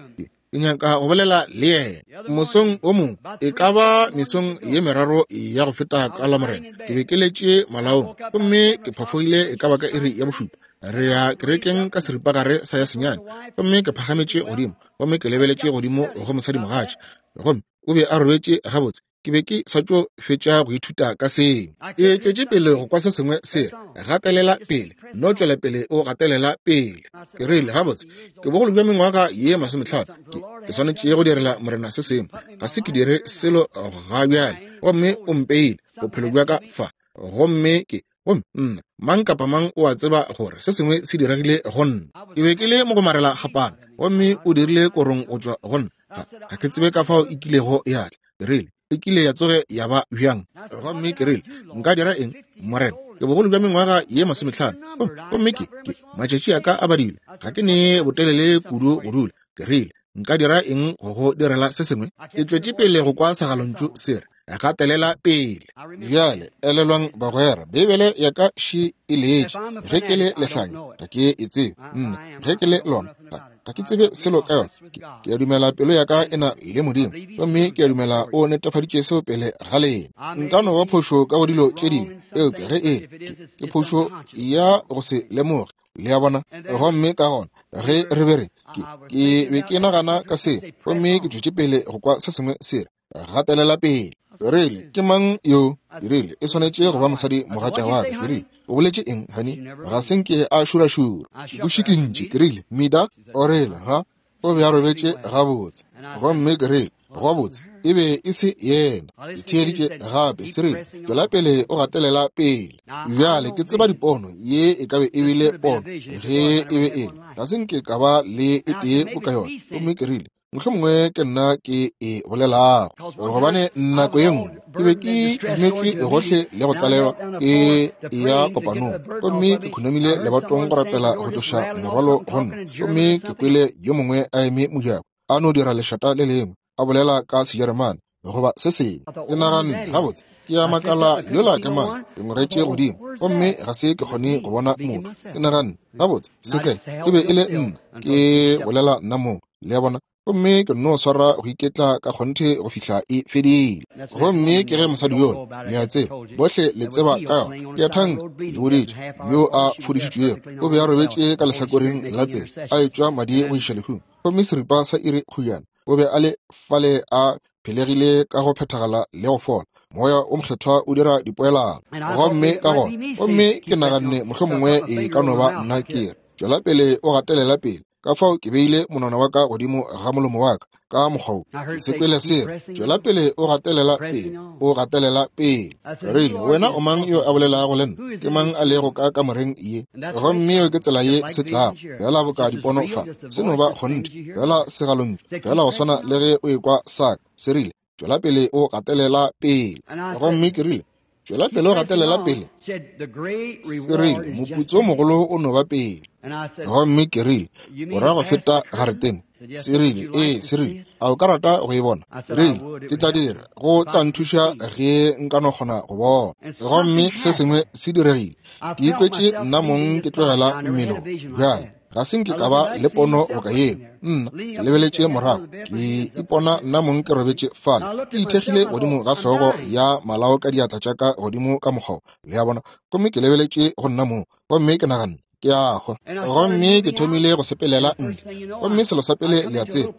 Ke nyaka go bolela le yena mosong o mongwe, e ka ba mesong ye meraro ya go feta ka Lamorena. Ke be ke letše malaong gomme ke phafogile e ka ba ka iri ya bošupa. Re ya kerekeng ka seripagare sa ya senyane, gomme ke phagametše godimo gomme ke lebeletše godimo go mosadimogatša, gomme o be a robetše gabotse. Ke be ke sa tšo fetša go ithuta ka seo. Ke tšwetše pele go kwa se sengwe se re, Gatelela pele, no tšwela pele o gatelela pele. Ke rile, Gabotse, ke bogolo bja mengwaga ye 50. Ke swanetše go direla Morena se sengwe. Ga se ke dire selo ga bjale, gomme o mpeile bophelo bja ka fa. Gomme ke, gomme nna, mang kapa mang o a tseba gore se sengwe se diregile go nna. Ke be ke le mogomarela kgapana, gomme o dirile korong go tšwa go nna. Ga ke tsebe ka fao e kilego ya tla. Ke rile, E kile ya tsoge ya ba bjang? Gomme ke rile, Nka dira eng, Morena? Ke bogolo bja mengwaga ye 50, gomme ke, matšatši a ka a badilwe. Ga ke ne botelele kudu go dula. Ke rile, Nka dira eng go go direla se sengwe? Ke tšwetše pele go kwa segalontšu se re, Gatelela pele. Bjale, elelwang bagwera, Beibele ya ka še e letše. Ge ke le lehlanya, ga ke e tsebe. Nna, ge ke le lona, ga ke tsebe selo ka yona. Ke a dumela pelo ya ka e na le Modimo, gomme ke a dumela o netefaditše seo pele ga lena. Nka no ba phošo ka go dilo tše dingwe, eupša ge e ke phošo ya go se lemoge. Le a bona? Gomme ka gona ge re be re, ke be ke nagana ka se, gomme ke tšwetše pele go kwa se sengwe se re, Gatelela pele. Ke rile, Ke mang yo? Ke rile, E swanetše go ba mosadi mogatša wa ka. Ke rile, O boletše eng, honey? Ga se nke a šurašura. Ke mo šikintše. Ke rile, Mida? O rile, Ha? O be a robetše gabotse. Gomme ke rile, Gabotse, e be e se yena. Ke theeditše gape, se rile, Tšwela pele o gatelela pele. Bjale ke tseba dipono, ye e ka be e bile pono, ge e be e le. Ga se nke ka ba le e tee boka yona. Gomme ke rile, Mohlomongwe ke nna ke e bolelago, gobane nako ye nngwe ke be ke imetšwe gohle le go tlalelwa ke ya kopanong, gomme ke khunamile lebatong go rapela go tloša morwalo go nna, gomme ke kwele yo mongwe a eme mojako a no dira lešata le lengwe a bolela ka Sejeremane goba se sengwe. Ke naganne, Gabotse, ke a makala yola ke mang. Ke ngwegetše godimo gomme ga se ke kgone go bona motho. Ke naganne, Gabotse, se kae? E be e le nna ke bolela nna mong, le a bona. Gomme ke nno swara go iketla ka kgonthe go fihla e fedile. Gomme ke ge mosadi yola, le a tseba, bohle le tseba ka yona, ke a thanka, le boditše, yo a fodišitšwego, o be a robetše ka lehlakoreng la tsela, a etšwa madi go iša lehung. Gomme seripa sa iri kgojana o be a le fale a phelegile ka go phethagala le go fola. Moya o Mokgethwa o dira dipoelano. Gomme ka gona, gomme ke naganne mohlomongwe e ka no ba nna ke re, Tšwela pele o gatelela pele. Ka fao ke beile monwana wa ka godimo ga molomo wa ka, ka mokgwa wo. Ke se kwele se re, Tšwela pele o gatelela pele, o gatelela pele. Ke rile, Wena o mang yo a bolelago le nna? Ke mang a lego ka kamoreng ye? Gomme yeo ke tsela ye se tlago, feela boka dipono fa. Se no ba kgonthe, feela segalontšu, feela go swana le ge o ekwa sa ka. Se rile, Tšwela pele o gatelela pele. Gomme ke rile, Tšwela pele o gatelela pele. Se rile, Moputso o mogolo o no ba pele. Gomme ke rile, O ra go feta garetene? Se rile, Ee. Se rile, A o ka rata go e bona? Ke rile, Ke tla dira. Go tla nthuša ge nka no kgona go bona. Gomme se sengwe se diregile. Ke ikwetše nna mong ke tlogela mmele wo. Bjale, ga se nke ka ba le pono boka yeo. Nna, ke lebeletše morago, ke ipona nna mong ke robetše fale, ke ithekgile godimo ga hlogo ya malao ka diatla tša ka godimo ka mokgwa wo, le a bona. Gomme ke lebeletše go nna mong, gomme ke naganne, Ke a hwa. Gomme ke thomile go sepelela ntle. Gomme selo sa pele le a tseba,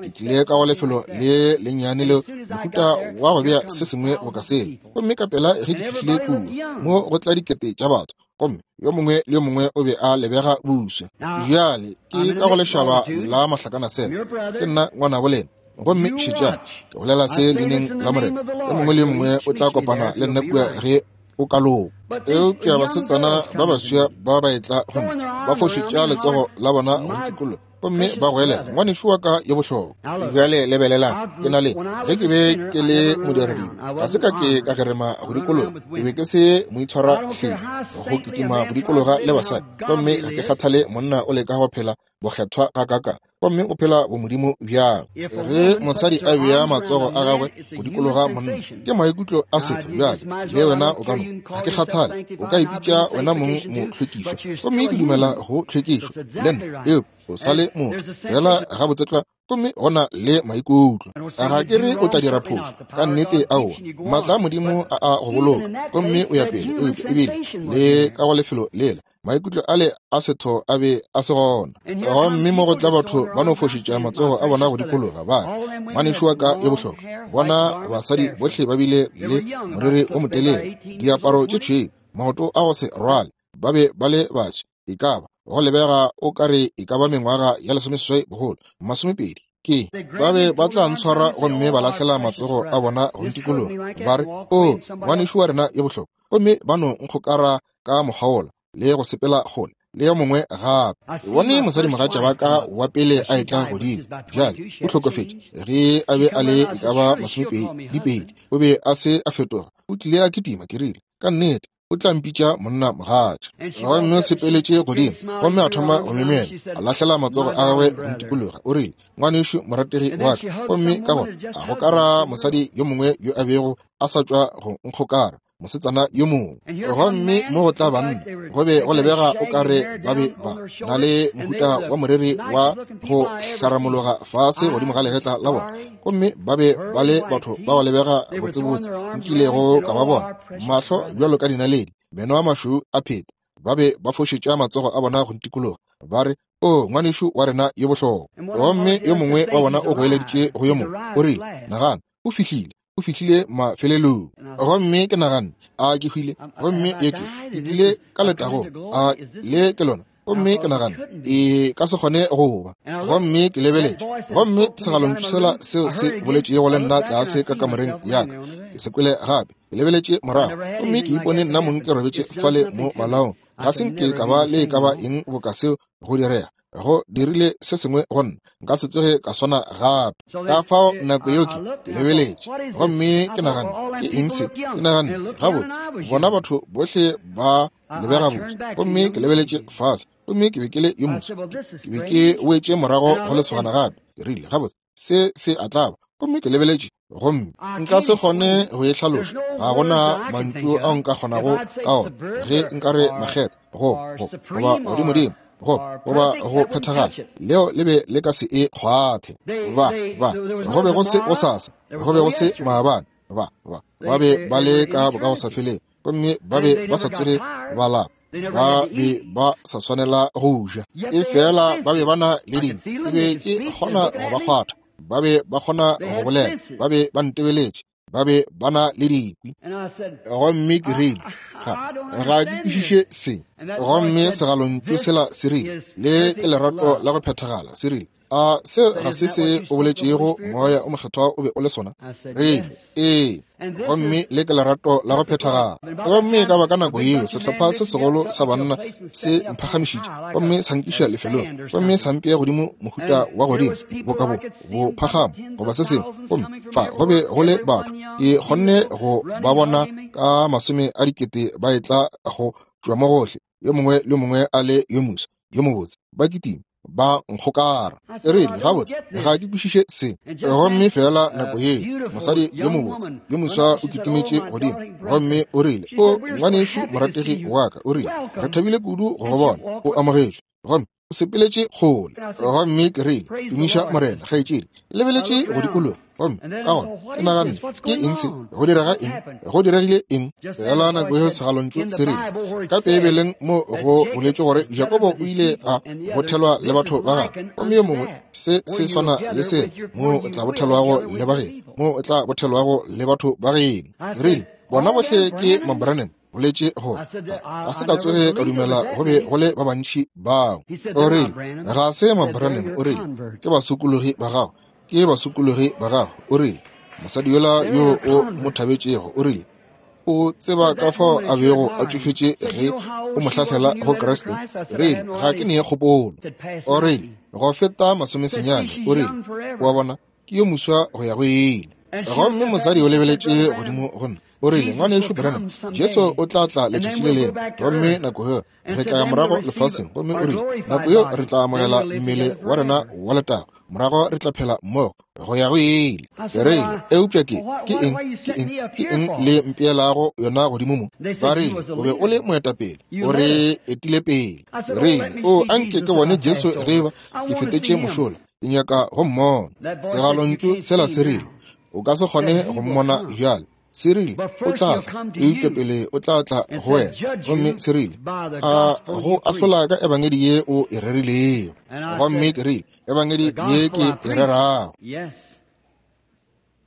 ke tlile ka go lefelo le lennyane leo, mohuta wa go bea se sengwe boka sela. Gomme ka pela ge ke fihlile kua, mo go tla dikete tša batho, gomme yo mongwe le yo mongwe o be a lebega buswa. Bjale ke ka go lešaba la mahlakanasela, ke nna ngwanabo lena. Gomme šetšang, ke bolela se leineng la Morena, yo mongwe le yo mongwe o tla kopana le nna kua ge o ka loka. Eupša basetsana ba baswa ba ba etla go nna, ba fošetša letsogo la bona go ntikologa, gomme ba goelela, Ngwanešu wa ka yo bohlokwa. Bjale lebelelang, ke na le, ge ke be ke le modiradibe, ga se ka ke ka gerema go dikologa, ke be ke se moitshwarahleng go kitima go dikologa le basadi, gomme ga ke kgathale monna o leka go phela bokgethwa gakaakang, gomme o phela bomodimo bjang. Ge mosadi a bea matsogo a gagwe go dikologa monna, ke maikutlo a setho. Bjale le wena o ka no, ga ke kgathale, o ka ipitša wena mong mohlwekišwa, gomme ke dumela go tlhwekišo le nna, eupša o sa le motho fela gabotse tlwa, gomme go na le maikutlo. Ga ke re o tla dira phošo, ka nnete aowa. Maatla a Modimo a a go boloka, gomme o ya pele, eupša ebile le ka go lefelo lela maikutlo ale a setho a be a se gona. Gomme mo go tla batho ba no fošetša matsogo a bona go dikologa, ba re, Ngwanešu wa ka yo bohlokwa. Bona basadi bohle ba bile le moriri o motelele, diaparo tše tšhweu, maoto a go se rwale, ba be ba le baswa, e ka ba go lebega o ka re e ka ba mengwaga ya lesomeseswai bogolo, masomepedi. Ke ba be ba tla ntshwara gomme ba lahlela matsogo a bona go ntikologa, ba re, O, ngwanešu wa rena yo bohlokwa. Gomme ba no nkgokara ka mokgwa wola le go sepela kgole le yo mongwe gape. Ke bone mosadimogatša wa ka wa pele a etla godimo. Bjale o hlokofetše ge a be a le e ka ba masomepedi. O be a se a fetoga. O tlile a kitima. Ke rile, Ka nnete. O tla mpitša monna mogatša. Gomme o sepeletše godimo, gomme a thoma go myemyela, a lahlela matsogo a gagwe go ntikologa. O rile, Ngwanešu morategi wa ka. Gomme ka gona a gokara mosadi yo mongwe yo a bego a sa tšwa go nkgokara, mosetsana yo mongwe. Gomme mo go tla banna, go be go lebega o ka re ba be ba na le mohuta wa moriri wa go hlaramologa fase godimo ga legetla la bona, gomme ba be ba le batho ba go lebega botsebotse nkilego ka ba bona, mahlo bjalo ka dinaledi, meno a mašweu a pheta. Ba be ba fošetša matsogo a bona go ntikologa, ba re, O, ngwanešu wa rena yo bohlokwa. Gomme yo mongwe wa bona o goeleditše go yo mongwe, o rile, Nagana, o fihlile, o fihlile mafelelong. Gomme ke naganne, A ke hwile? Gomme ye ke, ke tlile ka letagong. A le ke lona? Gomme ke naganne, E ka se kgone go ba. Gomme ke lebeletše, gomme segalontšu sela seo se boletšego le nna tlase ka kamoreng ya ka, ke se kwele gape. Ke lebeletše morago, gomme ke ipone nna mong ke robetše fale mo malaong. Ga se nke ka ba le e ka ba eng boka seo go direga. Go dirile se sengwe go nna, nka se tsoge ka swana gape. Ka fao nako yeo ke lebeletše, gomme ke naganne, Ke eng se? Ke naganne, Gabotse, bona batho bohle ba lebega botse. Gomme ke lebeletše fase, gomme ke be ke le yo moso. Ke be ke wetše morago go lesogana gape. Ke rile, Gabotse, se se a tlaba. Gomme ke lebeletše, gomme nka se kgone go e hlaloša. Ga go na mantšu ao nka kgonago ka ona. Ge nka re makgetha, go, go, goba godimodimo, go, goba go phethagala, leo le be le ka se e kgwathe. Ba, ba, go be go se gosasa, go be go se maabane. Ba, ba, ba be ba le ka bokagosafelego, gomme ba be ba sa tsoge ba lapa. Ba be ba sa swanela go ja, efela ba be ba na le dingwe. Ke be ke kgona go ba kgwatha, ba be ba kgona go bolela, ba be ba ntebeletše, ba be ba na le dikwi. Gomme ke rile, Ga, ga ke kwešiše se. Gomme segalontšu sela se rile, Le ke lerato la go phethagala. Se rile, A se ga se se o boletšego Moya o Mokgethwa o be o le sona? Rile, Ee. Gomme le ke lerato la go phethagala. Gomme ka ba ka nako yeo sehlopha se segolo sa banna se mphagamišitše gomme sa nkiša lefelong, gomme sa mpea godimo mohuta wa godimo boka bo bophagamo goba se sengwe. Gomme fa go be go le batho, ke kgonne go ba bona ka masome a dikete ba etla go tšwa mo gohle, yo mongwe le yo mongwe a le yo moswa, yo mobotse, ba kitima ba nkgokara. E rile, Gabotse, ga ke kwešiše se. Gomme feela nako yeo, mosadi yo mobotse yo moswa o kitimetše godimo, gomme o rile, O ngwanešu morategi wa ka, o rile, re thabile kudu go go bona o amogetšwe. Gomme o sepeletše kgole. Gomme ke rile, Tumiša Morena, kgaetšedi. Lebeletše go dikologa, gomme ka gona ke naganne, Ke eng se? Go direga eng? Go diregile eng? Feela nako yeo segalontšu se rile, ka Beibeleng mo go boletšwe gore Jakobo o ile a bothelwa le batho ba gagwe, gomme yo mongwe se se swana le se mo o tla bothelwago le ba geno, mo o tla bothelwago le batho ba geno. Rile, Bona bohle ke Mabranham. Boletše gore ga se ka tsoge ka dumela go be go le ba bantši bao. O rile, Ga se Mabranham, o rile, ke basokologi ba gago, ke basokologi ba gago. O rile, Mosadi yola yo o mo thabetšego, o rile, o tseba ka fao a bego a tšofetše ge o mo hlahlela go Kriste? Rile, Ga ke ne kgopolo. O rile, Go feta masomesenyane. O rile, O a bona, ke yo moswa go ya go ile. Gomme mosadi o lebeletše godimo go nna. O rile, Ngwanešu Branham, Jesu o tla tla letšatši le lengwe, gomme nako yeo re tla ya morago lefaseng. Gomme o rile, Nako yeo re tla amogela mmele wa rena wa letago, morago re tla phela mmogo go ya go ile. Ke rile, Eupša ke, ke eng, ke eng, ke eng le mpeelago yona godimo mo? Ba rile, O be o le moetapele, o re etile pele. Ke rile, O, anke ke bone Jesu ge eba ke fetetše mošola. Ke nyaka go mmona. Segalontšu sela se rile, O ka se kgone go mmona bjale. Se rile, O tla tla, eupša pele o tla tla go wena. Gomme se rile, A go ahlola ka ebangedi ye o e rerilego. Gomme ke rile, Ebangedi ye ke e rerago.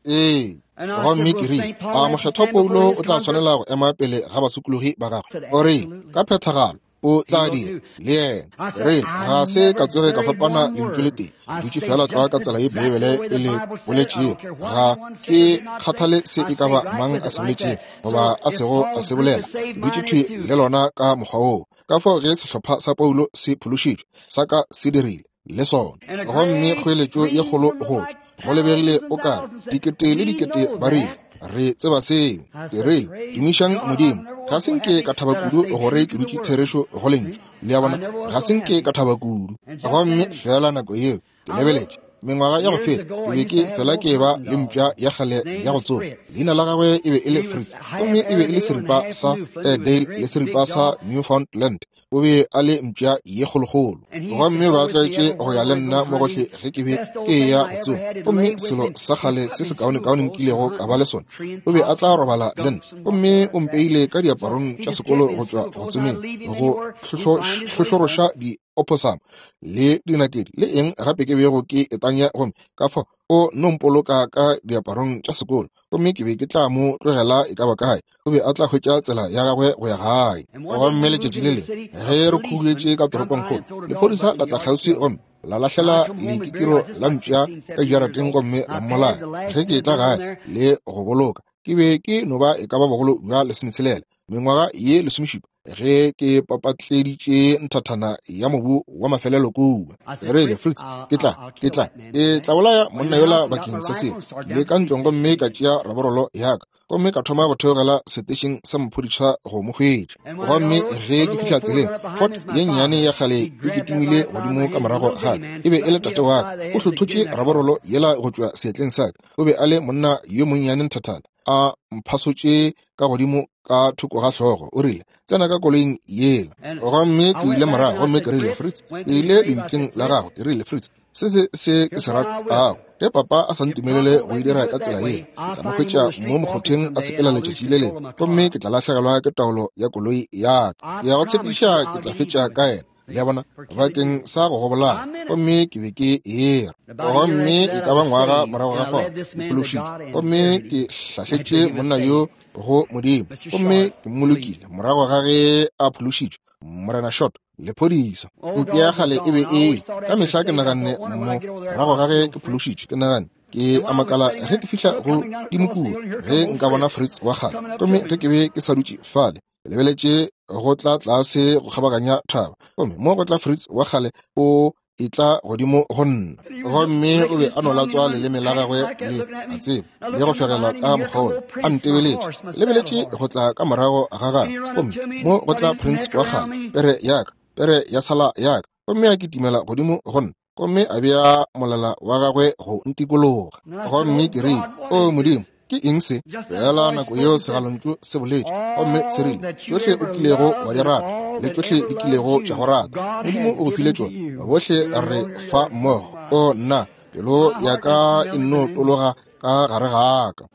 Ee. Gomme ke rile, A Mokgethwa Paulo o tla swanela go ema pele ga basokologi ba gagwe? O rile, Ka phethagalo. O tla dira le yena. Re ga se ka tsoge ka fapana lentšu le tee, dutše feela tlwa ka tsela ye Beibele e le boletšego. Ga ke kgathale se e ka ba mang a se boletšego goba a sego a se bolela, dutše thwi le lona ka mokgwa woo. Ka fao ge sehlopha sa Paulo se phološitšwe, sa ka se dirile le sona. Gomme kgoeletšo ye kgolo go tšwa, go lebegile o ka re dikete le dikete ba rile. Re tseba seo. Ke rile, Tumišang Modimo. Ga se nke ka thaba kudu gore ke dutše therešo go Lentšu. Le a bona? Ga se nke ka thaba kudu. Gomme feela nako yeo, ke lebeletše. Mengwaga ya go feta, ke be ke fela ke eba le mpša ya kgale ya go tsoma. Leina la gagwe e be e le Fritz, gomme e be e le seripa sa Airedale le seripa sa Newfoundland. O be a le mpša ye kgolokgolo, gomme ba tlwaetše go ya le nna mo gohle ge ke be ke eya go tsoma. Gomme selo sa kgale se sekaonekaone nkilego ka ba le sona, o be a tla robala le nna. Gomme o mpeile ka diaparong tša sekolo go tšwa go tsomeng, go hlohloroša di opossum le dinakedi le eng gape ke bego ke e tanya, gomme ka fao o no mpoloka ka diaparong tša sekolo. Gomme ke be ke tla mo tlogela e ka ba kae, o be a tla hwetša tsela ya gagwe go ya gae. Gomme letšatši le lengwe ge re khuduetše ka toropongkgolo, lephodisa la tla kgauswi gomme la lahlela lekikiro la mpša ka jarateng gomme la mmolaya. Ge ke etla gae le go boloka, ke be ke no ba e ka ba bogolo bja 16, mengwaga ye 17, ge ke papatleditše nthathana ya mobu wa mafelelo kua. Ke rile, Fritz, ke tla, ke tla, ke tla bolaya monna yola bakeng sa seo. Le ka ntlong gomme ka tšea raborolo ya ka, gomme ka thoma go theogela setešeng sa maphodisa go mo hwetša. Gomme ge ke fihla tseleng, Ford ye nnyane ya kgale e kitimile godimo ka morago ga ka. E be e le tate wa ka. O hlothotše raborolo yela go tšwa seatleng sa ka. O be a le monna yo monnyane nthathana, a mphasotše ka godimo ka thoko ga hlogo. O rile, Tsena ka koloing yela. Gomme ke ile morago gomme ke rile, Fritz, ke ile lebitleng la gago. Ke rile, Fritz, se se se ke se ratago. Ge papa a sa ntumelele go e dira ka tsela ye, ke tla mo hwetša mo mokgotheng a sepela letšatši le lengwe, gomme ke tla lahlegelwa ke taolo ya koloi ya ka. Ke ya go tshepiša ke tla fetša ka yena. Le a bona, bakeng sa go go bolaya. Gomme ke be ke era. Gomme e ka ba ngwaga morago ga fao, ke phološitšwe. Gomme ke hlahletše monna yo go Modimo, gomme ke mmolokile morago ga ge a phološitšwe, Morena Short, lephodisa. Mpša ya kgale e be e ka mehla ke naganne morago ga ge ke phološitšwe, ke naganne, ke a makala ge ke fihla go dimokua, ge nka bona Fritz wa kgale. Gomme ge ke be ke sa dutše fale, ke lebeletše go tla tlase go kgabaganya thaba, gomme mo go tla Fritz wa kgale o etla godimo go nna. Gomme o be a no latswa leleme la gagwe le a tseba, le go fegelwa ka mokgwa a ntebeletše, lebeletše go tla ka morago ga gagwe, gomme mo go tla Prince wa kgale, pere ya ka, pere ya sala ya ka, gomme a kitimela godimo go nna, gomme a bea molala wa gagwe go ntikologa. Gomme ke rile, O Modimo, ke eng se? Fela nako yeo segalontšu se boletše, gomme se rile, Tšohle o kilego wa di rata, le tšohle di kilego tša go rata, Modimo o go file tšona. Bohle re fa mmogo. O nna, pelo ya ka e nno tologa ka gare ga ka.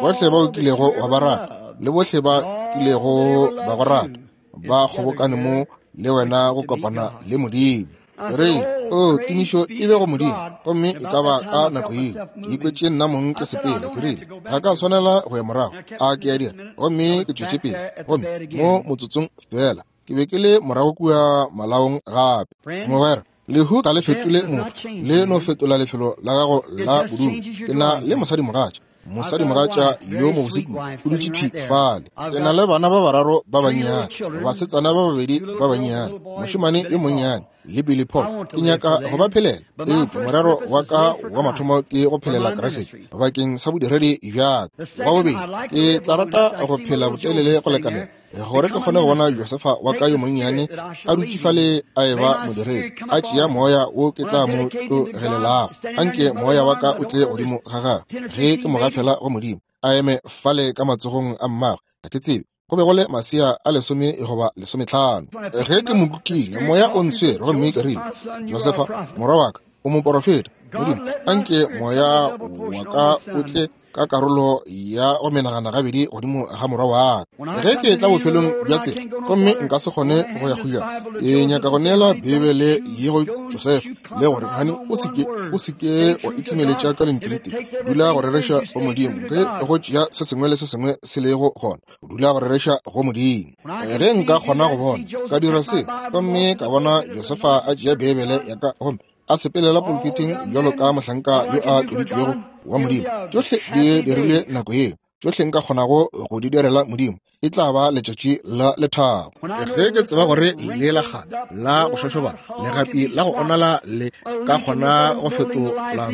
Bohle ba o kilego wa ba rata, le bohle ba kilego ba go rata, ba kgobokane mo le wena go kopana le Modimo. Re, o, tumišo e be go Modimo. Gomme e ka ba ka nako yeo ke ikwetše nna mong ke sepela. Ke rile, ga ka swanela go ya morago, a ke a dira? Gomme ke tšwetše pele, gomme mo motsotsong feela ke be ke le morago kua malaong gape. Mogwera, lehu ga le fetole motho, le no fetola lefelo la gago la bodulo. Ke na le mosadimogatša, mosadimogatša yo mobose kudu, o dutše thwi fale. Ke na le bana ba bararo ba bannyane, basetsana ba babedi ba bannyane, mošemane yo monnyane le Billy Paul. Ke nyaka go ba phelela, eupša morero wa ka wa mathomo ke go phelela Kriste bakeng sa bodiredi bja ka. Wa bobedi, ke tla rata go phela botelele go lekanela gore ke kgone go bona Josefa wa ka yo monnyane a dutše fale a eba modiredi, a tšea moya wo ke tla mo tlogelelago. Anke moya wa ka o tle godimo ga gagwe ge ke mo gafela go Modimo, a eme fale ka matsogong a mmagwe. Ga ke tsebe, go be go le masea a 10 goba 15. Ge ke mo kukile, moya o ntshwere, gomme ke rile, Josefa, morwa wa ka, o moporofeta. Modimo, anke moya wa ka o tle ka karolo ya go menagana gabedi godimo ga morwa wa ka. Ge ke etla bofelong bja tsela gomme nka se kgone go ya kgojana, ke nyaka go neela Beibele ye go Josefa, le gore, Hani, o se ke, o se ke wa itlimeletša ka lentšu le tee. Dula go rereša go Modimo. Ge go tšea se sengwe le se sengwe se lego gona, dula go rereša go Modimo. Ge nka kgona go bona, ka dira se, gomme ka bona Josefa a tšea Beibele ya ka gomme a sepelela pulpiting bjalo ka mohlanka yo a tloditšwego wa Modimo. Tšohle di dirilwe nako yeo. Tšohle nka kgonago go di direla Modimo, e tla ba letšatši la lethabo. Ge ke tseba gore le la kgale la go šošobana, legapi la go onala le ka kgona go fetola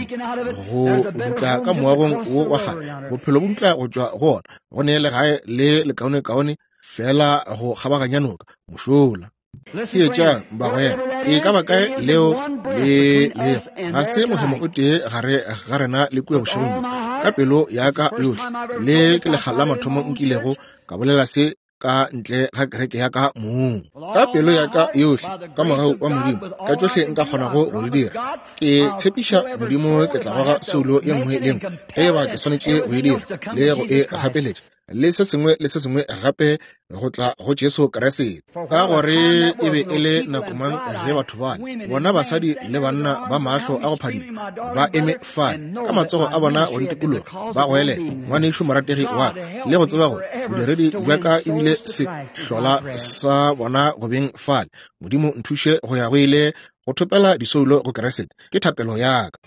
go dutla ka moagong wo wa kgale, bophelo bo dutla go tšwa go ona, go ne legae le lekaonekaone fela go kgabaganya noka mošola. Theetšang, bagwera, e ka ba kae leo le lego, ga se mohemo o tee gare ga rena le kua bošegong bjo. Ka pelo ya ka yohle, le ke lekga la mathomo nkilego ka bolela se ka ntle ga kereke ya ka mong. Ka pelo ya ka yohle, ka mogau wa Modimo, ka tšohle nka kgonago go di dira, ke tshepiša Modimo ke tla goga soulo ye nngwe le nngwe ge e ba ke swanetše go e dira le go e gapeletša, le se sengwe le se sengwe gape go tla go Jesu Kriste. Ka gore e be e le nako mang ge batho bale, bona basadi le banna ba mahlo a go phadima, ba eme fale ka matsogo a bona go ntikologa, ba goelela, Ngwanešu morategi wa ka, le go tseba gore bodiredi bja ka ebile se hlola sa bona go beng fale. Modimo nthuše go ya go ile go thopela disoulo go Kriste, ke thapelo ya ka.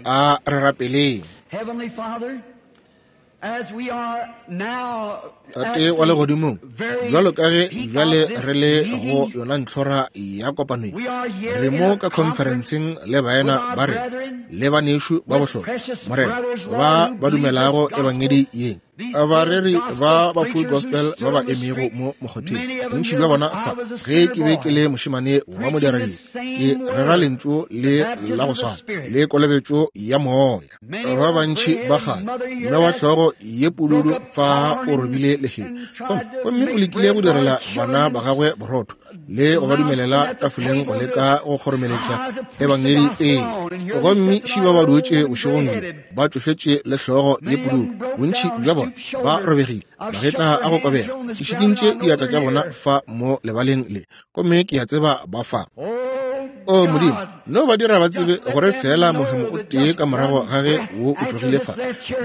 A re rapeleng. Tate wa legodimong, bjalo ka ge bjale re le go yona ntlhora ya kopano ye, re mo ka khonferenseng le baena ba rena le banešu ba bohlokwa, Morena, ba ba dumelago ebangedi ye, bareri ba ba Full Gospel ba ba emego mo mokgotheng, bontši bja bona fa. Ge ke be ke le mošemane wa modiredi, ke rera lentšu le la go swana le kolobetšo ya Moya. Ba bantši ba kgale, mme wa hlogo ye pududu fa o robile lehea, gomme o lekile go direla bana ba gagwe borotho le go ba dumelela tafoleng go leka go kgoromeletša ebangedi pele. Gomme šiba ba dutše bošegong bjo ba tšofetše le hlogo ye pududu, bontši bja bona ba robegile, magetla a go kobega, ke šikintše diatla tša bona fa mo lebaleng le, gomme ke a tseba ba fa. O Modimo, no ba dira ba tsebe gore feela mohemo o tee ka morago ga ge wo o tlogile fa,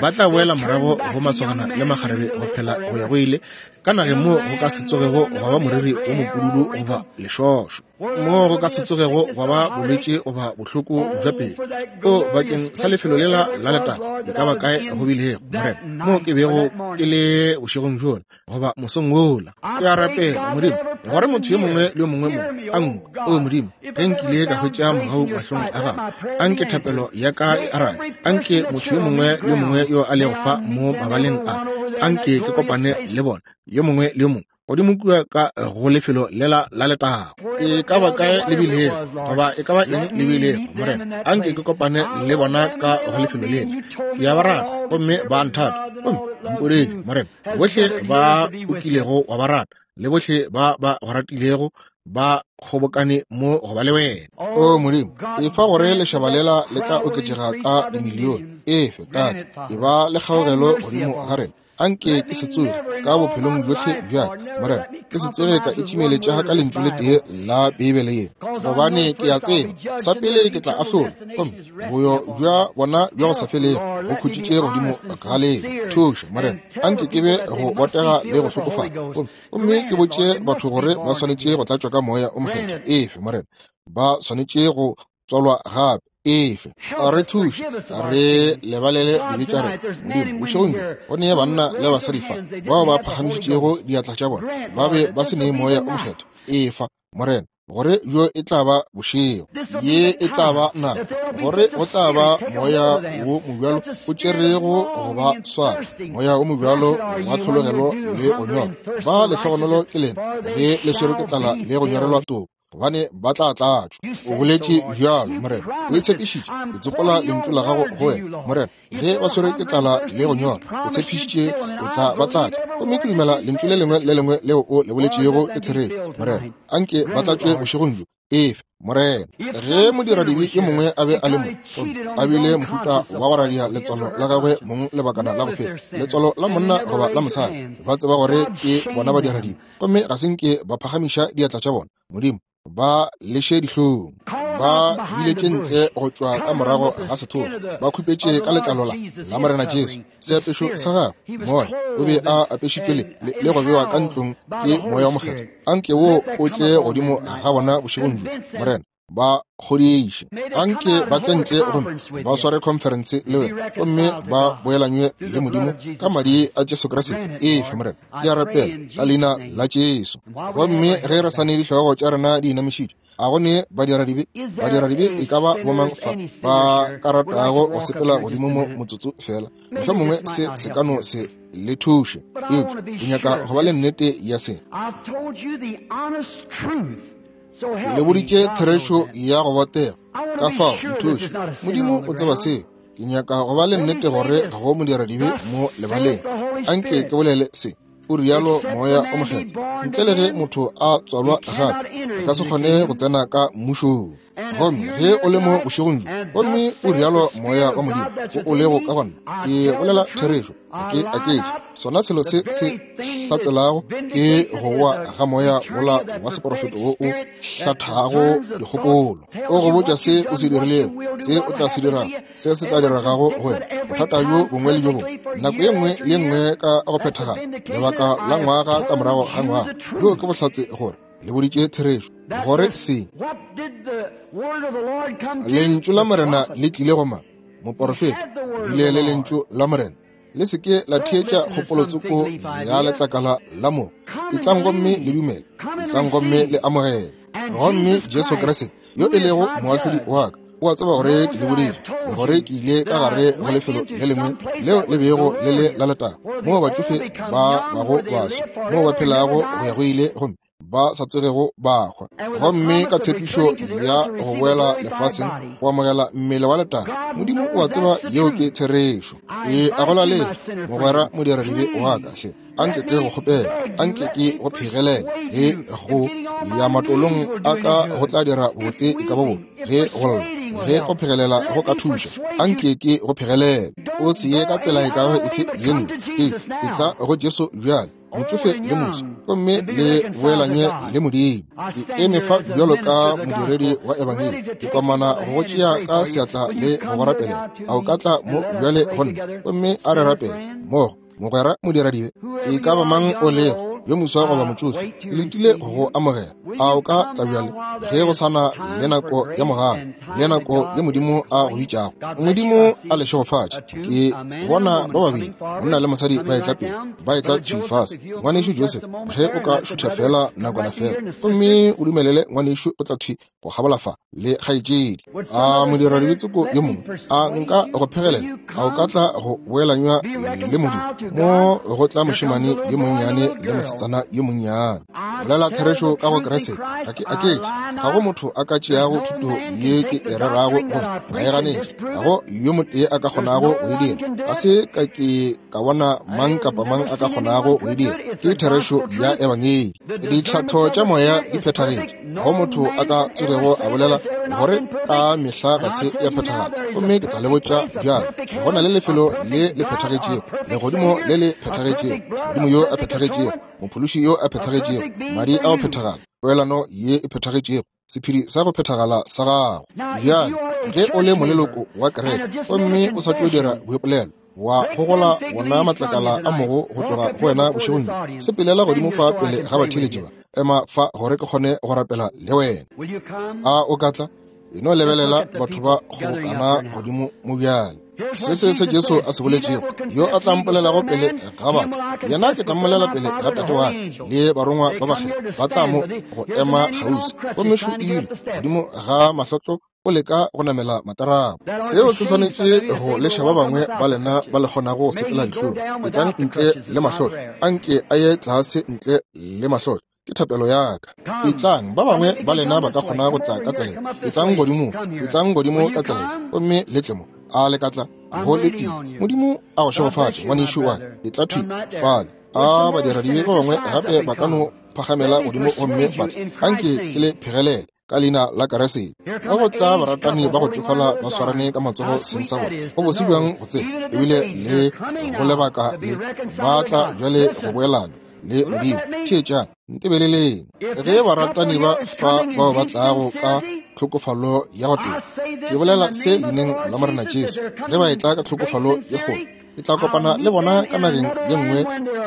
ba tla boela morago go masogana le makgarebe go phela go ya go ile ka nageng moo go ka se tsogego gwa ba moriri wo mopududu goba lešošo, moo go ka se tsogego gwa ba bolwetši goba bohloko bja pelo. O bakeng sa lefelo lela la letago, e ka ba kae go bilego, Morena, moo ke bego ke le bošegong bjola goba mosong wola. Ke a rapela, Modimo, gore motho yo mongwe le yo mongwe mo a nkwe. O Modimo, ge nkile ka hwetša mogau mahlong a gago, anke thapelo ya ka e arabe. Anke motho yo mongwe le yo mongwe yo a lego fa mo mabaleng a, anke ke kopane le bona, yo mongwe le yo mongwe, godimo kua ka go lefelo lela la letago. E ka ba kae le bilego, goba e ka ba eng le bilego, Morena, anke ke kopane le bona ka go lefelo lela. Ke a ba rata, gomme ba a nthata. Gomme mpodile, Morena, bohle ba o kilego wa ba rata le bohle ba ba go ratilego ba kgobokane mo go ba le wena. O Modimo, efa gore lešaba lela le tla oketšega ka dimilione. Efe, Tate, e ba le kgaogelo godimo ga rena. Anke ke se tsoge ka bophelong bjohle bja ka, Morena, ke se tsoge ka itšimeletša ka lentšu le tee la Beibele ye, gobane ke a tseba sa pele ke tla ahlolwa, gomme boyo bja bona bja go sa felego bo khutšitše godimo ga leo. Thuša, Morena, anke ke be go botega le go hlokofala, gomme ke botše batho gore ba swanetše go tlatšwa ka Moya o Mokgethwa. Efe, Morena, ba swanetše go tswalwa gape. Efe, re thuše, re lebalele dibe tša rena. Modimo, bošegong bjo go nee banna le basadi fa bao ba phagamišitšego diatla tša bona, ba be ba se nee Moya o Mokgethwa. Efa, Morena, gore bjo e tla ba bošego, ye e tla ba nako, gore go tla ba moya wo mobjalo o tšerego go ba swara, moya wo mobjalo wa tlhologelo le go nyorwa. Ba lehlogonolo ke lena ge le swerwe ke tlala le go nyorelwa toko, gobane ba tla tlatšwa. O boletše bjalo, Morena. O e tshepišitše. Ke tsopola lentšu la gago go wena, Morena. Ge ba swerwe ke tlala le go nyorwa, o tshepišitše o tla ba tlatša. Gomme ke dumela lentšu le lengwe le lengwe leo o le boletšego ke therešo, Morena. Anke ba tlatšwe bošegong bjo. Efe, Morena. Ge modiradibe yo mongwe a be a le mo, gomme a bile mohuta wa go radia letswalo la gagwe mong lebakana la go feta, letswalo la monna goba la mosadi, ba tseba gore ke bona badiradibe, gomme ga se nke ba phagamiša diatla tša bona, Modimo, ba leše dihlong. Ba biletše ntle go tšwa ka morago ga sethokgwa, ba khupetše ka letlalo la la Morena Jesu, seapešo sa gagwe, Moya o be a apešitšwe le, le, le go bewa ka ntlong ke Moya wo Mokgethwa. Anke wo o tle godimo ga bona bošegong bjo, Morena. Ba kgodiše. Anke ba tle ntle gomme ba sware khonferense le wena, gomme ba boelanywe le Modimo ka madi a Jesu Kriste. Efa, Morena, ke a rapela ka leina la Jesu. Gomme ge re sa ne dihlogo tša rena di inamišitšwe, a go ne badiradibe? Badiradibe e ka ba bomang fa ba ka ratago go sepela godimo mo motsotso fela? Mohlomongwe se se ka no se le thuše, eupša ke nyaka go ba le nnete ya se. Ke le boditše therešo ya go botega, ka fao nthuše. Modimo o tseba seo. Ke nyaka go ba le nnete gore ga go modiradibe mo lebaleng. Anke ke bolele se, o rialo Moya o Mokgethwa, ntle le ge motho a tswalwa gape, a ka se kgone go tsena ka mmušong. Gomme ge o le mo bošegong bjo, gomme o rialo Moya wa Modimo wo o lego ka gona, ke bolela therešo, ga ke aketše. Sona selo se se hlatselago ke go wa ga moya wola wa seporofeto wo o hlathago dikgopolo. O go botša se o se dirilego, se o tla se dirago, se se tla diregago go wena, bothata bjo bongwe le bjo bongwe, nako ye nngwe le ye nngwe ka go phethagala, lebaka la ngwaga ka morago ga ngwaga. Bjo ke bohlatse gore le boditše therešo, gore se Lentšu la Morena le tlile go mang? Moporofeta. Bile le Lentšu la Morena. Le se ke la theetša kgopolotsoko ya letlakala la mo. Etlang gomme le dumele. Etlang gomme le amogele. Gomme Jesu Kriste, yo e lego moahlodi wa ka, o a tseba gore ke le boditše, le gore ke ile ka gare go lefelo le lengwe leo le bego le le la letago, moo batšofe ba bago baswa, moo ba phelago go ya go ile gomme ba sa tsogego ba hwa, gomme ka tshepišo ya go boela lefaseng go amogela mmele wa letago. Modimo o a tseba yeo ke therešo. E a go laletša, mogwera modiradibe wa ka, hle anke ke go kgopela, anke ke go phegelele ge go ya matolong a ka go tla dira botse e ka ba bo ge go lla, ge go phegelela go ka thuša, anke ke go phegelele. O se ye ka tsela e ka ba efe ye nngwe. E etla go Jesu bjale, motšofe le moswa, gomme le boelanye le Modimo. Ke eme fa bjalo ka modiredi wa Ebangedi, ke komana go go tšea ka seatla le go go rapelela. A o ka tla mo bjale go nna, gomme a re rapele mmogo, mogwera modiradibe? E ka ba mang o lego, yo moswa goba motšofe, ke letile go go amogela. A o ka tla bjale, ge go sa na le nako ya mogala le nako ye Modimo a go bitšago? Modimo a le šegofatše. Ke bona ba babedi, monna le mosadi, ba etla pele, ba etla thwi fase. Ngwanešu Joseph, ge o ka šutha feela nakwana feela, gomme o dumelele ngwanešu o tla thwi go kgabola fa le kgaetšedi. A modiradibe-tsoko yo mongwe a nka go phegelela? A o ka tla go boelanywa le Modimo? Mo go tla mošemane yo monnyane le mosetsana yo monnyane. Bolela therešo ka go Kriste, ga ke aketše. Ga go motho a ka tšeago thuto ye ke e rerago gomme a e ganetša. Ga go yo motee a ka kgonago go e dira. Ga se ka ke ka bona mang kapa mang a ka kgonago go e dira. Ke therešo ya Ebangedi. Ditlhatho tša moya di phethagetše. Go motho a ka tsogego a bolela gore ka mehla ga se ya phethagala. Gomme ke tla le botša bjale, go na le lefelo le le phethagetšego, legodimo le le phethagetšego, Modimo yo a phethagetšego, Mophološi yo a phethagetšego, madi a go phethagala, poelano ye e phethagetšego, sephedi sa go phethagala sa gago. Bjale, ge o le moleloko wa kereke gomme o sa tšo dira boipolelo, wa gogola wona matlakala a mogo go tloga go wena bošegong bjo, sepelela godimo fa pele ga batheeletši ba, ema fa gore ke kgone go rapela le wena. A o ka tla? E no lebelela batho ba kgobokana godimo mo bjale. Se se se Jesu a se boletšego, yo a tla mpolelago pele ga batho, yena ke tla mmolela pele ga Tate wa ka le barongwa ba bakgethwa ba tla mo go ema kgauswi. Gomme šo ebile godimo ga mahlotlo o leka go namela matarapo. Seo se swanetše go leša ba bangwe ba lena ba le kgonago go sepela dihlong. Etlang ntle le mahlotlo, anke a ye tlase ntle le mahlotlo. Ke thapelo ya ka. Etlang, ba bangwe ba lena ba ka kgona go tla ka tsela. Etlang godimo, etlang godimo ka tsela, gomme le tle mo. A le ka tla? Go letile. Modimo a go šegofatše, ngwanešu wa ka. Etla thwi fale. A badiradibe ba bangwe gape ba ka no phagamela godimo gomme ba tla. Anke ke le phegelele ka leina la Keresete. Ka go tla baratani ba go tšofala ba swarane ka matsogo seng sa bona. Go bose bjang go tseba, ebile le go lebaka le, ba tla bjale go boelana le Modimo. Theetšang, ntebeleleng. Ge baratani ba fa bao ba tlago ka tlhokofalo ya go teba, ke bolela se leineng la Morena Jesu, ge ba etla ka tlhokofalo ye kgolo, ke tla kopana le bona ka nageng ye nngwe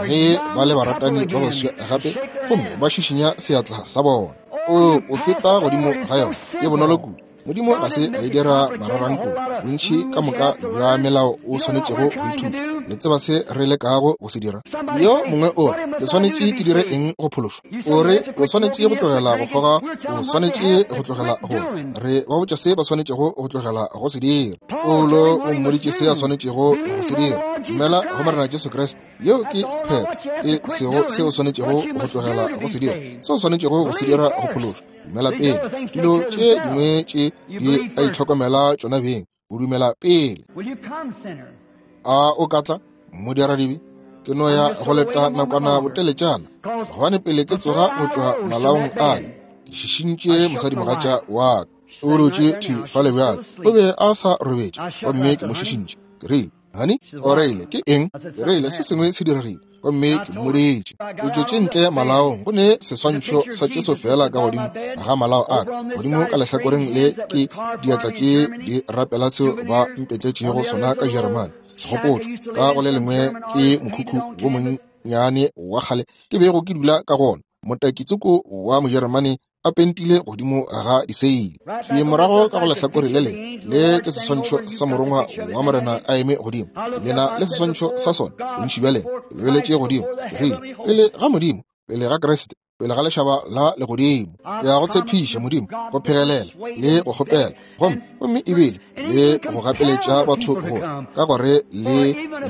ge ba le baratani ba baswa gape gomme ba šišinya seatla sa bona. O feta godimo ga yona. E bonolo kudu. Modimo ga se a e dira mararanko. Bontši ka moka bja melao o swanetšego go ithuta. Le tseba se re lekago go se dira. Yo mongwe o re, ke swanetše ke dire eng go phološwa? O re, o swanetše go tlogela go kgoga, o swanetše go tlogela go. Re ba botša se ba swanetšego go tlogela go se dira. Paulo o mmoditše se a swanetšego go se dira. Dumela go Morena Jesu Kriste. Yeo ke phetho, e sego se o swanetšego go tlogela go se dira, se o swanetšego go se dira go phološwa. Dumela pele. Dilo tše dingwe tše di a itlhokomela tšona beng. O dumela pele. A o ka tla, modiradibe? Ke no ya go leta nakwana boteletšana, gobane pele ke tsoga go tšwa malaong ale, ke šišintše mosadimogatša wa ka. O dutše thwi fale bjale. O be a sa robetše, gomme ke mo šišintše. Ke rile, Honey, o rile, ke eng? Ke rile, se sengwe se diregile, gomme ke mmoditše. Ke tšwetše ntle malaong, go ne seswantšho sa Jesu feela ka godimo ga malao a ka. Godimo ka lehlakoreng le ke diatla tše di rapela seo ba mpetletšego sona ka Jeremane, segopotšo. Ka go le lengwe ke mokhukhu wo monnyane wa kgale ke bego ke dula ka go ona, motakitsoko wa Mojeremane a pentile godimo ga diseile. Thwi morago ka go lehlakore le lengwe le ke seswantšho sa morongwa wa Morena a eme godimo. Lena le seswantšho sa sona, bontši bja lena. Ke lebeletše godimo, ke rile, Pele ga Modimo, pele ga Kriste, pele ga lešaba la legodimo, ke a go tshepiša, Modimo, go phegelela le go kgopela, gomme, gomme ebile le go gapeletša batho go tla, ka gore le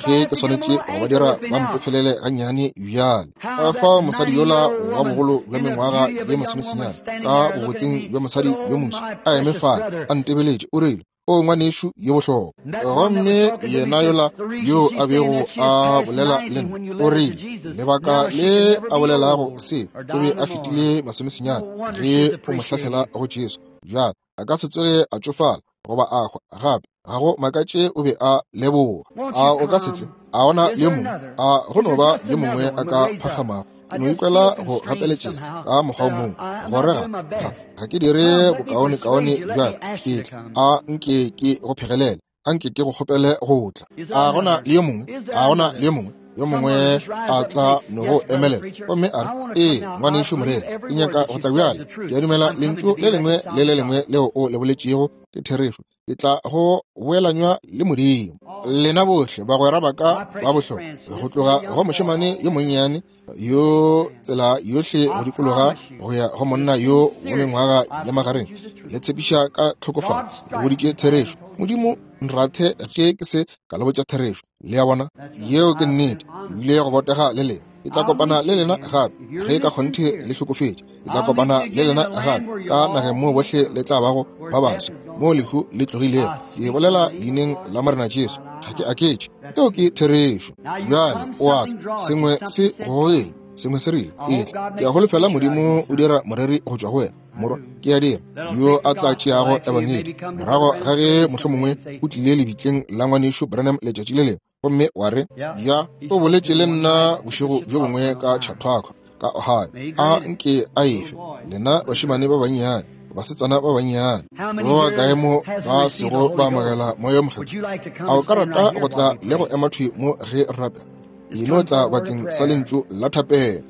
ge ke swanetše go ba dira ba mpefelele gannyane bjale. Ka fao mosadi yola wa bogolo bja mengwaga ye masomesenyane, ka bobotseng bja mosadi yo moso, a eme fale a ntebeletše, o rile, O ngwanešu yo bohlokwa. Gomme yena yola yo a bego a bolela le nna, o rile, lebaka le a bolelago se, o be a fetile masomesenyane ge o mo hlahlela go Jesu. Bjale a ka se tsoge a tšofala goba a hwa gape. Ga go makatše o be a leboga. A o ka se tle? A gona le yo mongwe? A go no ba yo mongwe a ka phakgamago? Ke no ikwela go gapeletšega ka mokgwa o mongwe, gore ga, ga, ga ke dire bokaonekaone bjale. Etla, a nke ke go phegelele. A nke ke go kgopele go tla. A gona le yo mongwe? A gona le yo mongwe? Yo mongwe a tla no go emelela gomme a re, Ee, ngwanešu moreri, ke nyaka go tla bjale. Ke a dumela lentšu le lengwe le le lengwe leo o le boletšego ke therešo. Ke tla go boelanywa le Modimo. Lena bohle bagwera ba ka ba bohlokwa, go tloga go mošemane yo monnyane yo tsela yohle go dikologa go ya go monna yo wa mengwaga ya magareng, le tshepiša ka tlhokofalo, le boditše therešo. Modimo nrathe ge ke se ka le botša therešo. Le a bona? Yeo ke nnete. Ebile go botega le lena. Ke tla kopana le lena gape ge ka kgonthe le hlokofetše. Ke tla kopana le lena gape ka nageng moo bohle le tla bago ba baswa, moo lehu le tlogilego. Ke bolela leineng la Morena Jesu. Ga ke aketše. Yeo ke therešo. Bjale o a tla. Sengwe se gogile. Sengwe se rile, Etla. Ke a holofela Modimo o dira moreri go tšwa go wena, morwa. Ke a dira. Yo a tla tšeago Ebangedi morago ga ge mohlomongwe o tlile lebitleng la ngwanešu Branham letšatši le lengwe, gomme wa re, Ya, o boletše le nna bošego bjo bongwe ka Chautauqua, ka Ohio. A nke a efe lena bašemane ba bannyane, basetsana ba bannyane, ba ba kae mo ba sego ba amogela Moya wo Mokgethwa? A o ka rata go tla le go ema thwi mo ge re rapela? E no tla bakeng sa lentšu la thapelo.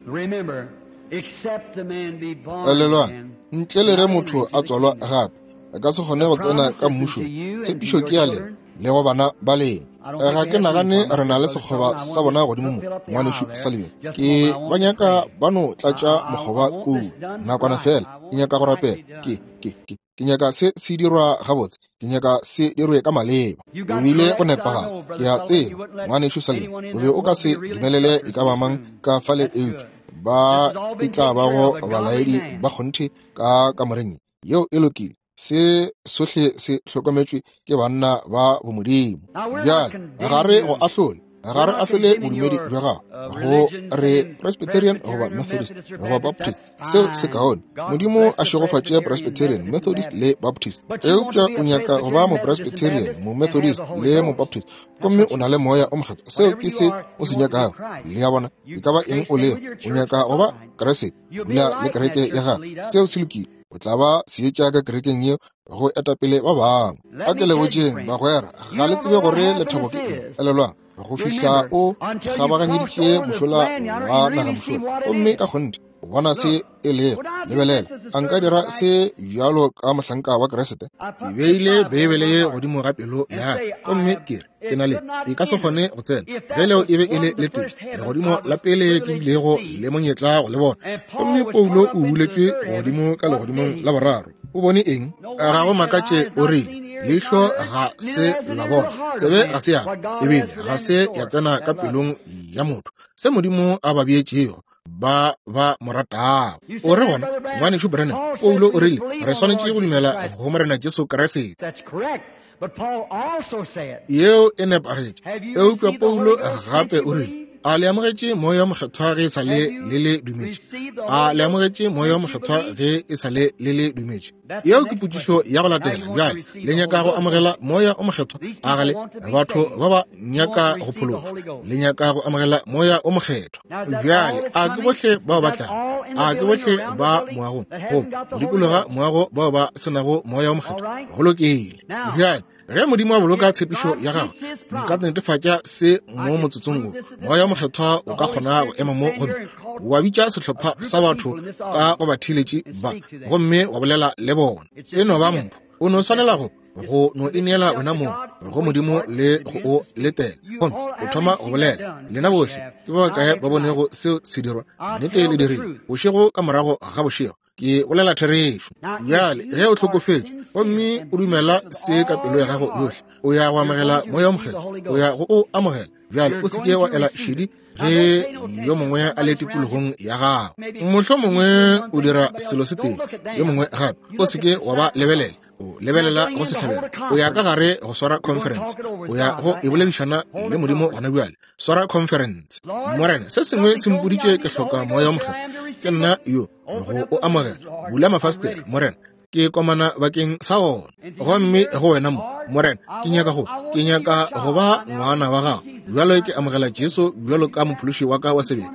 Elelwang, ntle le ge motho a tswalwa gape, a ka se kgone go tsena ka mmušong. Tshepišo ke ya lena le go bana ba lena. Ga ke nagane re na le sekgoba sa bona godimo mo, ngwanešu Sullivan. Ke ba nyaka ba no tlatša mokgoba kua nakwana feela. Ke nyaka go rapela. Ke, ke, ke, ke nyaka se se dirwa gabotse. Ke nyaka se dirwe ka maleba. O bile go nepagala. Ke a tseba, ngwanešu Sullivan, o be o ka se dumelele e ka ba mang ka fale eupša ba e tla bago balaedi ba kgonthe ka kamoreng ye. Yeo e lokile. Se sohle se hlokometšwe ke banna ba bomodimo. Bjale, ga re go ahlole, ga re ahlole bodumedi bja gago, go re Presbyterian goba Methodist goba Baptist, seo se kaone. Modimo a šegofatše Presbyterian, Methodist le Baptist. Eupša o nyaka go ba Mopresbyterian, Momethodist le Mobaptist, gomme o na le Moya o Mokgethwa, seo ke se o se nyakago. Le a bona? E ka ba eng o lego, o nyaka go ba Kriste, dula le kereke ya gago, seo se lokile. O tla ba seetša ka kerekeng yeo go etapele ba bangwe. A ke le botšeng, bagwera, ga le tsebe gore lethabo ke eng. Elelwang. Go fihla o kgabaganyeditše mošola wa naga mošola, gomme ka kgonthe o bona se e lego. Lebelela, a nka dira se bjalo ka mohlanka wa Kriste? Ke beile Beibele ye godimo ga pelo ya ka, gomme ke re ke na le e ka se kgone go tsena. Ge leo e be e le le tee legodimo la pele ke bilego le monyetla go le bona. Gomme Paulo o buletšwe godimo ka legodimong la boraro. O bone eng? Ga go makatše o rile, leihlo ga se la bona, tsebe ga se ya, ebile ga se ya tsena ka pelong ya motho se Modimo a ba beetšego ba ba mo ratago. O re gona, Ngwanešu Branham, Paulo o rile re swanetše go dumela go Morena Jesu Kriste. Yeo e nepagetše. Eupša Paulo gape o rile, a le amogetše Moya wo Mokgethwa ge e sa le le le dumetše? A le amogetše Moya wo Mokgethwa ge e sa le le le dumetše? Yeo ke potšišo ya go latela. Bjale le nyaka go amogela Moya o Mokgethwa? A ga le? Batho ba ba nyaka go phološwa, le nyaka go amogela Moya o Mokgethwa. Bjale a ke bohle bao ba tlago? A ke bohle ba moagong goba go dikologa moago bao ba se nago Moya o Mokgethwa? Go lokile. Bjale ge Modimo a boloka tshepišo ya gagwe, nka netefatša se mo motsotsong wo. Moya o Mokgethwa o ka kgona go ema mo gomme wa bitša sehlopha sa batho ka go batheeletši ba, gomme wa bolela le bona. E no ba mpho. O no swanela go go no ineela wena mong go Modimo le go o letela, gomme o thoma go bolela. Lena bohle ke ba bakae ba bonego seo se dirwa? Nnete le dirile, bošego ka morago ga bošego. Ke bolela therešo. Bjale ge o hlokofetše gomme o dumela se ka pelo ya gago yohle, o ya go amogela Moya o Mokgethwa. O ya go o amogela. Bjale o se ke wa ela šedi ge yo mongwe a le tikologong ya gago. Mohlomongwe o dira selo se tee, yo mongwe gape. O se ke wa ba lebelela. O lebelela go sehlabelo. O ya ka gare go swara conference. O ya go e boledišana le Modimo gona bjale. Swara conference. Morena, se sengwe se mpoditše ke hloka Moya o Mokgethwa. Ke nna yo go o amogela. Bula mafastere, Morena, ke komana bakeng sa ona. Gomme go wena mo, Morena, ke nyaka go, ke nyaka go ba ngwana wa gago. Bjalo ke amogela Jesu bjalo ka mophološi wa ka wa sebele.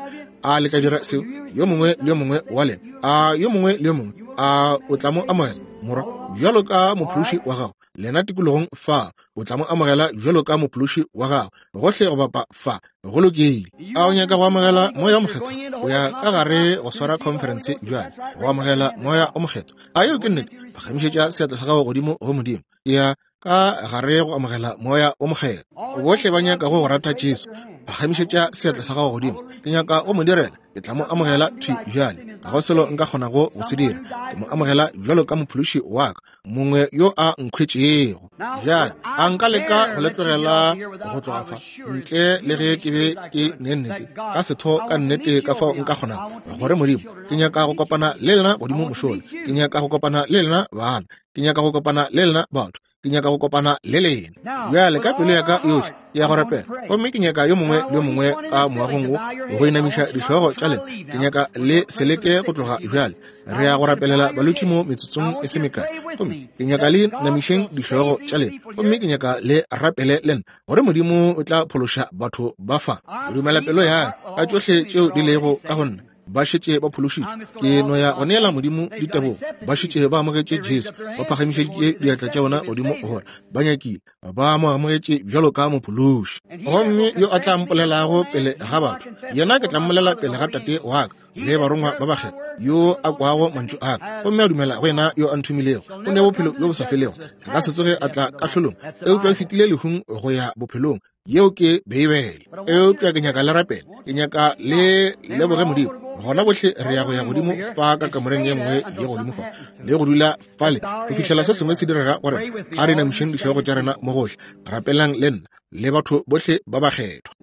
A le ka dira seo? Yo mongwe le yo mongwe wa lena, a yo mongwe le yo mongwe, a o tla mo amogela, morwa, bjalo ka mophološi wa gago? Lena tikologong fa, o tla mo amogela bjalo ka mophološi wa gago, gohle go bapa fa. Go lokile. A o nyaka go amogela Moya o Mokgethwa? O ya ka gare go swara conference bjale, go amogela Moya o Mokgethwa. A yeo ke nnete? Phagamišetša seatla sa gago godimo go Modimo. Ya ka gare go amogela Moya o Mokgethwa. Bohle ba nyakago go rata Jesu, phagamišetša seatla sa gago godimo. Ke nyaka go mo direla. Ke tla mo amogela thwi bjale. Ga go selo nka kgonago go se dira. Ke mo amogela bjalo ka mophološi wa ka, mongwe yo a nkhwetšego. Bjale a nka leka go le tlogela go tloga fa ntle le ge ke be ke ne nnete ka setho ka nnete ka fao nka kgonago gore Modimo, ke nyaka go kopana le lena godimo mošola. Ke nyaka go kopana le lena bana. Ke nyaka go kopana le lena batho. Ke nyaka go kopana le lena. Bjale ka pelo ya ka yohle ke ya go rapela, gomme ke nyaka yo mongwe le yo mongwe ka moagong wo go inamiša dihlogo tša lena. Ke nyaka le se leke go tloga bjale. Re ya go rapelela balwetši mo metsotsong e se mekae, gomme ke nyaka le inamišeng dihlogo tša lena, gomme ke nyaka le rapele le nna gore Modimo o tla phološa batho ba fa. Ke dumela pelo ya ka tšohle tšeo di lego ka go nna. Ba šetše ba phološitšwe. Ke no ya go neela Modimo ditebogo. Ba šetše ba amogetše Jesu. Ba phagamišeditše diatla tša bona godimo gore ba nyakile, ba mo amogetše bjalo ka mophološi. Gomme yo a tla mpolelago pele ga batho, yena ke tla mmolela pele ga Tate wa ka le barongwa ba bakgethwa. Yo a kwago mantšu a ka gomme a dumela go yena yo a nthomilego, o ne bophelo bjo bo sa felego. A ka se tsoge a tla kahlolong, eupša o fetile lehung go ya bophelong. Yeo ke Beibele. Eupša ke nyaka le rapele. Ke nyaka le leboge Modimo. Gona bohle re ya go ya godimo fa ka kamoreng ye nngwe ye godimo fa, le go dula fale go fihlela se sengwe se direga gore a re inamišeng dihlogo tša rena mo gohle. Rapelang le nna le batho bohle ba bakgethwa.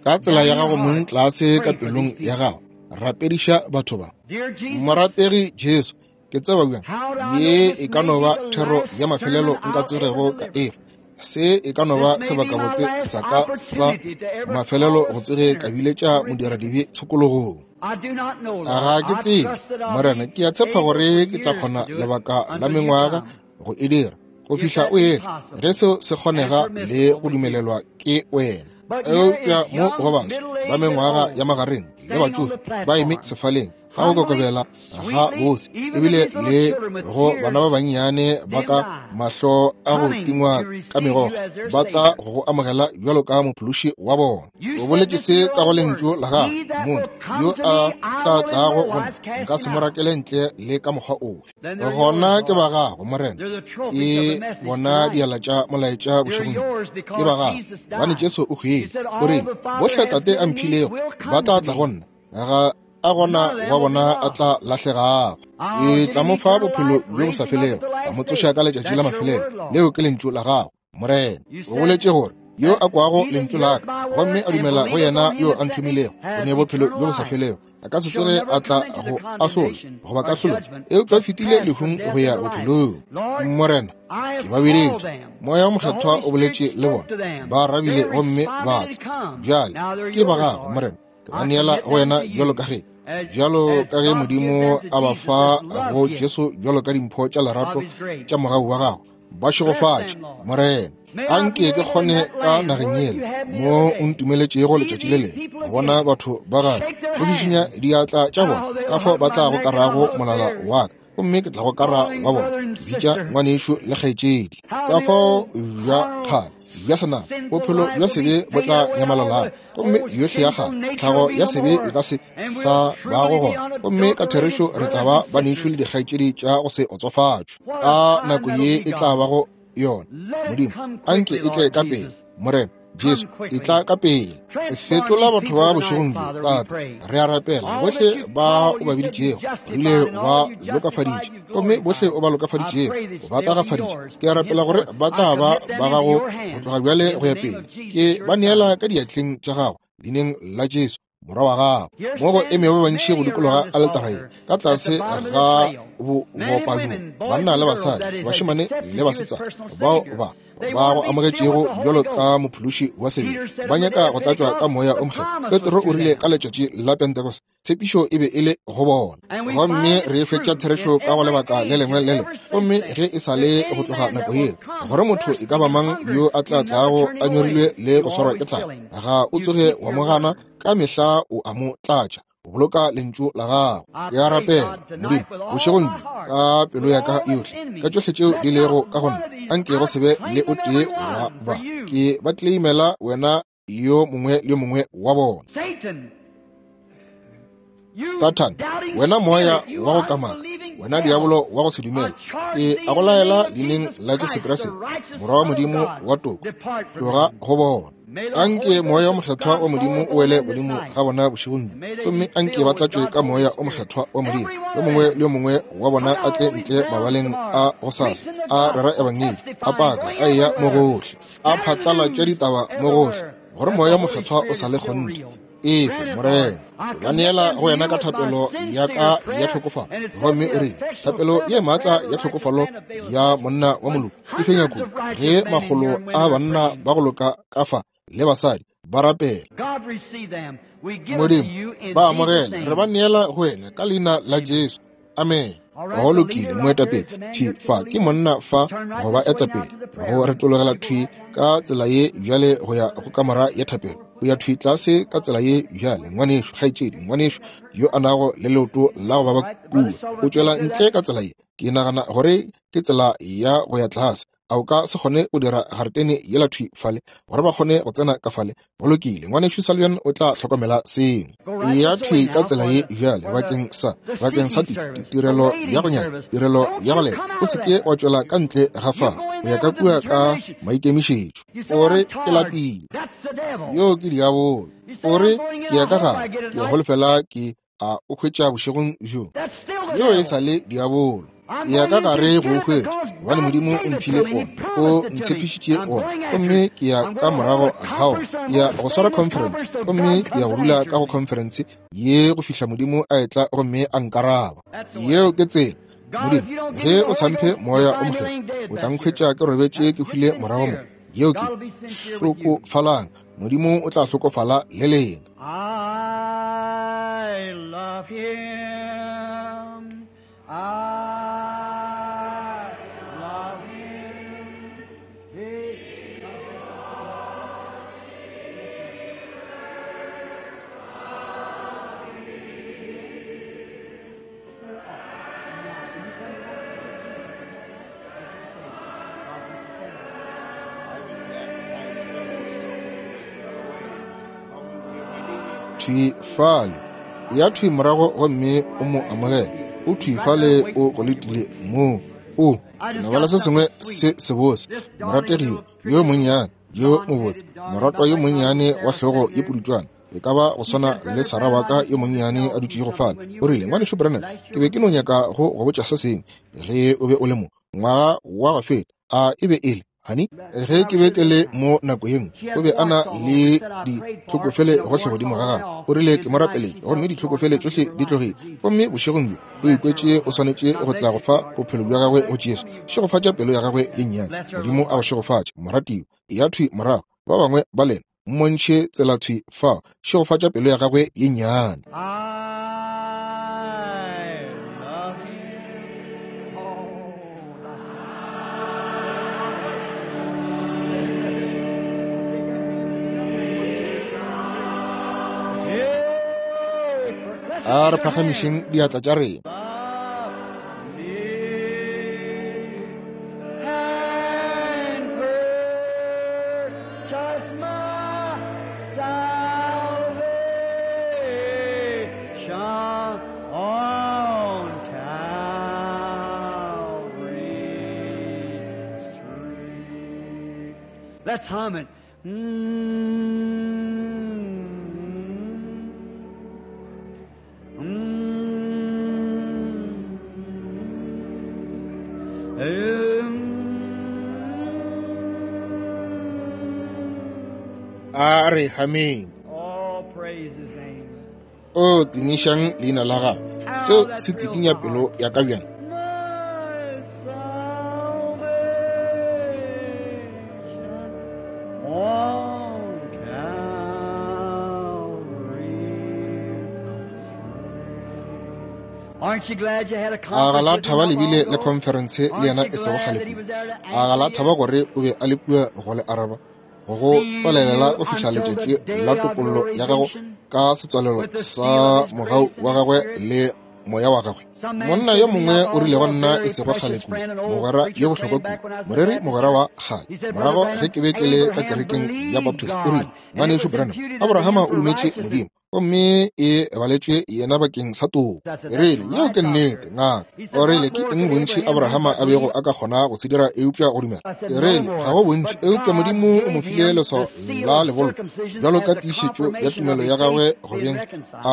Ka tsela ya gago mong tlase ka pelong ya gago, rapediša batho ba. Morategi Jesu, ke tseba bjang ye e ka no ba thero ya mafelelo nka tsogego ka e fa. Se e ka no ba sebakabotse sa ka sa mafelelo go tsoge ka biletša modiradibe tshokologong. Ga ke tsebe, Morena, ke a tshepa gore ke tla kgona lebaka la mengwaga go e dira go fihla o etla, ge seo se kgonega le go dumelelwa ke wena. Eupša mo go baswa ba mengwaga ya magareng le batšofe ba eme sefaleng, Ka go kokobela ga bose, ebile le go bana ba bannyane ba ka mahlo a go tingwa ka megokgo, ba tla go go amogela bjalo ka mophološi wa bona. O boletše se ka go lentšu la gago mong, yo a tla tlago go nna, nka se mo rakele ntle le ka mokgwa ofe. Gona ke ba gago, Morena, e bona diala tša molaetša bošegong bjo. Ke ba gago, gobane Jesu o hwile. O rile, Bohle Tate a mphilego ba tla tla go nna, ga a gona wa bona a tla lahlegago. Ke tla mo fa bophelo bjo bo sa felego, ka mo tsoša ka letšatši la mafelelo. Leo ke lentšu la gago, Morena. O boletše gore, Yo a kwago lentšu la ka gomme a dumela go yena yo a nthomilego, o ne bophelo bjo bo sa felego, a ka se tsoge a tla go ahlolwa goba kahlolong, eupša o fetile lehung go ya bophelong. Morena, ke ba bileditše, Moya wo Mokgethwa o boletše le bona, ba arabile gomme ba tla. Bjale ke ba gago, Morena. Ke ba neela go wena bjalo ka ge bjalo ka ge Modimo a ba fa go Jesu bjalo ka dimpho tša lerato tša mogau wa gago. Ba šegofatše, Morena. Anke ke kgone ka nageng yela mo o ntumeletšego letšatši le lengwe go bona batho ba gago go šišinya diatla tša bona ka fao ba tla gokarago molala wa ka, gomme ke tla gokara wa bona, ke bitša ngwanešu le kgaetšedi. Ka fao bja kgale bja senama bophelo bja sebe bo tla nyamalalago, gomme yohle ya kgale tlhago ya sebe e ka se sa bago gona, gomme ka therešo re tla ba banešu le dikgaetšedi tša go se otsofatšwe. A nako ye e tla bago yona, Modimo, anke e tle ka pele, Morena Jesu, e tla ka pele. Fetola batho ba bošegong bjo, Tate, re a rapela. Bohle ba o ba biditšego, rile o ba lokafaditše, gomme bohle o ba lokafaditšego, o ba tagafaditše. Ke a rapela gore ba tla ba ba gago go tloga bjale go ya pele. Ke ba neela ka diatleng tša gago, leineng la Jesu, Morwa wa gago. Mo go eme ba bantši go dikologa aletara ye, ka tlase ga bopabjo, banna le basadi, bašemane le basetsana, bao ba ba go amogetšego bjalo ka mophološi wa sebele, ba nyaka go tlatšwa ka Moya o Mokgethwa. Petro o rile ka letšatši la Pentekoste, tshepišo e be e le go bona, gomme re hwetša therešo ka go lebaka le lengwe le lengwe. Gomme ge e sa le go tloga nako yeo, gore motho e ka ba mang yo a tla tlago a nyorilwe le go swarwa ke tlala, ga o tsoge wa mo gana, ka mehla o a mo tlatša. O boloka lentšu la gago. Ke a rapela, Modimo, bošegong bjo, ka pelo ya ka yohle, ka tšohle tšeo di lego ka go nna, anke go se be le o tee wa ba ke ba tleimela wena yo mongwe le yo mongwe wa bona. Sathane, wena moya wa go kamaka, wena diabolo wa go se dumele, ke a go laela leineng la Jesu Kriste, Morwa wa Modimo wa toko, tloga go bona. Anke Moya o Mokgethwa wa Modimo o wele godimo ga bona bošegong bjo, gomme anke ba tlatšwe ka Moya o Mokgethwa wa Modimo. Yo mongwe le yo mongwe wa bona a tle ntle mabaleng a gosasa, a rera ebangedi, a paka, a eya mo gohle, a phatlalatša ditaba mo gohle, gore Moya o Mokgethwa o sa le kgonthe. Efe, Morena, ke ba neela go wena ka thapelo ya ka ya tlhokofalo. Gomme o rile, thapelo ye maatla ya tlhokofalo ya monna wa moloki e fenya kudu, ge makgolo a banna ba go loka ka fa le basadi ba rapela. Modimo, ba amogele, re ba neela go wena ka leina la Jesu. Amen. Go lokile, moetapele thwi fa ke monna fa go ba etapele, go retologela thwi ka tsela ye bjale go ya go kamora ya thapelo. O ya thwi tlase ka tsela ye bjale, ngwanešu, kgaetšedi, ngwanešu yo a nago le leoto la go baba kua, o tšwela ntle ka tsela ye. Ke nagana gore ke tsela ya go ya tlase. A o ka se kgone go dira garetene yela thwi fale gore ba kgone go tsena ka fale? Go lokile, ngwanešu Sullivan o tla hlokomela seo. Eya thwi ka tsela ye bjale bakeng sa, bakeng sa tirelo ya go nyaka, tirelo ya go leta. O se ke wa tšwela ka ntle ga fa, o ya ka kua ka maikemišetšo. O re, Ke lapile. Yoo ke diabolo. O re, Ke ya ka gare, ke holofela ke a o hwetša bošegong bjo. Yo e sa le diabolo. Ya ka gare go o hwetša, gobane Modimo o mphile ona, o ntshepišitše ona, gomme ke ya ka morago ga ona. Ke ya go swara conference, gomme ke ya go dula ka go conference ye go fihla Modimo a etla gomme a nkaraba. Yeo ke tsela. Modimo, ge o sa mphe Moya o Mokgethwa, o tla nkhwetša ke robetše ke hwile morago mo. Yeo ke hlokofalang. Modimo o tla hlokofala le lena. I love him. I love him. He Thwi fale. Ya thwi morago gomme o mo amogele. O thwi fale o go letile moo. O nabala se sengwe se sebose, morategi yo monnyane, yo mobotse, moratwa yo monnyane wa hlogo ye pudutšwana, e ka ba go swana le Sarah wa ka yo monnyane a dutšego fale. O rile, Ngwanešu Branham, ke be ke no nyaka go go botša se sengwe ge o be o le mo ngwaga wa go feta. A e be e le, honey, ge ke be ke le mo nako ye nngwe, o be a na le ditlhokofele gohle godimo ga gagwe. O rile, ke mo rapeletše, gomme ditlhokofele tšohle di tlogile. Gomme bošegong bjo o ikwetše o swanetše go tla go fa bophelo bja gagwe go Jesu. Šegofatša pelo ya gagwe ye nnyane. Modimo a go šegofatše, moratiwa. Ya thwi morago, ba bangwe ba lena mmontšhe tsela thwi fao. Šegofatša pelo ya gagwe ye nnyane. I love you. Oh, A re phagamišeng diatla tša rena. And purchase my salvation on Calvary's tree. Let's hum it. A re hameng. Oh, praise his name. O tumišang leina la gagwe. Seo se tsikinya pelo ya ka bjang. My salvation on Calvary's tree. Aren't you glad you had a A ga la conference with thaba him le not bile long le ago? conference le Aren't yena you e sego glad kgale that he kudu? was there to A ga la answer thaba you? gore o be a le kua go le araba, go tswalelela See go you fihla until the letšatši day la of topollo your ya gago redemption ka setswalelo with the seal sa of his mogau grace and wa his gagwe spirit. le moya wa gagwe. Some man Monna said yo to me mongwe not o long rile ago, go a nna e very sego kgale precious kudu, friend, an old mogwera preacher yo bohlokwa friend kudu, back when I was in the moreri Baptist mogwera wa church. kgale. He said, Brother Morago ge Branham, ke be ke le ka Abraham kerekeng ya believed Baptist, o God, rile, and it Ngwanešu was Branham, imputed unto Abrahama him o for dumetše righteousness. Modimo, gomme e baletšwe yena bakeng sa toko. I said, E That's rile, yeo right, ke nnete, doctor. ngaka. He said, O rile, What ke more eng could bontši Abraham do Abrahama but a bego believe? a ka kgona go se dira eupša go dumela? I said, E No rile, ga more. go bontši, But eupša God Modimo o mo gave file him the leswao seal la of lebollo circumcision bjalo ka as a tiišetšo ya confirmation of tumelo his ya gagwe faith go being beng reconciled. a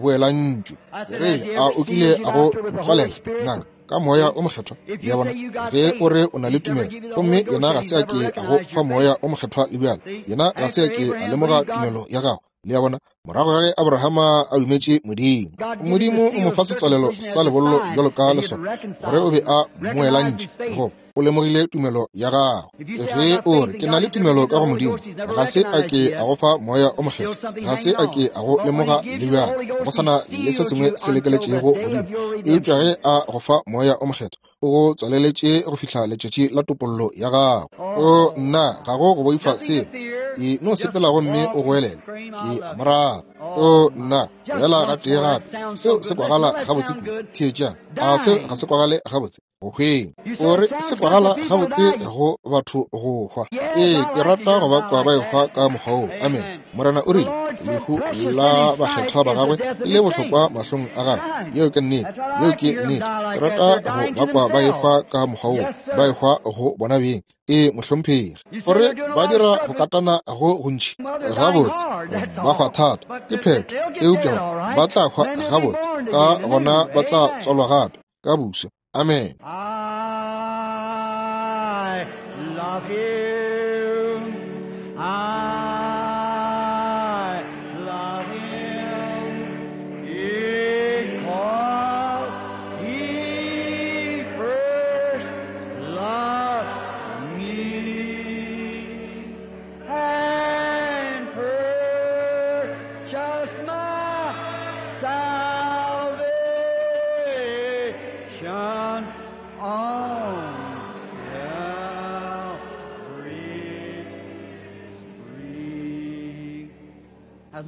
boelantšwe. I E said, Has rile, he a ever o kile sealed you, a go doctor, with the Holy tswalela Spirit? ngaka ka moya See? o mokgethwa? If Le you a bona, say you got ge o faith, re o na le he's never tumelo, give you the gomme Holy Ghost yena yet. ga He's se a never ke a go recognized fa your moya faith. o mokgethwa le bjale, See? yena ga se a After ke a Abraham lemoga believed God, tumelo ya gago. Le a bona, morago ga ge Abrahama a dumetše Modimo, God gave him the Modimo o seal mo of fa setswalelo circumcision sa as a lebollo sign bjalo ka that he had leswao gore reconciled o be him, a recognized mmoelantše, his faith. go o lemogile tumelo ya gago. If you say, I Ge got o faith re in ke na God, le he's never tumelo give you ka the go Holy Modimo, Ghost. He's never ga se a recognized ke you a yet. go fa moya o Still mokgethwa, something ga se hanging a ke on. a go But when he lemoga gives le you the bjale, Holy go Ghost, he sana le se seals sengwe you se until the lekeletšego day godimo. of your Eupša redemption. ge a go fa moya o mokgethwa, o go tswaleletše go fihla letšatši la topollo ya gago. O Oh, nna, ga go go boifa nothing to selo. fear. E no Just sepela gomme o walk and goelele. scream, I Ke a love mo you. rata. Oh O my. nna, Just boela once gatee more, that gape. sounds so Seo se good. Let's kwagala that gabotse sound kudu. good. Theetšang, a seo ga Dying. se kwagale gabotse? Go hweng. You say O it re se sounds good for kwagala people to gabotse die. go batho go hwa. Yes, Ee, I ke like to rata hear go them ba die kwa ba like ehwa that. ka mokgwa woo. Amen. Amen. Morena o The rile, Lord said, lehu precious in la his sight bakgethwa ba is the gagwe death of le his bohlokwa saints. mahlong a gagwe. Right. Yeo ke nnete. That's what I Yeo like to ke hear them nnete. die Ke like that. rata They're go dying ba to kwa ba themselves. ehwa ka mokgwa woo, Yes, ba sir. ehwa go bona beng. Ee, mohlomphegi. You say Gore they're doing a ba lot of dira go struggling. katana go gontši Well, they're dying gabotse, hard, that's ba hwa all. thata. But Ke phetho. they'll get Eupša dead, all ba right. tla hwa Then they'll be gabotse, born ka again gona anew. ba tla Amen. tswalwa gape ka buswa. Amen. I love him. I love him. Because he first loved me and purchased my salvation on Calvary's tree.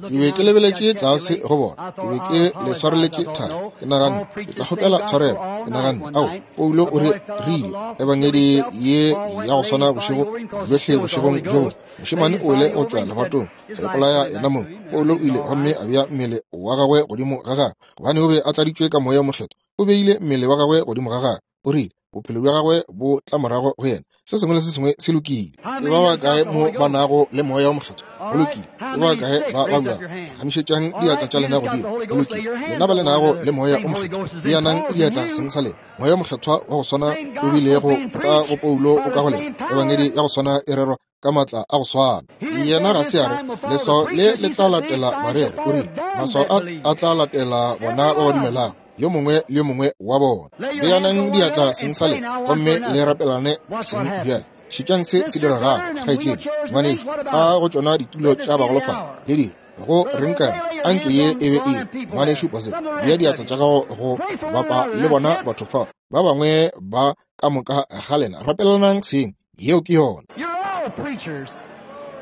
Ke be ke lebeletše tlase go bona. Ke be ke le swareletše thari. Ke naganne ke tla kgopela tshwarelo. Ke naganne, ao, Paulo o re rile ebangedi ye ya go swana bošego bjohle bošegong bjo bongwe. Mošemane o ile go tšwa lebatong, a ipolaya yena mong. Paulo o ile gomme a bea mmele wa gagwe godimo ga gagwe, gobane o be a tladitšwe ka Moya wo Mokgethwa. O beile mmele wa gagwe godimo ga gagwe. O rile, bophelo bja gagwe bo tla morago go yena. Se sengwe le se sengwe se lokile. Ke ba bakae mo ba nago le Moya wo Mokgethwa? Go lokile. Ke ba bakae ba babjago? Phagamišetšang diatla tša lena godimo. Go lokile. Lena ba le nago le Moya wo Mokgethwa, beanang diatla seng sa lena. Moya wo Mokgethwa wa go swana o bilego ka go Paulo o ka go lena. Ebangedi ya go swana e rerwa ka maatla a go swana. Yena ga se a re leswao le le tla latela bareri. O rile maswao a a tla latela bona ba ba dumelago, yo mongwe le yo mongwe wa bona. Beanang diatla seng sa lena gomme le rapelane seng bjale. Šetšang se se diregago, kgaetšedi, ngwanešu, a go tšona ditulo tša bagolofadi le dilo. Go reng ka anke ye e be e ngwanešu Bose, bea diatla tša gago go bapa le bona batho fa. Ba bangwe ba ka moka ga lena rapelanang seng. Yeo ke yona.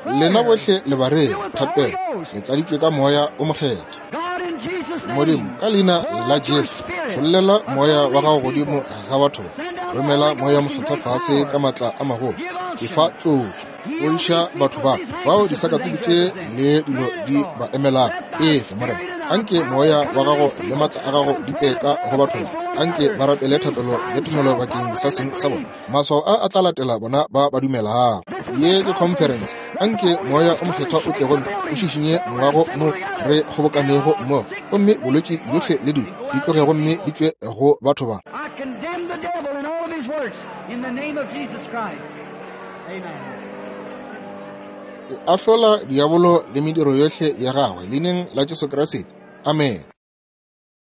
Lena bohle le bareri, thapelo, le tladitšwe ka Moya o Mokgethwa. Modimo, ka leina la Jesu, tšhollela Moya wa gago godimo ga batho ba. Romela Moya Mokgethwa fase ka maatla a magolo. Ke fa tlotšo. Fodiša batho ba, bao disakatuku tše le dilo di ba emelago. Ee, Morena, anke Moya wa gago le maatla a gago di tle ka go batho ba. Anke ba rapele thapelo ya tumelo bakeng sa seng sa bona. Maswao a a tla latela bona ba ba dumelago. Ye ke conference. Anke Moya o Mokgethwa o tle gomme o šišinye moago mo re kgobokanego mmogo, gomme bolwetši bjohle le dilo di tloge gomme di tšwe go batho ba. Ke ahlola diabolo le mediro yohle ya gagwe leineng la Jesu Kriste. Amene.